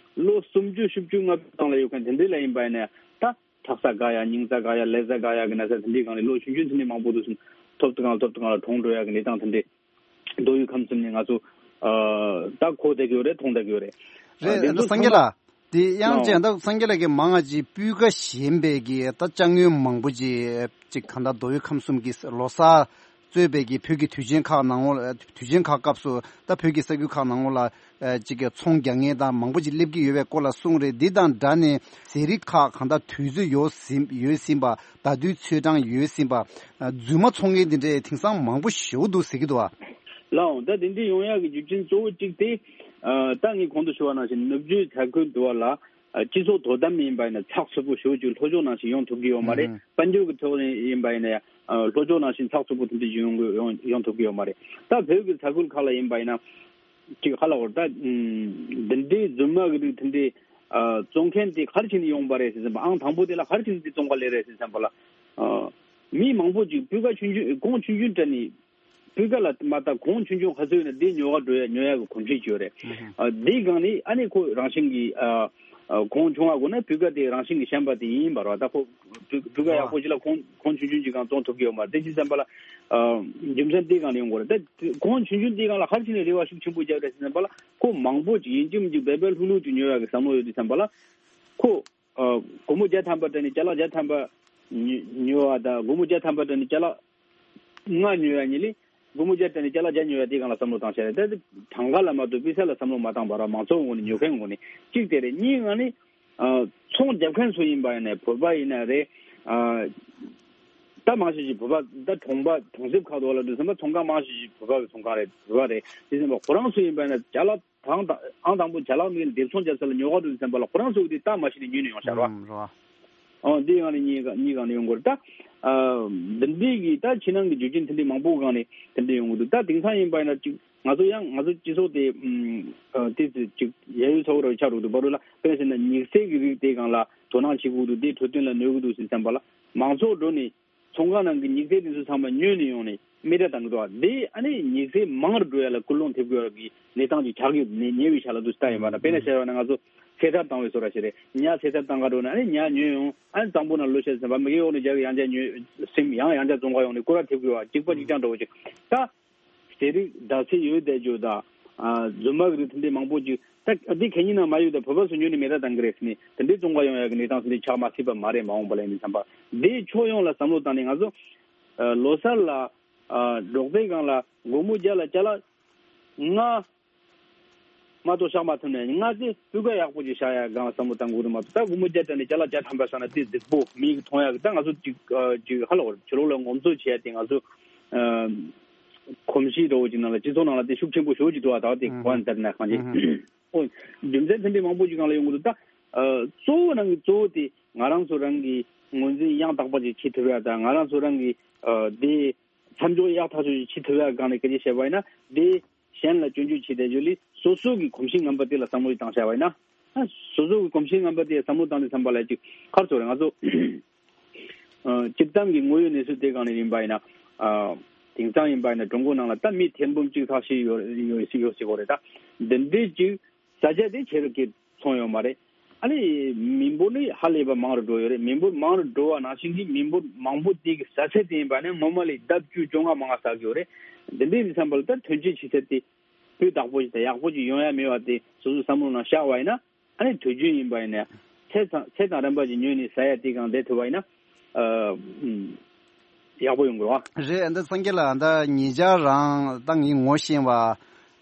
ལོ་སུམ་ཅུ་བཞི་བཅུ་ལྔ་བཅུ་སྟེང་ལ་ཡོད་མཁན་དེ་འདྲས་ལ་ཡིན་པ་ཡིན་ན་ཡང་ད་ཁྲག་རྩ་འགག་ཡ་སྙིང་རྩ་འགག་ཡ་ཀླད་རྩ་འགག་ཡ་གི་ན་ཚ་དེ་འདྲས་སྒང་ལས་ལོ་ཆུང་ཆུང་དེ་འདྲས་མང་པོ་འདུག་སོང་ཐོབ་ཐང་ཐོབ་ཐང་ལ་གྲོངས་འགྲོ་ཡ་གི་གནས་སྟངས་དེ་འདྲས་མདོ་དབུས་ཁམས་གསུམ་ནས་ང་ཚོ་ཨ་ད་གོ་བསྡད་ཀྱི་ཡོད་རེད། མཐོང་བསྡད་ཀྱི་ཡོད་རེད། རེད། དེ་ཚོ་སངས་རྒྱས་ཚང་མ་ལགས། དེ་ཡང་ཅིག་ད་སངས་རྒྱས་ལགས་ཀྱིས་མང་ང་ཅིག་སྤུས་ཀ་ཞན་པའི་གི་ད་ཅ་དངོས་མང་པོ་ཅིག་ཅིག་གང་ལྟར་མདོ་དབུས་ཁམས་གསུམ་གྱི་ལོ་གསར་གཙོས་པའི་གི་བོད་ཀྱི་དུས་ཆེན་ཁག་ནང་ལོགས་དུས་ཆེན་ཁག་སྐབས་སུ་ད་བོད་ཀྱི་ས་ཁུལ་ཁག་ནང་ལོགས་ལ་ཅིག་གི་ཚོང་རྒྱག་མཁན་དང་མང་པོ་ཅིག་སླེབས་ཀྱི་ཡོད་པའི་སྐོར་ལ་གསུངས་རེད། འདི་དང་སྦྲགས་ནས་ཟས་རིགས་ཁག་གང་ལྟར་དུས་ཚོད་ཡོལ་ཟིན་ཡོལ་ཟིན་པ་ཟླ་དུས་ཚོད་གྲངས་ཡོལ་ཟིན་པ་རྫུན་མ་འཚོང་མཁན་འདི་འདྲས་དེང་སང་མང་པོ་ཞེ་པོ་འདུག་ཟེར་གྱི་འདུག་ཨ། ལགས་འོང་། ད་དེ་འདྲ་ཡོང་ཡག་གི་རྒྱུ་རྐྱེན་གཙོ་བོ་གཅིག་དེ། ཨ་ད་ངས་གོང་དུ་ཞུ་བ་ནང་བཞིན་ནུབ་རྒྱུད་ས་ཁུལ་དུ་བ་ལ་ ཨ་སྤྱི་ཚོགས་དོ་དམ་ཡིན་པ་ཡིན་ན་ཚགས་ཚུད་པོ་ཞེ་པོ་ཅིག་ལྷོ་ཕྱོགས་ནང་བཞིན་ཡོང་ཐུབ་ཀྱི་ཡོད་མ་རེད། ཨུ་ཧུ། དཔལ་འབྱོར་གྱི་ཐོག་ནས་ཡིན་པ་ཡིན་ན་ཡང་ཨ་ལྷོ་ཕྱོགས་ནང་བཞིན་ཚགས་ཚུད་པོ་དེ་འདྲ་ཡོང་ཡོང་ཡོང་ཐུབ་ཀྱི་ཡོད་མ་རེད། ད་བོད་ཀྱི་ས་ཁུལ་ཁག་ལ་ཡིན་པ་ཡིན་ན་ཅིག་ཧ་ལ་བོར་ད་ཨུམ་འདི་འདྲའི་རྫུན་མ་གི་རིགས་དེ་འདྲའི་ཨ་བཙོང་མཁན་དེ་ག་རེ་བྱས་ནས་ཡོང་པ་རེད་ཟེར་བསམ་པ། ཨང་དང་པོ་དེ་ལ་ག་རེ་བྱས་ནས་དེ་བཙོང་ག་སླེབས་རེད་ཟེར་བསམ་པ་ལ། ཨ་མི་མང་པོ་ཅིག་སྤུས་ཀ་ཆུང་ཆུང་གོང་ཆུང་ཆུང་སྤྲད་ནས། སྤུས་ཀ་ལ་མ་ལྟ་གོང་ཆུང་ཆུང་ག་ཚོད་ཡོད་ན་དེ་ཉོ་ག་འགྲོ་ཡ་ཉོ་ཡ་གི་གོམས་གཤིས་ཅིག་ཡོད་རེད། ཨ་དེའི་སྒང་ནས་ཨ་ནི་ཁོ་རང་བཞིན་གྱིས་ཨ་ཨ་གོང་ཆུང་བ་དགོས་ན་སྤུས་ཀ་དེ་རང་བཞིན་གྱིས་ཞན་པ་དེ་ཡིན་པ་རེད་བ། ད་ཁོ་སྤུས་སྤུས་ཀ་ཡག་པོ་ཅིག་ལ་གོང་གོང་ཆུང་ཆུང་ཅིག་གང་བཙོང་ཐུབ་ཀྱི་ཡོད་མ་རེད། དེ་ཅི་བསམ་པ་ལ་ཨ་རྒྱུ་མཚན་དེའི་སྒང་ནས་ཡོང་དགོས་རེད། ད་གོང་ཆུང་ཆུང་དེའི་སྒང་ལ་ག་རེ་བྱས་ནས་རེ་བ་ཤུགས་ཆེན་པོ་བརྒྱབ་རེད་ཟེར་བསམ་པ་ལ། ཁོ་མང་པོ་ཅིག་ཡིན་གཅིག་མིན་གཅིག་བེ་བེ་ལྷུག་ལྷུག་ཅིག་ཉོ་ཡ་གི་བསམ་བློ་ཡོད་དུས་བསམ་པ་ལ་ཁོ། ཨ་སྒོར་མོ་བརྒྱ་ཐམ་པ་སྤྲད་ནས་ཅ་ལག་བརྒྱ་ཐམ་པ་ཉོ་ཉོ་བ་དང་། སྒོར་མོ་བརྒྱ་ཐམ་པ་སྤྲད་ནས་ཅ་ལག་ལྔ་ཉོ་ཡ་གཉིས་ལས། སྒོར་མོ་བརྒྱ་སྤྲད་ནས་ཅ་ལག་བརྒྱ་ཉོ་ཡ་དེའི་སྒང་ལ་བསམ་བློ་བཏང་བྱས་རེད། ད་དེ་གྲངས་ཀ་ལ་མ་གཏོགས་སྤུས་ཚད་ལ་བསམ་བློ་མ་བཏང་བ་ར། མང་ཚོགས་ངོས་ནས་ཉོ་མཁན་ངོས་ནས་གཅིག་དེ་རེད། གཉིས་ང་ནི་ཨ་ཚོང་རྒྱབ་མཁན་ཚོ་ཡིན་པ་ཡིན་ནའི་བོད་པ་ཡིན་ན་རེད། ཨ་ད་མང་ཆེ་ཞིག་བོད་པ། ད་གྲོང་པ་གྲོང་གསེབ་ཁག་ཏུ་ལ་འགྲོ་ཙམ་པ་ཚོང་ཁང་མང་ཆེ་ཞིག་བོད་པ་གི་ཚོང་ཁང་རེད། བོད་པ་རེད། དེ་ཙམ་པ་ཁོ་རང་ཚོ་ཡིན་པ་ཡིན་ན་ཅ་ལག་དང་དང་ཨང་དང་པོ་ཅ་ལག་མི་ལ་སྡེབ་ཚོང་བརྒྱབ་ས་ལ་ཉོ་ག་འགྲོ་དུས་ཙམ་པ་ལ་ཁོ་རང་ཚོ་གི་དེ་སྟབས་མ་ཤེས་ནས་ཉོས་ནས་ཡོང་ཤག་ར། ཨང་། ཨང་། འདི་ཡང་ནི་གཉིས་ཀ་གཉིས་ཀ་ནི་ཡོང་གི་རེད་ད། ཨ་འདི་འདྲའི་གི་ད་ཕྱི་ནང་གི་རྒྱུ་རྐྱེན་དེ་འདྲའི་མང་པོ་སྒང་ནས་དེ་འདྲ་ཡོང་གི་འདུག་ད་དེང་སང་ཡིན་པ་ཡིན་ན་ཅིག་ང་ཚོ་ཡང་ང་ཚོ་སྤྱི་ཚོགས་དེ་ཨ་དེ་ཚོ་ཅིག་ཡ་ཡོ་ཚ་བོ་ར་ཆགས་འགྲོ་འདུག་བར་དུ་ལ། དཔེར་ན་ཟེར་ན་ཉི་ཚེ་གི་རིགས་དེ་སྒང་ལ་དོ་སྣང་བྱེད་དགོས་འདུག་དེ་འཕྲོད་བསྟེན་ལ་གནོད་གི་འདུག་ཟེར་བསམ་པ་ལ་མང་ཚོགས་འགྲོ་ནས། ཚོང་ཁང་ནང་གི་ཉི་ཚེ་དེ་ཚོ་ཚང་མ་ཉོས་ནས་ཡོང་ནས་མི་འདྲ་བཏང་གི་འདུག་བ། དེ་ཨ་ནི་ཉི་ཚེ་མང་རུ་འགྲོ་ཡ་ལ་སྐུལ་སློང་ཐེབས་དགོས་ཡ་གི་གནས་སྟངས་ཅིག་ཆགས་ཀྱི་ཉེ་ཉེ་བའི་ཆ་ལ་འདུག་ལྟ་ཡིན་པ་ན། དཔེར་ན་བཤད་པ་ན་ང་ཚོ་ཚེ་ཐར་བཏང་བའི་བཟོ་འདྲ་ཞིག་རེད། ཉ་ཚེ་ཐར་བཏང་ག་འགྲོ་ན་ཨ་ནི་ཉ་ཉོས་ཡོང་། ཨ་ནི་གཙང་པོ་ན་ལོས་བཤད་ཟིན་པ་མི་གེ་འོག་ནས་རྒྱག་གི་ཡང་བསྐྱར་ཉོས། སེམས་ཡང་ཡང་བསྐྱར་བཙོང་ག་ཡོང་ནས་སྐོར་ར་ཐེབས་དགོས་བ། གཅིག་པ་གཅིག་རྐྱང་འདྲ་བོ་ཅིག་ད། ཟས་རིགས་ཟླ་ཚེས་ཡོད་བསྡད་རྒྱུ་དང་། ཨ་རྫུན་མ་གི་རིགས་དེ་འདྲའི་མང་པོ་ཅིག་ད་འདི་གད་སྙིགས་ནང་མ་ཡོད་ད། བོད་པ་ཚོ་ཉོས་ནས་མེད་ད་བཏང་གི་རེད་ཟེར་ནས་དེ་འདྲའི་བཙོང་ག་ཡོང་ཡ་གི་གནས་སྟངས་དེ་འདྲ་ཆགས་མ་སྲིད་པ་མ་རེད། མ་འོངས་པ་ལ་ཡིན་ཙམ་པ་འདིའི་ཕྱོགས་ཡོངས་ལ་བསམ་བློ་བཏང་ནས་ང་ཚོ་ཨ་ལོ་གསར་ལ་ཨ་འབྲོག་སྡེ་སྒང་ལ་སྒོར་མོ་བརྒྱ་ལ་ཅ་ལག་ལྔ་མ་གཏོགས་བཞག་མ་ཐུབ་ནས། ལྔ་དེ་སྤུས་ཀ་ཡག་པོ་ཅིག་བཞག་ཡ་སྒང་ལ་བསམ་བློ་བཏང་དགོས་རེད་མ་གཏོགས། ད་སྒོར་མོ་བརྒྱ་སྤྲད་ནས་ཅ་ལག་བརྒྱ་ཐམ་པ་བཞག་ན་དེ་སྡུག་པོ་མིག་གིས་མཐོང་ཡ་གི། ད་ང་ཚོ་ཅིག་ཨ་ཅིག་ཧ་ལ་བོར་ཕྱི་ལོགས་ལ་ངོམ་སོ་བྱེད་ཡ་དེ་ང་ཚོ་ཨ་གོམས་གཤིས་འདྲ་བོ་ཅིག་ནང་ལ་སྤྱི་ཚོགས་ནང་ལ་དེ་ཤུགས་ཆེན་པོ་ཞེ་པོ་ཅིག་འདུག་བ། ད་དེ་ཨུ་གོ་བ་ནས་བལྟས་ན་གང་ཅི། ཨུ་ཧུ། ཨོ་རྒྱུ་མཚན་དེ་འདྲའི་མང་པོ་ཅིག་སྒང་ལ་ཡོང་གི་འདུག་ད་ཨ་གཙོ་བོ་ནང་གི་གཙོ་བོ་དེ་ང་རང་ཚོ་རང་གི་ངོས་འཛིན་ཡང་དག་པ་ཅིག་བྱེད་ཐུབ་ཡ་དང་། ང་རང་ཚོ་རང་གི་ཨ་དེ་མཚམས་འཇོག་ཡག་ཐག་ཆོད་ཅིག་བྱེད་ཐུབ་ཡ་སྒང་ནས་སྐད་ཆ་བཤད་པ་ཡིན་ན། དེ་གཞན་ལ་སྐྱོན་བརྗོད་བྱེད་བསྡད་རྒྱུ་ལས་སོ་སོ་གི་གོམས་གཤིས་ངན་པ་དེ་ལ་བསམ་བློ་ཞིག་བཏང་བྱས་པ་ཡིན་ན། ཨ་སོ་སོ་གི་གོམས་གཤིས་ངན་པ་དེ་བསམ་བློ་བཏང་དུས་ཙམ་པ་ལ་ཅིག་ཁར་ཚོར་རེད། ང་ཚོ་ཨ་སྤྱིར་བཏང་གི་དངོས་ཡོད་གནས་ཚུལ་དེ་སྒང་ནས་ཡིན་པ་ཡིན་ན། ཨ་དེང་སང་ཡིན་པ་ཡིན་ན་ཀྲུང་གོ་ནང་ལ་ད་མི་ཐེར་འབུམ་གཅིག་ལྷག་ཞིག་ཡོད་ཡོད་ཡོད་ཟེར་གོ་རེད། ད་འདི་འདྲའི་ཅིག་ས་ཆ་དེ་ཆེ་རུ་སྐྱེད་ཚོང་ཡོད་མ་རེད། ཨ་ནི་མི་འབོར་ནི་ཧ་ལས་པ་མང་རུ་འགྲོ་ཡོད་རེད། མི་འབོར་མང་རུ་འགྲོ་བ་ནང་བཞིན་གྱི་མི་འབོར་མང་པོ་དེ་གི་ཟ་ཚད་དེ་ཡིན་པ་ནི་ངོ་མ་ལས་ལྡབ་བཅུ་བཅོ་ལྔ་མང་ང་ཟ་གི་ཡོད་རེད། འདི་འདྲའི་མི་ཚང་པ་ལ་ད་ཐོན་སྐྱེད་ཆུ་ཚད་དེ་སྤུས་དག་པོ་ཞིག་དང་ཡག་པོ་ཞིག་ཡོང་ཡ་མེད་པ་དེ་སོ་སོའི་བསམ་བློ་ནང་བཞག་པ་ཡིན་ན། ཨ་ནི་དུས་རྒྱུན་ཡིན་པ་ཡིན་ན་ཚེ་དང་ཚེ་དང་རིམ་པ་ཞིག་ཉོས་ནས་ཟ་ཡ་དེ་གང་བསྡད་ཐུབ་པ་ཡིན་ན། ཨ་ཨུམ། ཡག་པོ་ཡོང་དགོས་བ། རེད། ཨ་ད་སངས་རྒྱས་ལགས། ཨ་ད་ཉེ་ཆར་རང་ད་ངའི་ངོ་ཤེས་པ་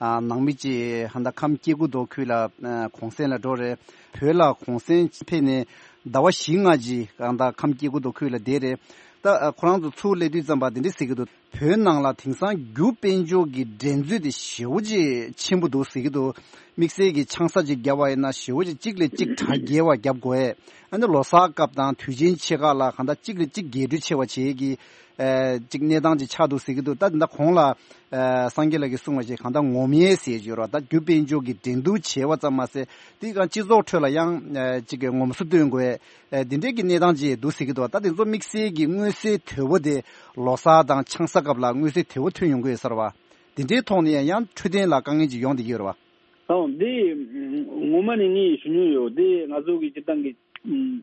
ཨ་ནང་མི་ཅིག་ཨ་ད་ཁམས་སྐྱེ་རྒུ་མདོ་ཁུལ་ལ་ཨ་གུང་སེང་ལ་འགྲོ་རེད། བོད་ལ་གུང་སེང་ཕེབས་ནས་ཟླ་བ་བཞི་ལྔ་ཅིག་ཨ་ད་ཁམས་སྐྱེ་རྒུ་མདོ་ཁུལ་ལ་བསྡད་རེད། ད་ཨ་ཁོ་རང་ཚོ་ཚུར་སླེབས་དུས་ཙམ་པ་དེ་འདྲ་ཟེར་གྱི་འདུག་བོད་ནང་ལ་དེང་སང་རྒྱུ་དཔལ་འབྱོར་གྱི་འགྲན་རྩོད་དེ་ཞེ་པོ་ཅིག་ཆེན་པོ་འདུག་ཟེར་གྱི་འདུག་དམིགས་བསལ་གྱི་ཆང་ས་ཅིག་བརྒྱབ་པ་ཡིན་ན་ཞེ་པོ་ཅིག་གཅིག་ལས་གཅིག་གྲ་རྒྱས་པ་བརྒྱབ་དགོས། ཨ་ནི་ལོ་གསར་སྐབས་དང་དུས་ཆེན་ཆེ་ཁག་ལ་གང་ལྟར་གཅིག་ལས་གཅིག་རྒྱས་སྤྲོས་ཆེ་བ་བྱེད་ཀྱི་ཨ་ཅིག་གནས་སྟངས་ཅིག་ཆགས་འདུག་ཟེར་གྱི་འདུག་ད་འདི་འདྲ་གོང་ལ་ཨ་སངས་རྒྱས་ལགས་ཀྱིས་གསུངས་པ་ཞིག་གང་ལྟར་ངོམ་ཡས་ཟེར་གྱི་ཡོད་རེད་བ། ད་རྒྱུ་དཔལ་འབྱོར་གྱི་འགྲན་བསྡུར་བྱས་པ་ཙམ་མ་ཟད་དེ་གང་སྤྱི་ཚོགས་ཁྲོད་ལ་ཡང་ཨ་ཅིག་གི་ངོམ་སོ་སྟོན་དགོས། ཨ་འདི་འདྲའི་གི་གནས་སྟངས་ཅིག་འདུག་ཟེར་གྱི་འདུག་ད་དེ་ཚོ་དམིགས་བསལ་གྱི་མངོན་གསལ་དོད་པོ་དེ་ལོ་གསར་དང་ཆང་ས་སྐབས་ལ་མངོན་གསལ་དོད་པོ་ཐོན་ཡོང་གི་ཡོད་ས་རེད་བ། དེ་འདྲའི་ཐོག་ནས་ཡང་འཕྲོད་བསྟེན་ལ་དཀའ་ངལ་ཅིག་ཡོང་བསྡད་ཀྱི་ཡོད་རེད་བ། ཨོ་འདི་ངོ་མ་ནས་ངས་ཞུ་མྱོང་ཡོད། དེ་ང་ཚོ་གི་སྤྱིར་བཏང་གི་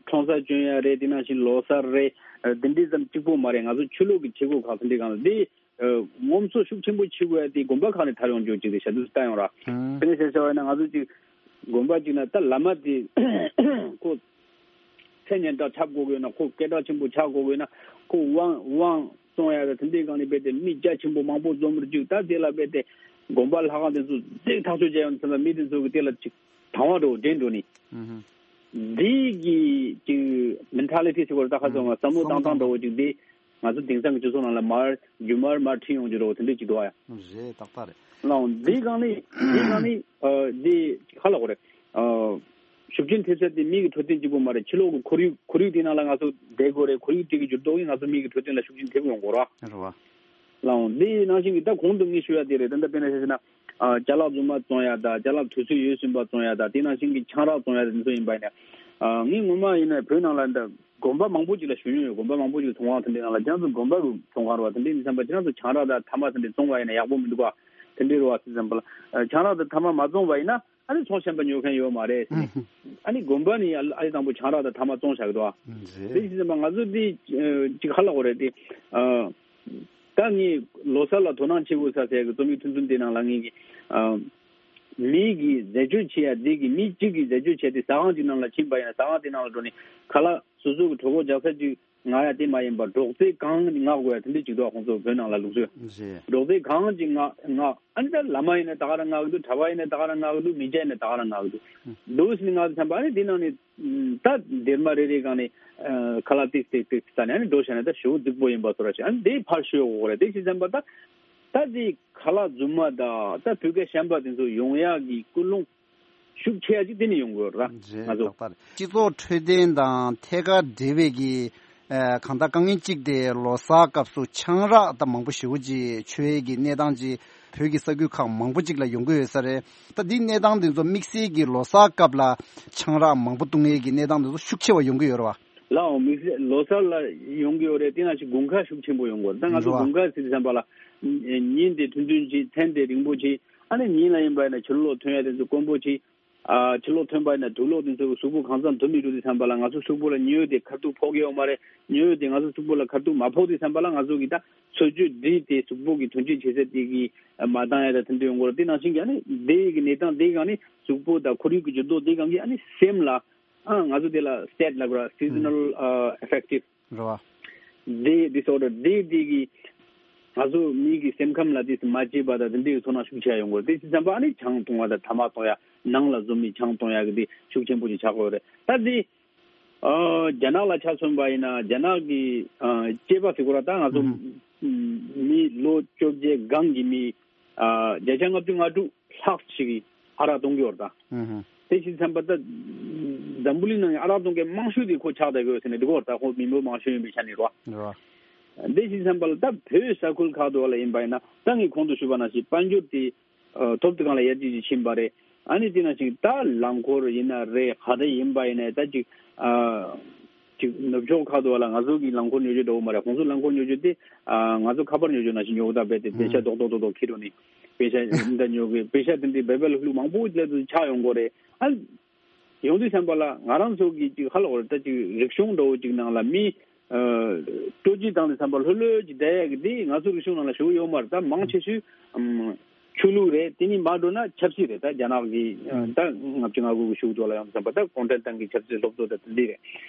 ཁྲོམ་ས་སྐྱོན་ཡ་རེད། དེ་ནང་བཞིན་ལོ་གསར་རེད། འདི་འདྲའི་ཙམ་གཅིག་པོ་མ་རེད། ང་ཚོ་ཆོས་ལུགས་ཀྱི་བྱེད་སྒོ་ཁག་དེ་འདྲའི་སྒང་ལ་དེ་ངོམ་སོ་ཤུགས་ཆེན་པོ་བྱེད་དགོས་ཡ་དེ་དགོན་པ་ཁག་ནས་དར་ཡོང་རྒྱུ་ཅིག་རེད་ཤག་འདུག་ལྟ་ཡོང་ར། དེ་ནས་བཤད་བྱ་བ་ཡིན་ན་ང་ཚོ་ཅིག་དགོན་པ་གཅིག་ན་ད་བླ་མ་དེ་ཁོ་མཚན་སྙན་གྲགས་ཆགས་དགོས་ཀྱི་ཡོད་ན། ཁོ་སྐད་གྲགས་ཆེན་པོ་ཆགས་དགོས་ཀྱི་ཡོད་ན། ཁོ་དབང་དབང་བཙོང་ཡ་ད་དེ་འདྲའི་སྒང་ནས་རྦད་དེ་མི་རྒྱ་ཆེན་པོ་མང་པོ་འཛོམས་རྒྱུ། ད་དེ་ལ་རྦད་དེ་དགོན་པ་ལྷ་ཁང་དེ་ཚོ་རྫིག་ཐག་ཆོད་བྱས་ཡོང་ཙམ་ལ་མི་དེ་ཚོ་གི་དེ་ལ་ཅིག་དང་བ་འགྲོ་འདྲེན་འགྲོ་ནི། འདི་གི་ཅིག་མེན་ཊ་ལི་ཊི་ཟེར་བ་རེད། ད་ཁ་སང་བསམ་བློ་བཏང་སྟངས་འདྲ་བོ་ཅིག་དེ་ང་ཚོ་དེང་སང་གི་སྤྱི་ཚོགས་ནང་ལ་མར་རྒྱུན་མར་མར་ཁྲིད་ཡོང་རྒྱུ་འདྲ་བོ་དེ་འདྲ་ཅིག་འདུག་ཨ་ཡ། རེད། ཏག་ཏག་རེད། ལའང་འདི་སྒང་ནི་འདི་སྒང་ནི་ཨ་འདི་ཧ་ལ་གོ་རེད། ཨ་ ཤུགས་རྐྱེན་ཐེབས་ས་དེ་མི་གི་འཕྲོད་བསྟེན་གཅིག་པོ་མ་རེད། ཕྱི་ལོགས་ཀྱི་ཁོར་ཡུག་ཁོར་ཡུག་དེ་ནང་ལ་ང་ཚོ་བསྡད་དགོས་རེད། ཁོར་ཡུག་དེ་གི་འགྱུར་ལྡོག་གིས་ང་ཚོ་མི་གི་འཕྲོད་བསྟེན་ལ་ཤུགས་རྐྱེན་ཐེབས་ཡོང་གི་རེད། རེད་བ། ལའང་འདི་ནང་བཞིན་གྱི་ད་གོང་དུ་ངས་ཞུ་ཡ་དེ་རེད། ད་ལྟ་དཔེར་ན་ཆ་བཞག་ན་ཨ་ཅ་ལག་རྫུན་མ་བཙོང་ཡ་དང་ཅ་ལག་དུས་ཚོད་ཡོལ་ཟིན་པ་བཙོང་ཡ་དང་དེ་ནང་བཞིན་གྱི་ཆང་རག་བཙོང་ཡ་དེ་ཚོ་ཡིན་པ་ཡིན་ན། ཨ་ངས་ངོ་མ་ཡིན་ན་བོད་ནང་ལ་འདི་དགོན་པ་མང་པོ་ཅིག་ལ་ཞུ་མྱོང་ཡོད། དགོན་པ་མང་པོ་ཅིག་ཚོང་ཁང་དེ་འདྲའི་ནང་ལ་ཁྱེད་རང་ཚོ་དགོན་པ་གི་ཚོང་ཁང་རེད་བ། དེ་འདྲའི་མི་ཚང་པ་ཁྱེད་རང་ཚོ་ཆང་རག་དང་ཐ་མག་དེ་འདྲའི་བཙོང་བ་ཡིན་ན་ཡག་པོ་མི་འདུག་ག་དེ་འདྲའི་རེད་བ། དེ་ཙམ་པ་ལ་ཨ་ཆང་རག་དང་ཐ་མག་མ་བཙོང་བ་ཡིན་ན། ཨ་ནི་ཚོང་གཞན་པ་ཉོ་མཁན་ཡོད་མ་རེད་ཟེར་ནས། ཨ་ནི་དགོན་པ་ནི་ཨ་ཨ་ལས་དང་པོ་ཆང་རག་དང་ཐ་མག་བཙོང་བཞག་གི་འདུག་ཨ། དེ་བཞིན་ང་ཚོ་འདི་ཅིག་ཧ་ལ་གོ་རེད་དེ། ད་ངས་ལོ་གསར་ལ་དོ་སྣང་བྱེད་དགོས་ས་ཟེར་གི་རྩོམ་ཡིག་ཐུང་ཐུང་དེ་ནང་ལ་ངས་ཀྱི་མི་གིས་འཛད་སྤྱོད་བྱེད་ཡ་དེ་གི་མི་གཅིག་གིས་འཛད་སྤྱོད་བྱས་ཏེ་ཟ་ཁང་གཅིག་ནང་ལ་ཕྱིན་པ་ཡིན་ན་ཟ་ཁང་དེ་ནང་ལ་འགྲོ་ནས་ཁ་ལག་སོ་སོ་གི་གྲོད་ཁོག་རྒྱག་ས་ཅིག་ང་ཡ་དེ་མ་ཡིན་པར་སྒྲོག་ཙེ་གང་མངགས་དགོས་ཡ་དེ་འདྲས་ཅིག་འདུག་ཁོང་ཚོ་བོད་ནང་ལ་ལུགས་སྲོལ། རེད། སྒྲོག་ཙེ་གང་ཅིག་མངགས་མངགས། ཨ་ནི་ད་བླ་མ་ཡིན་ན་ད་ག་རང་མངགས་ཀྱི་འདུག་གྲྭ་པ་ཡིན་ན་ད་ག་རང་མངགས་ཀྱི་འདུག་མི་སྐྱ་ཡིན་ན་ད་ག་རང་མངགས་ཀྱི་འདུག་འདུག་ཟེར་ནས་མངགས་དུས་ཙམ་པ་ཨ་ནི་དེ་ནང་ནས་ད་སྡེར་མ་རེ་རེ་སྒང་ནས་ཁ་ལག་ཏིག་ཏིག་ཏིག་ཟ་ནས་ཨ་ནི་འགྲོ་བྱས་ན་ད་ཞེ་པོ་སྡུག་པོ་ཡིན་པ་ཚོ་ར་ཞིག་ཨ་ནི་དེ་ཕར་ཞོག་གོ་རེད། དེ་ཞིག་ཙམ་པ་ད་ད་དེ་ཁ་ལག་རྫུན་མ་དང་ད་བོད་སྐད་གཞན་པ་དེ་ཚོ་ཡོང་ཡག་གི་ཀུན་སློང་ཤུགས་ཆེ་ཡ་ཅིག་དེ་ནས་ཡོང་དགོས་ར། རེད། ང་ཚོ་ལགས་པར་སྤྱི་ཚོགས་འཕྲོད་བསྟེན་དང་ཐད་ཀར་འབྲེལ་བའི་གི་ཨ་གང་ལྟར་དཀའ་ངལ་གཅིག་དེ་ལོ་གསར་སྐབས་སུ་ཆང་རག་དང་མང་པོ་ཞེ་པོ་ཅིག་མཆོད་ཡས་ཀྱི་གནས་སྟངས་ཅིག་བོད་ཀྱི་ས་ཁུལ་ཁག་མང་པོ་ཅིག་ལ་ཡོང་གི་ཡོད་ས་རེད། ད་འདི་གནས་སྟངས་དེ་ཚོ་དམིགས་བསལ་གྱི་ལོ་གསར་སྐབས་ལ་ཆང་རག་མང་པོ་བཏུང་ཡས་ཀྱི་གནས་སྟངས་དེ་ཚོ་ཤུགས་ཆེ་བ་ཡོང་གི་ཡོད་རེད་བ། ལའང་དམིགས་བསལ་ལོ་གསར་ལ་ཡོང་གི་ཡོད་རེད། དེ་ནང་བཞིན་དགུན་ཁ་ཤུགས་ཆེན་པོ་ཡོང་གི་ཡོད་རེད། ད་ང་ཚོ་རེད་བ། དགུན་ཁ་ཟེར་དུས་ཙམ་པ་ལ་ཉིན་དེ་ཐུང་ཐུང་བྱེད། མཚན་དེ་རིང་པོ་བྱེད། ཨ་ནི་ཉིན་ལ་ཡིན་པ་ཡིན་ན་ཕྱི་ལོགས་ཐོན་ཡ་དེ་ཚོ་དཀོན་པོ་བྱེད། ཨ་ཕྱི་ལོགས་ཐོན་པ་ཡིན་ན་དུག་ལོག་དེ་ཚོ་གི་གཟུགས་པོ་གང་ཚང་དུ་མི་འགྲོ་དུས་ཙམ་པ་ལ་ང་ཚོ་གཟུགས་པོ་ལ་ཉི་འོད་དེ་ཁ་ཐུག་ཕོག་གི་ཡོད་མ་རེད། ཉི་འོད་དེ་ང་ཚོ་གཟུགས་པོ་ལ་ཁ་ཐུག་མ་ཕོག་དུས་ཙམ་པ་ལ་ང་ཚོ་གི་ད་འཚོ་བཅུད་འདི་དེ་གཟུགས་པོ་གི་དོན་སྤྱོད་བྱེད་ས་དེ་གི་མ་འདང་ཡ་ད་དེ་འདྲ་ཡོང་གི་རེད། དེ་ནང་བཞིན་གྱི་ཨ་ནི་དེ་གི་གནས་སྟངས་དེ་གང་ནི་གཟུགས་པོ་དང་ཁོར་ཡུག་གི་འགྱུར་ལྡོག་དེ་གང་གི་ཨ་ནི་སེམས་ལ་ཨ་ང་ཚོ་དེ་ལ་སི་ཊེ་ཊི་ལབ་ར། སི་ཛོ་ནལ་ཨ་ཨེ་ཕེག་ཊིབ་རེད་བ། དེ་དིས་ཨོར་ཌར་དེ་དེ་གི་ང་ཚོ་མི་གི་སེམས་ཁམས་ལ་དེ་མ་བྱེད་པ་དང་དེ་འདྲའི་ཚོར་སྣང་ཤུགས་ཆེ་ཡོང་གི་རེད། དེ་ཅི་ཙམ་པ་ཨ་ནི་ཆང་འཐུང་བ་དང་ཐ་མག་འཐུང་ཡ་ནང་ལ་འཛོམས་ནས་ཆང་འཐུང་ཡ་གི་དེ་ཤུགས་ཆེན་པོ་ཅིག་ཆགས་ཀྱི་ཡོད་རེད། ད་དེ་ཨ་རྒྱ་ནག་ལ་ཆ་མཚོན་པ་ཡིན་ན་རྒྱ་ནག་གི་ཨ་སྐྱེས་པ་ཟེར་དགོས་ར། ད་ང་ཚོ་ཨུ་ཧུ། མི་ལོ་བཅོ་བརྒྱད་སྒང་གི་མི་ཨ་བརྒྱ་ཆ་ལྔ་བཅུ་ང་དྲུག་ལྷག་ཞིག་གིས་ཨ་རག་བཏུང་གི་ཡོད་རེད་ད། ཨུ་ཧུ། དེ་ཞིག་ཙམ་པ་ད་འཛམ་བུ་གླིང་ནང་གི་ཨ་རག་བཏུང་མཁན་མང་ཤོས་དེ་ཁོ་ཆགས་བསྡད་ཡོད་ཟེར་ནས་འདུག་གོ་ད་ཁོ་མི་འབོར་མང་ཤོས་ཡིན་པའི་ཆ་ནས་རེད་བ། རེད་བ། དེ་ཞིག་ཙམ་པ་ལ་ད་བོད་ས་ཁུལ་ཁག་ཏུ་བ་ལ་ཡིན་པ་ཡིན་ན་ད་ངས་གོང་དུ་ཞུས་པ་ནང་བཞིན་དཔལ་འབྱོར་དེ་ཨ་ཐོབ་དུས་སྒང་ལ་ཡར་རྒྱས་ཅིག་ཕྱིན་པ་རེད། ཨ་ནི་དེ་ནང་བཞིན་ད་རླངས་འཁོར་ཡིན་ན་རེད། ག་རེ་ཡིན་པ་ཡིན་ན་ད་ཅིག་ཨ། ཅིག་ནུབ་ཕྱོགས་ཁག་ཏུ་བ་ལ་ང་ཚོ་གི་རླངས་འཁོར་ཉོ་རྒྱུ་འདྲ་བོ་མ་རེད། ཁོང་ཚོ་རླངས་འཁོར་ཉོ་རྒྱུ་དེ་ཨ་ང་ཚོ་ཁ་པར་ཉོ་རྒྱུ་ནང་བཞིན་ཉོ་གི་ད་རྦད་དེ་པེ་ཤ་ཨུ། རྡོག་རྡོག་རྡོག་རྡོག་ཁྱེར་འགྲོ་ནས་པེ་ཤ་འདི་འདྲ་ཉོ་གི་པེ་ཤ་དེ་འདྲའི་སྦལ་པ་ལྷུག་ལྷུག་མང་པོ་སླེབས་ཚུལ་ཆགས་ཡོང་གི་རེད། ཨ་ཡོང་དུས་ཙམ་པ་ལ་ང་རང་ཚོ་གི་ཅིག་ཧ་ལ་གོ་རེད། ད་ཅིག་རིག་གཞུང་འདྲ་བོ་ཅིག་ནང་ལ་མི་ཨ་སྤྲོ་སྐྱིད་བཏང་དུས་ཙམ་པ་ལྷོད་ལྷོད་ཅིག་བསྡད་ཡག་གི་དེ་ང་ཚོ་རིག་གཞུང་ནང་ལ་ཞེ་པོ་ཡོད་མ་རེད། ད་མང་ཆེ་ཤོས་ཨམ། ཆོས་ལུགས་རེད། དེ་གཉིས་མར་འགྲོ་ན་ཆབ་སྲིད་རེད། ད་རྒྱ་ནག་གི་ཨ་ད་ལྔ་བཅུ་ང་དགུ་གི་གཞུག་ཏུ་ལ་ཡོང་ཙམ་པ་ད་གུང་ཁྲན་ཏང་གི་ཆབ་སྲིད་སློབ་གཙོ་ད་དེ་འདྲ་རེད།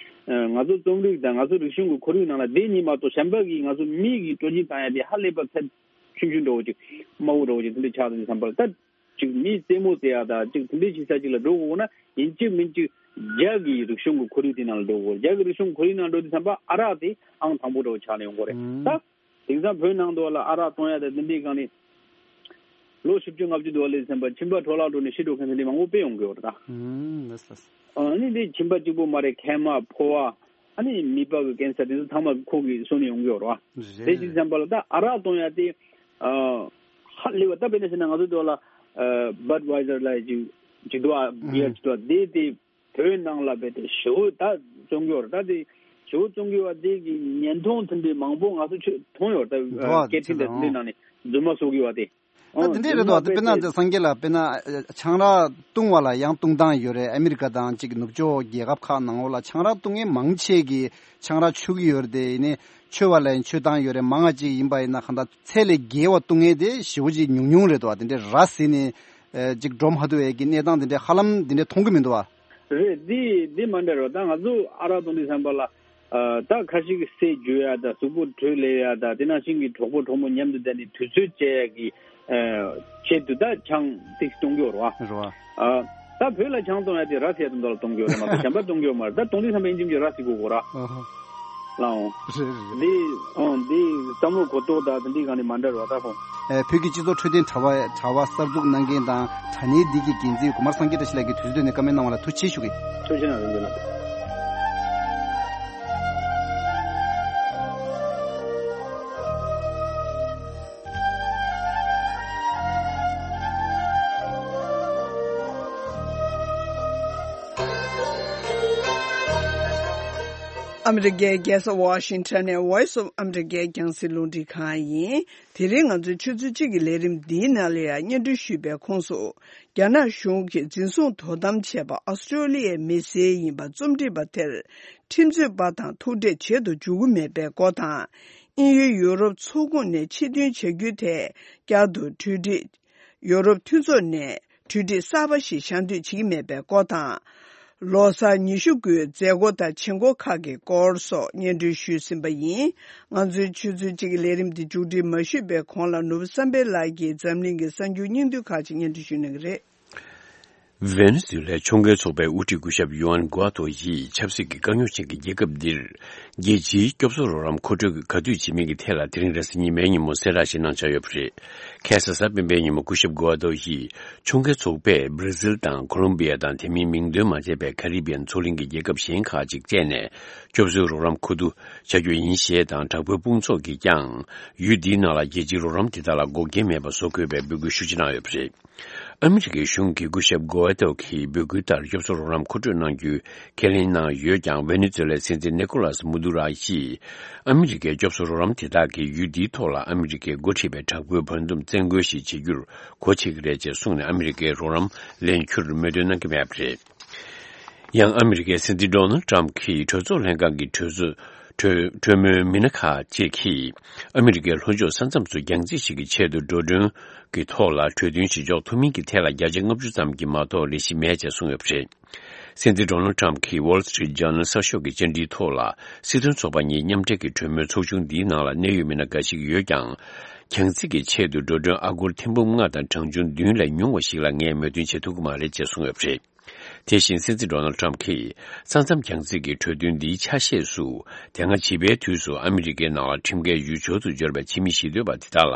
ཨ་ང་ཚོ་རྩོམ་རིག་དང་ང་ཚོ་རིག་གཞུང་གི་ཁོར་ཡུག་ནང་ལ་དེ་གཉིས་མ་གཏོགས་གཞན་པ་གི་ང་ཚོ་མི་གི་སྤྲོ་སྐྱིད་བཏང་ཡ་དེ་ཧ་ལས་པ་ཚད་ཆུང་ཆུང་འདྲ་བོ་ཅིག་དམའ་བོ་འདྲ་བོ་ཅིག་དེ་འདྲ་ཆགས་འདུག་བསམ་པ་ལ། ད་ཅིག་མི་རྩེད་མོ་རྩེ་ཡ་ད་ཅིག་དེ་འདྲ་བྱེད་ས་ཅིག་ལ་འགྲོ་དགོས་ན་ཡིན་གཅིག་མིན་གཅིག་རྒྱ་གི་རིག་གཞུང་གི་ཁོར་ཡུག་དེ་ནང་ལ་འགྲོ་དགོས། རྒྱ་གི་རིག་གཞུང་ཁོར་ཡུག་ནང་འགྲོ་དུས་ཙམ་པ་ཨ་རག་དེ་ཨང་དང་པོ་འདྲ་བོ་ཆགས་ནས་ཡོང་གི་རེད། ད་དེང་སང་བོད་ནང་དུ་ལ་ཨ་རག་བཏུང་ཡ་དང་དེ་འདྲའི་སྒང་ནས་ལོ་བཞི་བཅུ་ལྔ་བཅུ་དུ་བ་ལས་ཙམ་པ་ཁྱིམ་པ་འཕྲོ་བརླག་འགྲོ་ནས་ཤི་འགྲོ་མཁན་དེ་འདྲའི་མང་པོ་དཔེ་ཡོང་གི་ཡོད་རེད་ད། ཨུམ། ལགས་སོ། ཨ་ནི་འདི་ཁྱིམ་པ་གཅིག་པོ་མ་རེད། མཁལ་མ། ཕོ་བ། ཨ་ནི་མིད་པ་གི་ཀན་སར་དེ་ཚོ་ཚང་མ་ཁོ་གི་སོ་ནས་ཡོང་གི་ཡོད་རེད་བ། རེད། དེ་ཅི་ཙམ་པ་ལ་ད་ཨ་རག་བཏུང་ཡ་དེ་ཨ་ཧ་ལས་པ། ད་དཔེར་ན་བཤད་ན་ང་ཚོ་དེ་བ་ལ་ཨ་བད་ཝའི་ཛར་ལ་ཅིག་ཅིག་འདུག་ཨ། བི་ཡར་ཅིག་འདུག་ཨ། དེ་དེ་བོད་ནང་ལ་བས་ཏེ་ཞེ་པོ་ད་བཙོང་གི་ཡོད་རེད། ད་དེ་ཞེ་པོ་བཙོང་གི་ཡོད་པ་དེ་གི་ཉེན་མཐོང་དེ་འདྲའི་མང་པོ་ང་ཚོ་ཆོས་མཐོང་ཡོད་རེད། ད་འགྲོ་བ་སྐད་འཕྲིན་དང་དེ་འདྲའི་ནང་ནས་རྫུན་མ་བཟོ་གི་ཡོད་པ་དེ། ད་དེ་འདྲའི་རེད་དོ། དཔེར་ན་དེ་སངས་རྒྱས་ལ་དཔེར་ན་ཆང་རག་བཏུང་བ་ལ་ཡང་བཏུང་སྟངས་ཡོད་རེད། ཨ་མི་རི་ཀ་དང་གཅིག་ནུབ་ཕྱོགས་རྒྱལ་ཁབ་ཁག་ནང་ལོགས་ལ་ཆང་རག་བཏུང་མཁན་མང་ཆེ་གིས་ཆང་རག་མཆོད་ཀྱི་ཡོད་རེད། དེ་ཡིན་ནའི་མཆོད་པ་ལ་ཡང་མཆོད་སྟངས་ཡོད་རེད། མང་བ་ཅིག་ཡིན་པ་ཡིན་ན་གང་ལྟར་ཚད་ལས་བརྒལ་བ་བཏུང་མཁན་དེ་ཞེ་པོ་ཅིག་ཉུང་ཉུང་རེད་དོ། དེ་འདྲའི་ར་བཟི་ནས་ཅིག་འགྲོ་མ་ཐུབ་པའི་གི་གནས་སྟངས་དེ་འདྲའི་ཧ་ལམ་དེ་འདྲའི་མཐོང་གི་མི་འདུག་བ། རེད། འདི་འདི་མ་འདྲ་རོ། ད་ང་ཚོ་ཨ་རག་བཏུང་དུས་ཙམ་པ་ལ་ཨ་ད་ཁ་ཤས་ཀྱི་ཟས་འཇུ་ཡ་དང་གཟུགས་པོ་དྲོད་ལེན་ཡ་དང་དེ་ནང་བཞིན་གྱི་གྲོགས་པོ་གྲོགས་མོ་མཉམ་དུ་བསྡད་ནས་དུས་ཚོད་སྤྱད་ཡ་གི་ཨ་ཆེད་དུ་ད་ཆང་ཏིག་བཏུང་གི་ཡོད་རེད་བ། རེད་བ། ཨ་ད་བོད་ལ་ཆང་བཏུང་ཡ་དེ་ར་བཟི་ཡ་དང་འདྲ་ལ་བཏུང་གི་ཡོད་རེད་མ་གཏོགས་གཞན་པ་བཏུང་གི་ཡོད་མ་རེད། ད་བཏུང་དུས་ཙམ་པ་ཡིན་གཅིག་མིན་གཅིག་ར་བཟི་དགོས་གོ་ར། ཨ་ཧ། ལའང་། རེད་རེད་རེད། འདི་ཨང་འདི་བསམ་བློ་གོ་རྟོགས་དང་འདི་གང་ནས་མ་འདྲ་བ་ད་ཁོང་། ཨེ་བོད་ཀྱི་སྤྱི་ཚོགས་འཕྲོད་བསྟེན་དྲ་བ་དྲ་བ་གསར་འཛུགས་གནང་མཁན་དང་དྲ་བརྙན་འདི་གི་འགན་འཛིན་གོང་མ་སངས་རྒྱས་བཀྲ་ཤིས་ལགས་ཀྱིས་དུས་ཚོད་བཏོན་ནས་བཀའ་མོལ་གནང་བ་ལ་ཐུགས་རྗེ་ཆེ་ཞུ་གི། ཐུགས་རྗེ་གནང་རིན་པོ་ཆེ་ལགས། ཨ་མི་རི་ཀའི་རྒྱལ་ས་ཝ་ཤིང་ཊོན་ནས་Voice of America་རྒྱང་སྲིང་རླུང་འཕྲིན་ཁང་ཡིན། དེ་རིང་ང་ཚོའི་ཆུ་ཚོད་གཅིག་གི་ལས་རིམ་འདིའི་ནང་ལ་ཡང་སྙན་སྒྲོན་ཞུས་པའི་ཁོངས་སུ། རྒྱ་ནག་གཞུང་གིས་འཛིན་བཟུང་དོ་དམ་བྱས་པ་ཨ་སི་ཀྲོ་ལི་ཡའི་མི་སེར་ཡིན་པ་རྩོམ་སྒྲིག་པ་དེར་ཁྲིམས་རྩོད་པ་དང་ཐུག་འཕྲད་བྱེད་དུ་འཇུག་གི་མེད་པའི་སྐོར་དང་། དབྱིན་ཡུལ་ཡུ་རོབ་ཚོགས་ཁོངས་ནས་ཕྱིར་ཐོན་བྱ་རྒྱུའི་ཐད་བསྐྱར་དུ་གྲོས་འགྲིག་ཡུ་རོབ་མཐུན་ཚོགས་ནས་གྲོས་འགྲིག་གསར་པ་ཞིག་གཞག་འདོད་བྱེད་ཀྱི་མེད་པའི་སྐོར་དང་། ལོ་གསར་ཉི་ཤུ་དགུའི་མཛད་སྒོ་དང་བྱེད་སྒོ་ཁག་གི་སྐོར་སོགས་སྙན་སྒྲོན་ཞུས་ཟིན་པ་ཡིན། ང་ཚོའི་ཆུ་ཚོད་གཅིག་གི་ལས་རིམ་འདི་མཇུག་སྒྲིལ་མ་ཞུས་པའི་གོང་ལ་ནོར་བུ་བསམ་འཕེལ་ལགས་ཀྱིས་འཛམ་གླིང་གི་གསར་འགྱུར་སྙིང་བསྡུས་ཁག་ཅིག་སྙན་སྒྲོན་ཞུ་གནང་གི་རེད། ཝེ་ནེ་ཛུ་ལའི་ཁྱོང་རྒོལ་ཚོགས་པའི་དབུ་ཁྲིད་སྐུ་ཞབས་ཡུ་ཨན་གུ་ཨ་ཏོ་ཡིས་ཆབ་སྲིད་ཀྱི་དཀའ་རྙོག་ཅན་གྱི་རྒྱལ་ཁབ་འདིར་རྒྱལ་སྤྱིའི་སྐྱོབ་གསོ་རོགས་རམ་མཁོ་སྤྲོད་ཀྱི་ག་དུས་བྱེད་མིན་གྱི་ཐད་ལ་དེ་རིང་རེས་གཟའ་ཉི་མའི་ཉིན་མོ་གསལ་བསྒྲགས་ཤིག་གནང་འཆར་ཡོད་པ་རེད། ཁ་སང་གཟའ་སྤེན་པའི་ཉིན་མོ་སྐུ་ཞབས་གུ་ཨ་ཏོ་ཡིས་ཁྱོང་རྒོལ་ཚོགས་པས་སྦྲ་ཟིལ་དང་ཁོ་ལོམ་བི་ཡ་དང་དེ་མིན་མིང་འདོན་མ་བྱས་པའི་ཁ་རི་བི་ཡན་མཚོ་གླིང་གི་རྒྱལ་ཁབ་གཞན་ཁག་ཅིག་བཅས་ནས་སྐྱོབ་གསོའི་རོགས་རམ་མཁོ་བསྡུ་བྱ་རྒྱུ་ཡིན་ཞེས་དང་། དྲག་པོའི་དཔུང་ཚོགས་ཀྱིས་ཀྱང་ཡུལ་འདིའི་ནང་ལ་རྒྱལ་སྤྱིའི་རོགས་རམ་དེ་དག་ལ་འགོག་རྐྱེན་མེད་པ་བཟོ་དགོས་པའི་འབོད་སྐུལ་ཤུགས་ཆེ་གནང་ཡོད་པ་རེད། ཨ་མི་རི་ཀའི་གཞུང་གིས་སྐུ་ཞབས་གོ་ཨ་ཏོ་གི་འབོད་སྐུལ་ལྟར་སྐྱོབ་གསོ་རོགས་རམ་མཁོ་སྤྲོད་གནང་རྒྱུའི་ཁས་ལེན་གནང་ཡོད་ཀྱང་། ཝེ་ནེ་ཛུ་ལའི་སྲིད་འཛིན་ནི་ཀོ་ལཱས་མུ་དུ་རོ་ཡིས་ཨ་མི་རི་ཀའི་སྐྱོབ་གསོ་རོགས་རམ་དེ་དག་གིས་ཡུལ་འདིའི་ཐོག་ལ་ཨ་མི་རི་ཀས་འགོ་ཁྲིད་པའི་དྲག་པོའི་བར་འདུམ་བཙན་རྒོལ་ཞིག་བྱེད་རྒྱུར་གོ་ཆོད་ཀྱི་རེད་ཅེས་གསུངས་ནས། ཨ་མི་རི་ཀའི་རོགས་རམ་ལེན་རྒྱུར་མོས་མཐུན་གནང་གི་མེད་པ་རེད། ཡང་ཨ་མི་རི་ཀའི་སྲིད་འཛིན་ཌོ་ནལ་ཊམ་གྱིས་གྲོས་ཚོགས་ལྷན་ཁང་གི་གྲོས་ཚོགས་གྲོས་གྲོས་མོལ་མི་སྣ་ཁག་ཅིག་གིས་ཨ་མི་རི་ཀའི་ལྷོ་ཕྱོགས་ས་མཚམས་སུ་རྒྱང་རྩིས་ཤིག་གི་ཆེད་དུ་འགྲོ་གྲོན་གྱི་ཐོག་ལ་གྲོས་མཐུན་ཞིག་འཇོག་ཐུབ་མིན་གྱི་ཐད་ལ་བརྒྱ་ཆ་ལྔ་བཅུ་ཙམ་གྱིས་མ་གཏོགས་ལས་གཞི་མེད་ཅེས་གསུངས་ཡོད་པ་རེད། སྲིད་འཛིན་ཌོ་ནལ་ཊམ་གྱིས་Wall Street Journal་གསར་ཤོག་གི་བཅར་འདྲིའི་ཐོག་ལ། སྲིད་དོན་ཚོགས་པ་གཉིས་མཉམ་འབྲེལ་གྱི་གྲོས་མོལ་ཚོགས་ཆུང་འདིའི་ནང་ལ་གནད་ཡོད་མི་སྣ་འགའ་ཞིག་ཡོད་ཀྱང་། རྒྱང་རྩིས་ཀྱི་ཆེད་དུ་འགྲོ་གྲོན་ཨ་སྒོར་ཐེར་འབུམ་ལྔ་དང་གྲངས་ཆུང་བདུན་ལས་ཉུང་བ་ཞིག་ལ་ངས་མོས་མཐུན་བྱེད་ཐུབ་ཀྱི་མ་རེད་ཅེས་གསུངས་ཡོད་པ་རེད། དེ་བཞིན་སྲིད་འཛིན་ཌོ་ནལ་ཊམ་གྱིས་ས་མཚམས་རྒྱང་རྩིས་ཀྱི་གྲོས་མཐུན་འདིའི་ཆ་ཤས་སུ། དེ་སྔ་བྱིས་པའི་དུས་སུ་ཨ་མི་རི་ཀའི་ནང་ལ་ཁྲིམས་འགལ་ཡུལ་སྦྱོར་དུ་འབྱོར་བའི་ཕྱི་མི་གཞིས་སྡོད་པ་དེ་དག་ལ་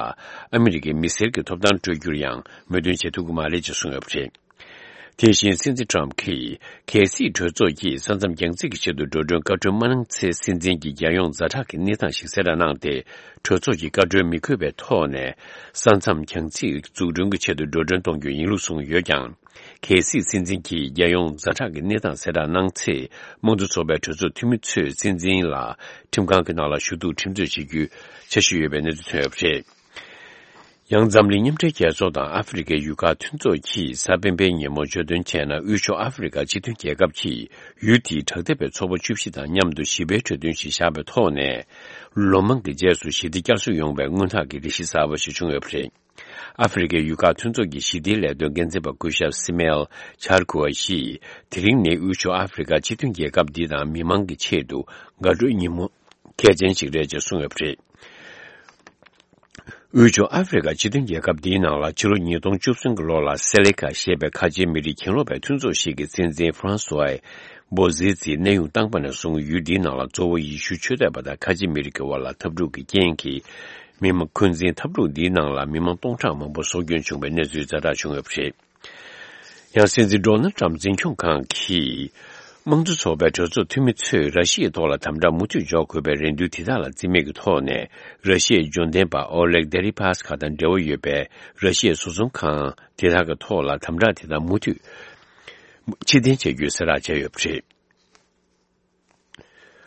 ཨ་མི་རི་ཀའི་མི་སེར་གྱི་ཐོབ་ཐང་སྤྲོད་རྒྱུར་ཡང་མོས་མཐུན་བྱེད་ཐུབ་ཀྱི་མ་རེད་ཅེས་གསུངས་ཡོད་པ་རེད། དེ་བཞིན་སྲིད་འཛིན་ཊམ་གྱིས། གལ་སྲིད་གྲོས་ཚོགས་ཀྱིས་ས་མཚམས་རྒྱང་རྩིས་ཀྱི་ཆེད་དུ་འགྲོ་གྲོན་བཀའ་འཁྲོལ་མ་གནང་ཚེ། སྲིད་འཛིན་གྱིས་རྒྱལ་ཡོངས་ཛ་དྲག་གི་གནས་སྟངས་ཤིག་གསལ་བསྒྲགས་གནང་སྟེ། གྲོས་ཚོགས་ཀྱི་བཀའ་འཁྲོལ་མི་དགོས་པའི་ཐོག་ནས། ས་མཚམས་རྒྱང་རྩིས་འཛུགས་སྐྲུན་གྱི་ཆེད་དུ་འགྲོ་གྲོན་གཏོང་རྒྱུ་ཡིན་ལུགས་གསུངས་ཡོད་ཀྱང་། གལ་སྲིད་སྲིད་འཛིན་གྱིས་རྒྱལ་ཡོངས་ཛ་དྲག་གི་གནས་སྟངས་གསལ་བསྒྲགས་གནང་ཚེ། དམངས་གཙོ་ཚོགས་པའི་གྲོས་ཚོགས་འཐུས་མི་ཚོས་སྲིད་འཛིན་ལ་ཁྲིམས་ཁང་གི་ནང་ལ་ཞུ་གཏུག་ཁྲིམས་རྩོད་བྱེད་རྒྱུའི་འཆར་གཞི་ཡོད་པའི་གནས་ཚུལ་ཐོན་ཡོད་པ་རེད། ཡང་འཛམ་གླིང་མཉམ་འབྲེལ་རྒྱལ་ཚོགས་དང་ཨ་ཧྥེ་རི་ཁའི་ཡུལ་ཁག་མཐུན་ཚོགས་ཀྱིས་གཟའ་སྤེན་པའི་ཉིན་མོ་བརྗོད་དོན་བྱས་ན། དབུས་ཕྱོགས་ཨ་ཧྥེ་རི་ཁ་སྤྱི་མཐུན་རྒྱལ་ཁབ་ཀྱིས་ཡུལ་དེའི་དྲག་འཐབ་པའི་ཚོགས་པ་བཅུ་བཞི་དང་མཉམ་དུ་ཞི་བའི་གྲོས་མཐུན་ཞིག་བཞག་པའི་ཐོག་ནས། ལོ་མང་གི་རྗེས་སུ་ཞི་བདེ་བསྐྱར་གསོ་ཡོང་བའི་སྔོན་ཐག་གི་རེ་གཞི་གསར་པ་ཞིག་བྱུང་ཡོད་པ་རེད། ཨ་ཧྥེ་རི་ཁའི་ཡུལ་ཁག་མཐུན་ཚོགས་ཀྱི་ཞི་བདེའི་ལས་དོན་འགན་འཛིན་པ་སྐུ་ཞབས་སི་མེལ་ཆར་ཁུ་ཨ་ཡིས། དེ་རིང་ནི་དབུས་ཕྱོགས་ཨ་ཧྥེ་རི་ཁ་སྤྱི་མཐུན་རྒྱལ་ཁབ་འདི་དང་མི་མང་གི་ཆེད་དུ་དགའ་སྤྲོའི་ཉིན་མོ་གལ་ཆེན་ཞིག་རེད་ཅེས་གསུངས་ཡོད་པ་རེད། དབུས་ཕྱོགས་ཨ་ཧྥེ་རི་ཁ་སྤྱི་མཐུན་རྒྱལ་ཁབ་འདིའི་ནང་ལ་ཕྱི་ལོ་ཉིས་སྟོང་བཅུ་གསུམ་གྱི་ལོ་ལ་སེ་ལེ་ཁ་ཞེས་པའི་ཁ་ཆེའི་མི་རིགས་གྱེན་ལོག་པའི་མཐུན་ཚོགས་ཤིག་གི་སྲིད་འཛིན་ཧྥ་རན་སུའེ་བོ་ཟི་ཙི་གནས་དབྱུང་བཏང་པ་ནས་བཟུང་ཡུལ་འདིའི་ནང་ལ་གཙོ་བོ་ཡེ་ཤུ་ཆོས་དད་པ་དང་ཁ་ཆེ་མི་རིགས་ཀྱི་དབར་ལ་འཐབ་འཁྲུག་གི་རྐྱེན་གྱིས། མི་མང་འཁོན་འཛིན་འཐབ་འཁྲུག་འདིའི་ནང་ལ་མི་མང་སྟོང་ཕྲག་མང་པོ་སྲོག་སྐྱོན་བྱུང་བའི་གནས་ཚུལ་ཛ་དྲག་བྱུང་ཡོད་པ་རེད། ཡང་སྲིད་འཛིན་ཌོ་ནལ་ཊམ་འཛིན་སྐྱོང་ཁང་གིས། དམངས་གཙོ་ཚོགས་པའི་གྲོས་ཚོགས་འཐུས་མི་ཚོས་ར་ཤི་ཡའི་ཐོག་ལ་དམ་དྲག་མུ་མཐུད་འཇོག་དགོས་པའི་རེ་འདུན་དེ་དག་ལ་རྩིས་མེད་ཀྱི་ཐོག་ནས། ར་ཤི་ཡའི་འབྱོར་ལྡན་པ་ཨོ་ལེག་དེ་རི་པཱ་སི་ཁ་དང་འབྲེལ་བ་ཡོད་པའི་ར་ཤི་ཡའི་བཟོ་ཚོང་ཁང་དེ་དག་གི་ཐོག་ལ་དམ་དྲག་དེ་དག་མུ་མཐུད་ཕྱིར་འཐེན་བྱ་རྒྱུའི་གསལ་བསྒྲགས་བྱས་ཡོད་པ་རེད།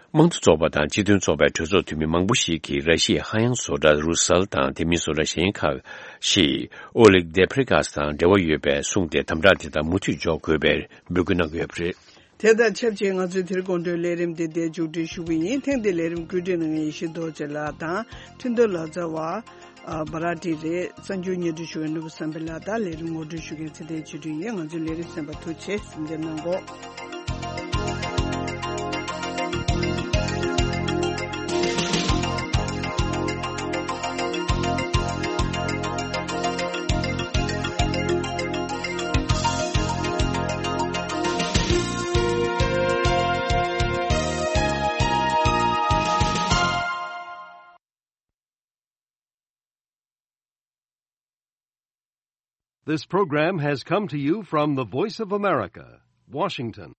དམངས་གཙོ་ཚོགས་པ་དང་སྤྱི་མཐུན་ཚོགས་པའི་གྲོས་ཚོགས་འཐུས་མི་མང་པོ་ཞིག་གིས་ར་ཤི་ཡའི་ཧ་ཡང་བཟོ་གྲྭ་རུ་སཱལ་དང་དེ་མིན་བཟོ་གྲྭ་གཞན་ཁག་ཞིག་ཨོ་ལིག་དེ་ཕི་རི་ཀཱས་དང་འབྲེལ་བ་ཡོད་པས་གསུངས་ཏེ། དམ་དྲག་དེ་དག་མུ་མཐུད་འཇོག་དགོས་པའི་འབོད་སྐུལ་གནང་གི་ཡོད་པ་རེད། དེ་དང་ཆབས་ཅིག་ང་ཚོའི་དེ་རིང་དགོང་དྲོའི་ལས་རིམ་འདི་འདིར་མཇུག་སྒྲིལ་ཞུ་གི་ཡིན། ཐེངས་འདིའི་ལས་རིམ་བཀོད་སྒྲིག་གནང་མཁན་ཡེ་ཤེས་རྡོ་རྗེ་ལགས་དང་། འཕྲིན་གཏོང་ལག་རྩལ་བ། ཨ། བྷ་ར་ཏི་རེད། གསར་འགྱུར་སྙན་སྒྲོན་ཞུ་བའི་ནོར་བུ་བསམ་འཕེལ་ལགས་དང་། ལས་རིམ་ངོ་སྤྲོད་ཞུ་མཁན་ཚེ་བརྟན་ཆོས་སྒྲོན་ཡིན། ང་ཚོའི་ལས་རིམ་གསན་པར་ཐུགས་རྗེ་ཆེ། གཟིམ་འཇགས་གནང་གོ། This program has come to you from the Voice of America, Washington.